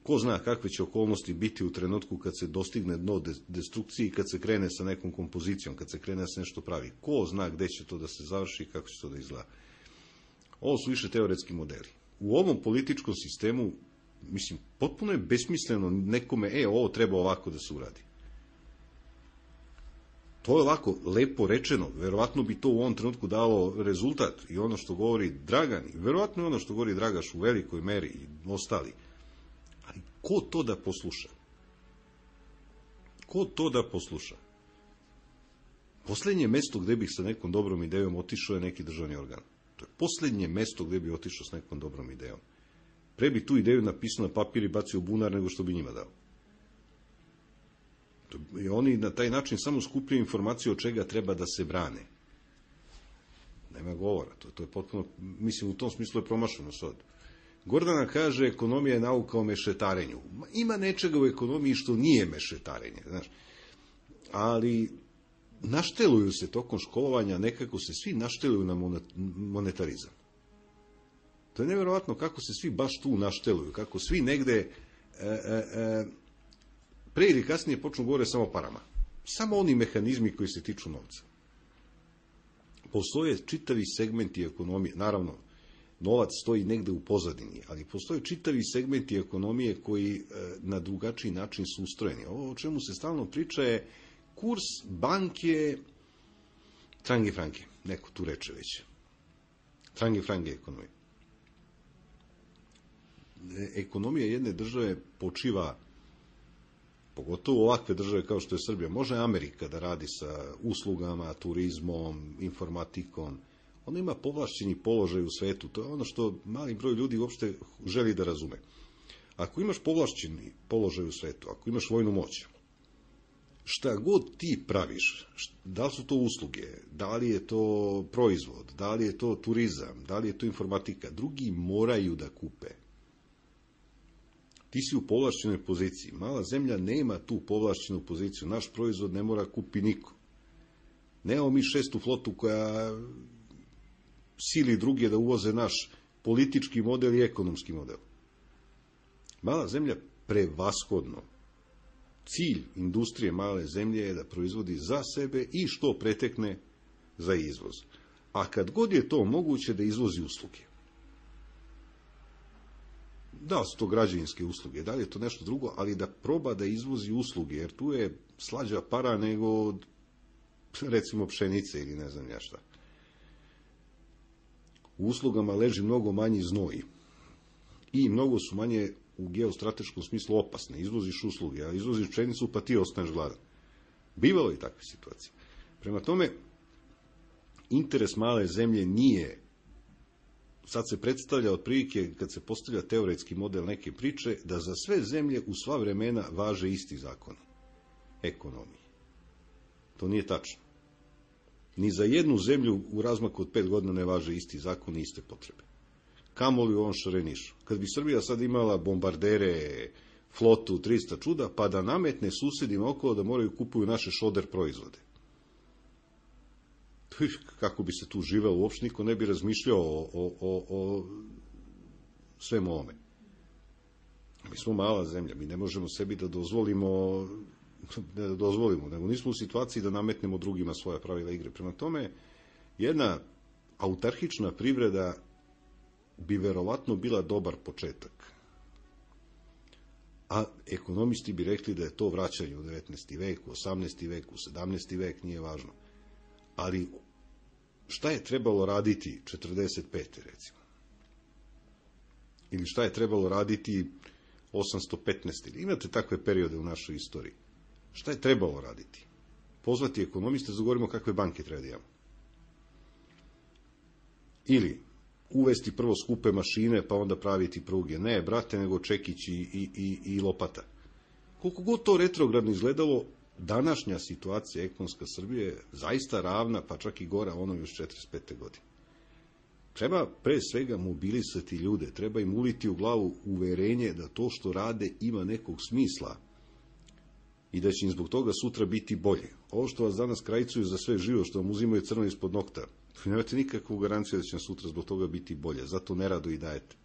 Ko zna kakve će okolnosti biti u trenutku kad se dostigne dno destrukcije i kad se krene sa nekom kompozicijom, kad se krene da se nešto pravi. Ko zna gde će to da se završi i kako će to da izgleda. Ovo su više teoretski modeli. U ovom političkom sistemu, mislim, potpuno je besmisleno nekome, ovo treba ovako da se uradi. To je ovako lepo rečeno, verovatno bi to u ovom trenutku dalo rezultat i ono što govori Dragan, i verovatno ono što govori Dragaš u velikoj meri i ostali. Ali ko to da posluša? Ko to da posluša? Poslednje mesto gde bih sa nekom dobrom idejom otišao je neki državni organ. To je poslednje mesto gde bih otišao s nekom dobrom idejom. Pre bi tu ideju napisao na papir i bacio u bunar nego što bi njima dao. I oni na taj način samo skupljaju informaciju od čega treba da se brane. Nema govora. To je potpuno, mislim, u tom smislu je promašeno sad. Gordana kaže, ekonomija je nauka o mešetarenju. Ima nečega u ekonomiji što nije mešetarenje, znaš. Ali našteluju se tokom školovanja, nekako se svi našteluju na monetarizam. To je nevjerovatno kako se svi baš tu našteluju, kako svi negde pre ili kasnije počnu govore samo o parama. Samo oni mehanizmi koji se tiču novca. Postoje čitavi segmenti ekonomije, naravno, novac stoji negde u pozadini, ali postoje čitavi segmenti ekonomije koji na drugačiji način su ustrojeni. Ovo o čemu se stalno priča je kurs banke trange franke, neko tu reče već. Trange franke ekonomije. Ekonomija jedne države počiva, pogotovo ovakve države kao što je Srbija, može Amerika da radi sa uslugama, turizmom, informatikom, ona ima povlašćeni položaj u svetu, to je ono što mali broj ljudi uopšte želi da razume. Ako imaš povlašćeni položaj u svetu, ako imaš vojnu moć, šta god ti praviš, da li su to usluge, da li je to proizvod, da li je to turizam, da li je to informatika, drugi moraju da kupe. ti si u povlašćenoj poziciji. Mala zemlja nema tu povlašćenu poziciju. Naš proizvod ne mora kupi niko. Nemamo mi 6. flotu koja sili druge da uvoze naš politički model i ekonomski model. Mala zemlja prevashodno. Cilj industrije male zemlje je da proizvodi za sebe i što pretekne za izvoz. A kad god je to moguće da izvozi usluge. Da su to građevinske usluge, da li je to nešto drugo, ali da proba da izvozi usluge, jer tu je slađa para nego recimo pšenice ili ne znam ja šta. U uslugama leži mnogo manji znoj i mnogo su manje u geostrateškom smislu opasne. Izvoziš usluge, a izvoziš pšenicu pa ti ostaneš gladan. Bivalo je takve situacije. Prema tome, interes male zemlje nije, sad se predstavlja otprilike, kad se postavlja teoretski model neke priče, da za sve zemlje u sva vremena važe isti zakon ekonomije. To nije tačno. Ni za jednu zemlju u razmaku od 5 godina ne važe isti zakon i iste potrebe. Kamoli u ovom šarenišu. Kad bi Srbija sad imala bombardere, flotu, 300 čuda, pa da nametne susedima okolo da moraju kupuju naše šoder proizvode. Kako bi se tu živelo, uopšte niko ne bi razmišljao o svemu ovome. Mi smo mala zemlja, mi ne možemo sebi da dozvolimo, nego nismo u situaciji da nametnemo drugima svoja pravila igre. Prema tome, jedna autarhična privreda bi verovatno bila dobar početak. A ekonomisti bi rekli da je to vraćanje u 19. vek, u 18. vek, u 17. vek, nije važno. Ali šta je trebalo raditi 45. recimo? Ili šta je trebalo raditi 815. Imate takve periode u našoj istoriji. Šta je trebalo raditi? Pozvati ekonomiste, zagovorimo kakve banke treba da imamo. Ili uvesti prvo skupe mašine, pa onda praviti pruge. Ne, brate, nego čekić i lopata. Koliko god to retrogradno izgledalo, današnja situacija ekonomska Srbije je zaista ravna, pa čak i gora ono još 45. godine. Treba pre svega mobilisati ljude, treba im uliti u glavu uverenje da to što rade ima nekog smisla i da će im zbog toga sutra biti bolje. Ovo što vas danas krajcuju za sve živo, što vam uzimaju crno ispod nokta, nemate nikakvu garanciju da će vam sutra zbog toga biti bolje, zato nerado i dajete.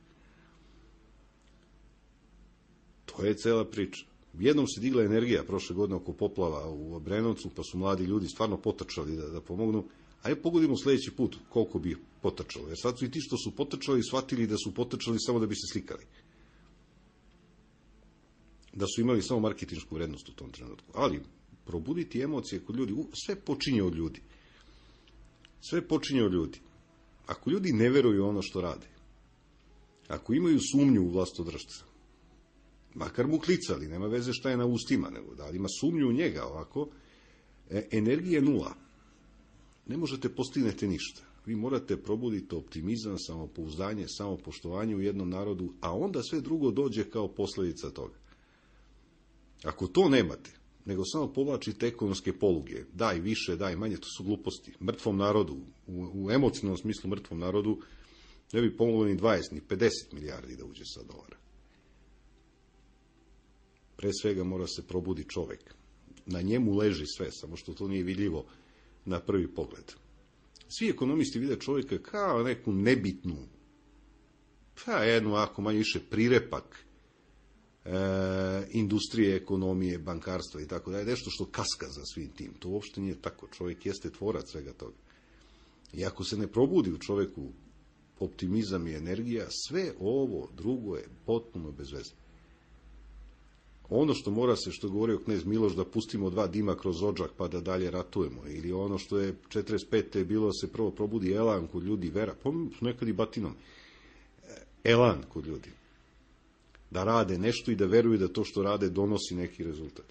To je cela priča. Jednom se digla energija prošle godine oko poplava u Obrenovcu, pa su mladi ljudi stvarno potrčali da pomognu. Ajde pogodimo sledeći put koliko bi ih potrčalo. Jer sad su i ti što su potrčali shvatili da su potrčali samo da bi se slikali. Da su imali samo marketinšku vrednost u tom trenutku. Ali probuditi emocije kod ljudi, sve počinje od ljudi. Sve počinje od ljudi. Ako ljudi ne veruju ono što rade, ako imaju sumnju u vlastodržca, makar mu klicali, nema veze šta je na ustima, nego da li ima sumnju u njega ovako, energija nula. Ne možete postignete ništa. Vi morate probuditi optimizam, samopouzdanje, samopoštovanje u jednom narodu, a onda sve drugo dođe kao posljedica toga. Ako to nemate, nego samo povlačite ekonomske poluge, daj više, daj manje, to su gluposti. Mrtvom narodu, u emocionalnom smislu mrtvom narodu, ne bi pomoglo ni 20, ni 50 milijardi da uđe sa dolara. Pre svega mora se probudi čovek. Na njemu leži sve, samo što to nije vidljivo na prvi pogled. Svi ekonomisti vide čovjeka kao neku nebitnu, pa jednu ako manje više prirepak industrije, ekonomije, bankarstva i tako dalje, nešto što kaska za svim tim. To uopšte nije tako. Čovjek jeste tvorac svega toga. I ako se ne probudi u čovjeku optimizam i energija, sve ovo drugo je potpuno bez veze. Ono što mora se, što govorio knez Miloš, da pustimo 2 dima kroz odžak pa da dalje ratujemo. Ili ono što je 45. bilo se prvo probudi elan kod ljudi, vera, nekad i batinom. Elan kod ljudi. Da rade nešto i da veruju da to što rade donosi neki rezultat.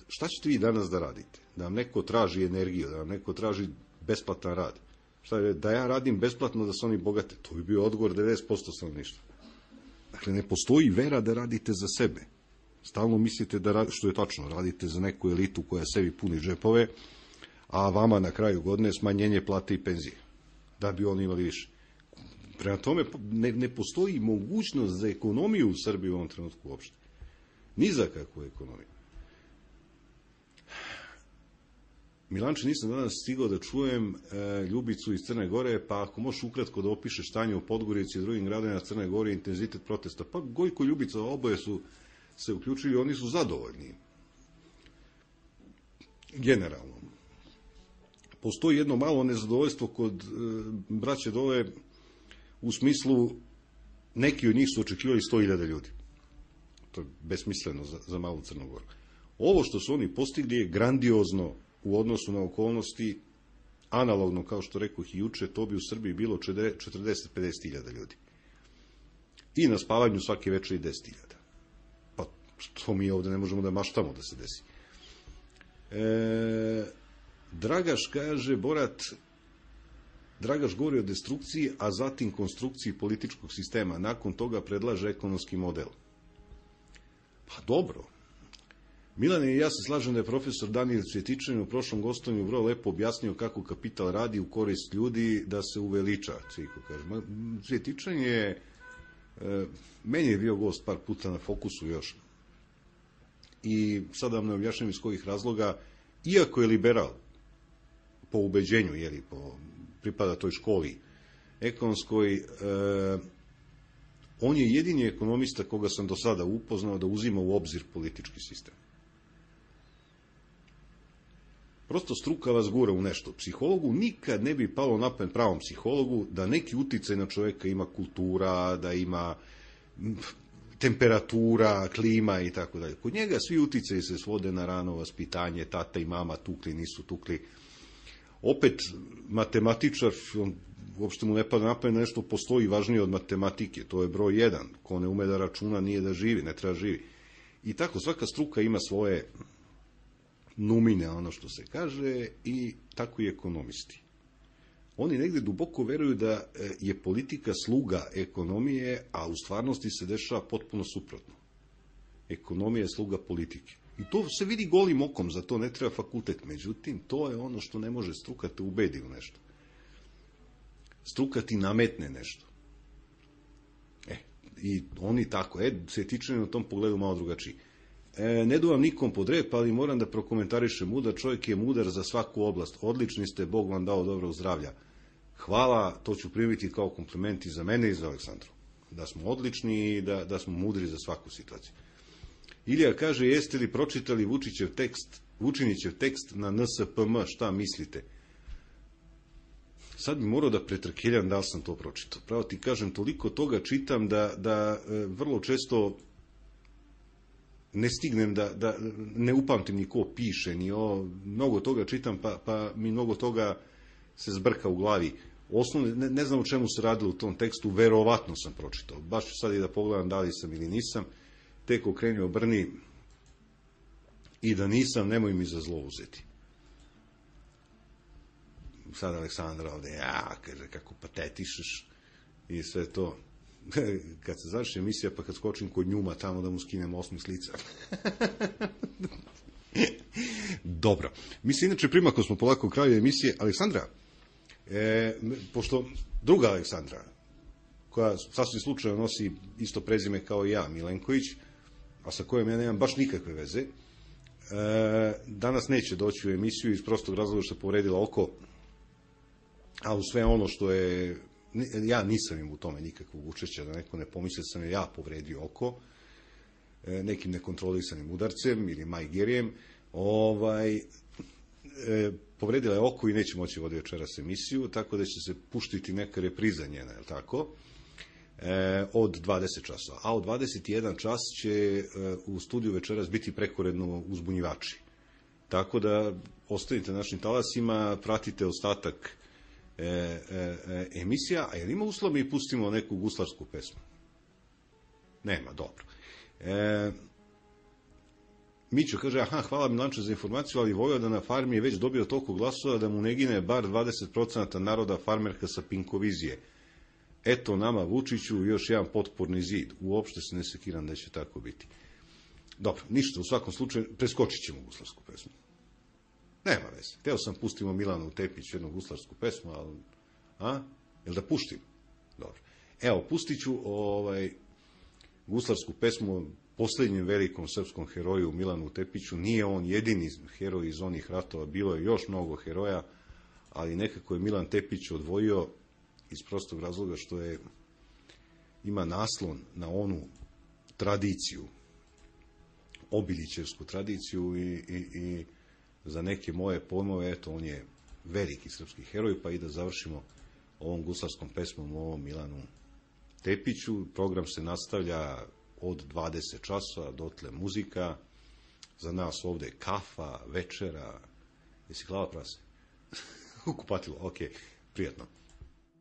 Šta ćete vi danas da radite? Da vam neko traži energiju, da vam neko traži besplatan rad. Šta je, da ja radim besplatno da se oni bogate? To bi bio odgovor 90% stanovništva. Dakle, ne postoji vera da radite za sebe. Stalno mislite da, što je tačno, radite za neku elitu koja sebi puni džepove, a vama na kraju godine smanjenje plate i penzije. Da bi oni imali više. Prema tome, ne postoji mogućnost za ekonomiju u Srbiji u ovom trenutku uopšte. Ni za kakvu ekonomiju. Milanče, nisam danas stigao da čujem Ljubicu iz Crne Gore, pa ako možeš ukratko da opišeš stanje u Podgorici i drugim gradovima Crne Gore, intenzitet protesta. Pa Gojko i Ljubica, oboje su se uključili, oni su zadovoljni. Generalno. Postoji jedno malo nezadovoljstvo kod braće dole, u smislu, neki od njih su očekivali 100.000 ljudi. To je besmisleno za malu Crnu Goru. Ovo što su oni postigli je grandiozno u odnosu na okolnosti, analogno, kao što rekoh i juče, to bi u Srbiji bilo 40-50.000 ljudi. I na spavanju svake večeri 10.000. Pa to mi ovde ne možemo da maštamo da se desi. Dragaš kaže, Borat, Dragaš govori o destrukciji, a zatim konstrukciji političkog sistema. Nakon toga predlaže ekonomski model. Pa dobro. Milane, ja se slažem da je profesor Danijel Cvjetičanin u prošlom gostovanju vrlo lepo objasnio kako kapital radi u korist ljudi da se uveliča, Cviko kaže. Cvjetičanin je, meni je bio gost par puta na Fokusu još. I sad vam ne objašnjam iz kojih razloga, iako je liberal, po ubeđenju, pripada toj školi ekonomskoj, on je jedini ekonomista koga sam do sada upoznao da uzima u obzir politički sistem. Prosto struka vas gura u nešto. Psihologu nikad ne bi palo na pamet, pravom psihologu, da neki uticaj na čoveka ima kultura, da ima temperatura, klima i tako dalje. Kod njega svi uticaji se svode na rano vaspitanje, tata i mama tukli, nisu tukli. Opet, matematičar, uopšte mu ne pada na pamet, nešto postoji važnije od matematike, to je broj 1. Ko ne ume da računa nije da živi, ne treba živi. I tako, svaka struka ima svoje numine, ono što se kaže, i tako i ekonomisti. Oni negde duboko veruju da je politika sluga ekonomije, a u stvarnosti se dešava potpuno suprotno. Ekonomija je sluga politike. I to se vidi golim okom, za to ne treba fakultet. Međutim, to je ono što ne može struka te ubedi u nešto. Struka ti nametne nešto. I oni tako, Cvjetičanin u tom pogledu malo drugačiji. Ne duvam nikom pod rep, ali moram da prokomentarišem, mudar čovjek je mudar za svaku oblast. Odlični ste, Bog vam dao dobrog zdravlja. Hvala, to ću primiti kao kompliment i za mene i za Aleksandru. Da smo odlični i da smo mudri za svaku situaciju. Ilija kaže, jeste li pročitali Vučinićev tekst na NSPM, šta mislite? Sad bi morao da pretrkeljam da li sam to pročitao. Pravo ti kažem, toliko toga čitam da vrlo često ne stignem da ne upamtim ni ko piše, ni mnogo toga čitam, pa mi mnogo toga se zbrka u glavi. Osnovno, ne znam o čemu se radilo u tom tekstu, verovatno sam pročitao. Baš ću sad i da pogledam da li sam ili nisam. Tek okreni obrni i da nisam, nemoj mi za zlo uzeti. Sad Aleksandra ovde, kaže, kako patetišeš i sve to. Kad se završi emisija, pa kad skočim kod Njuma tamo da mu skinem osmih lica. Dobro. Mi se inače primako smo polako u kraju emisije. Aleksandra, pošto druga Aleksandra, koja sasvim slučajno nosi isto prezime kao i ja, Milenković, a sa kojom ja nemam baš nikakve veze, danas neće doći u emisiju iz prostog razloga što je povredila oko, a u sve ono što je, ja nisam im u tome nikakvog učešća, da neko ne pomisli sam je ja povredio oko, nekim nekontrolisanim udarcem ili majgerijem, povredila je oko i neće moći voditi večeras emisiju, tako da će se puštiti neka repriza njena, je li tako? Od 20 časova. A od 21 čas će u studiju večeras biti prekoredno uzbunjivači. Tako da ostanite našim talasima, pratite ostatak emisija, a je li ima uslova mi pustimo neku guslarsku pesmu? Nema, dobro. Mićo kaže, hvala Milanče za informaciju, ali Vojvoda na farmi je već dobio toliko glasova da mu ne gine bar 20% naroda farmerka sa Pinkovizije. Eto nama Vučiću još jedan potporni zid. Uopšte se ne sekiram da će tako biti. Dobro, ništa, u svakom slučaju preskočit ćemo guslarsku pesmu. Nema veze. Hteo sam pustimo Milanu Tepić jednu guslarsku pesmu, ali... Jel da puštim? Dobro. Evo, pustit ću guslarsku pesmu posljednjem velikom srpskom heroju Milanu Tepiću. Nije on jedini heroj iz onih ratova, bilo je još mnogo heroja, ali nekako je Milan Tepić odvojio iz prostog razloga što ima naslon na onu tradiciju, obilićevsku tradiciju i za neke moje pojmove, eto, on je veliki srpski heroj, pa i da završimo ovom guslarskom pesmom o ovom Milanu Tepiću. Program se nastavlja od 20 časova, dotle muzika, za nas ovde kafa, večera, jesi glava prase? Kupatilo, ok, prijatno.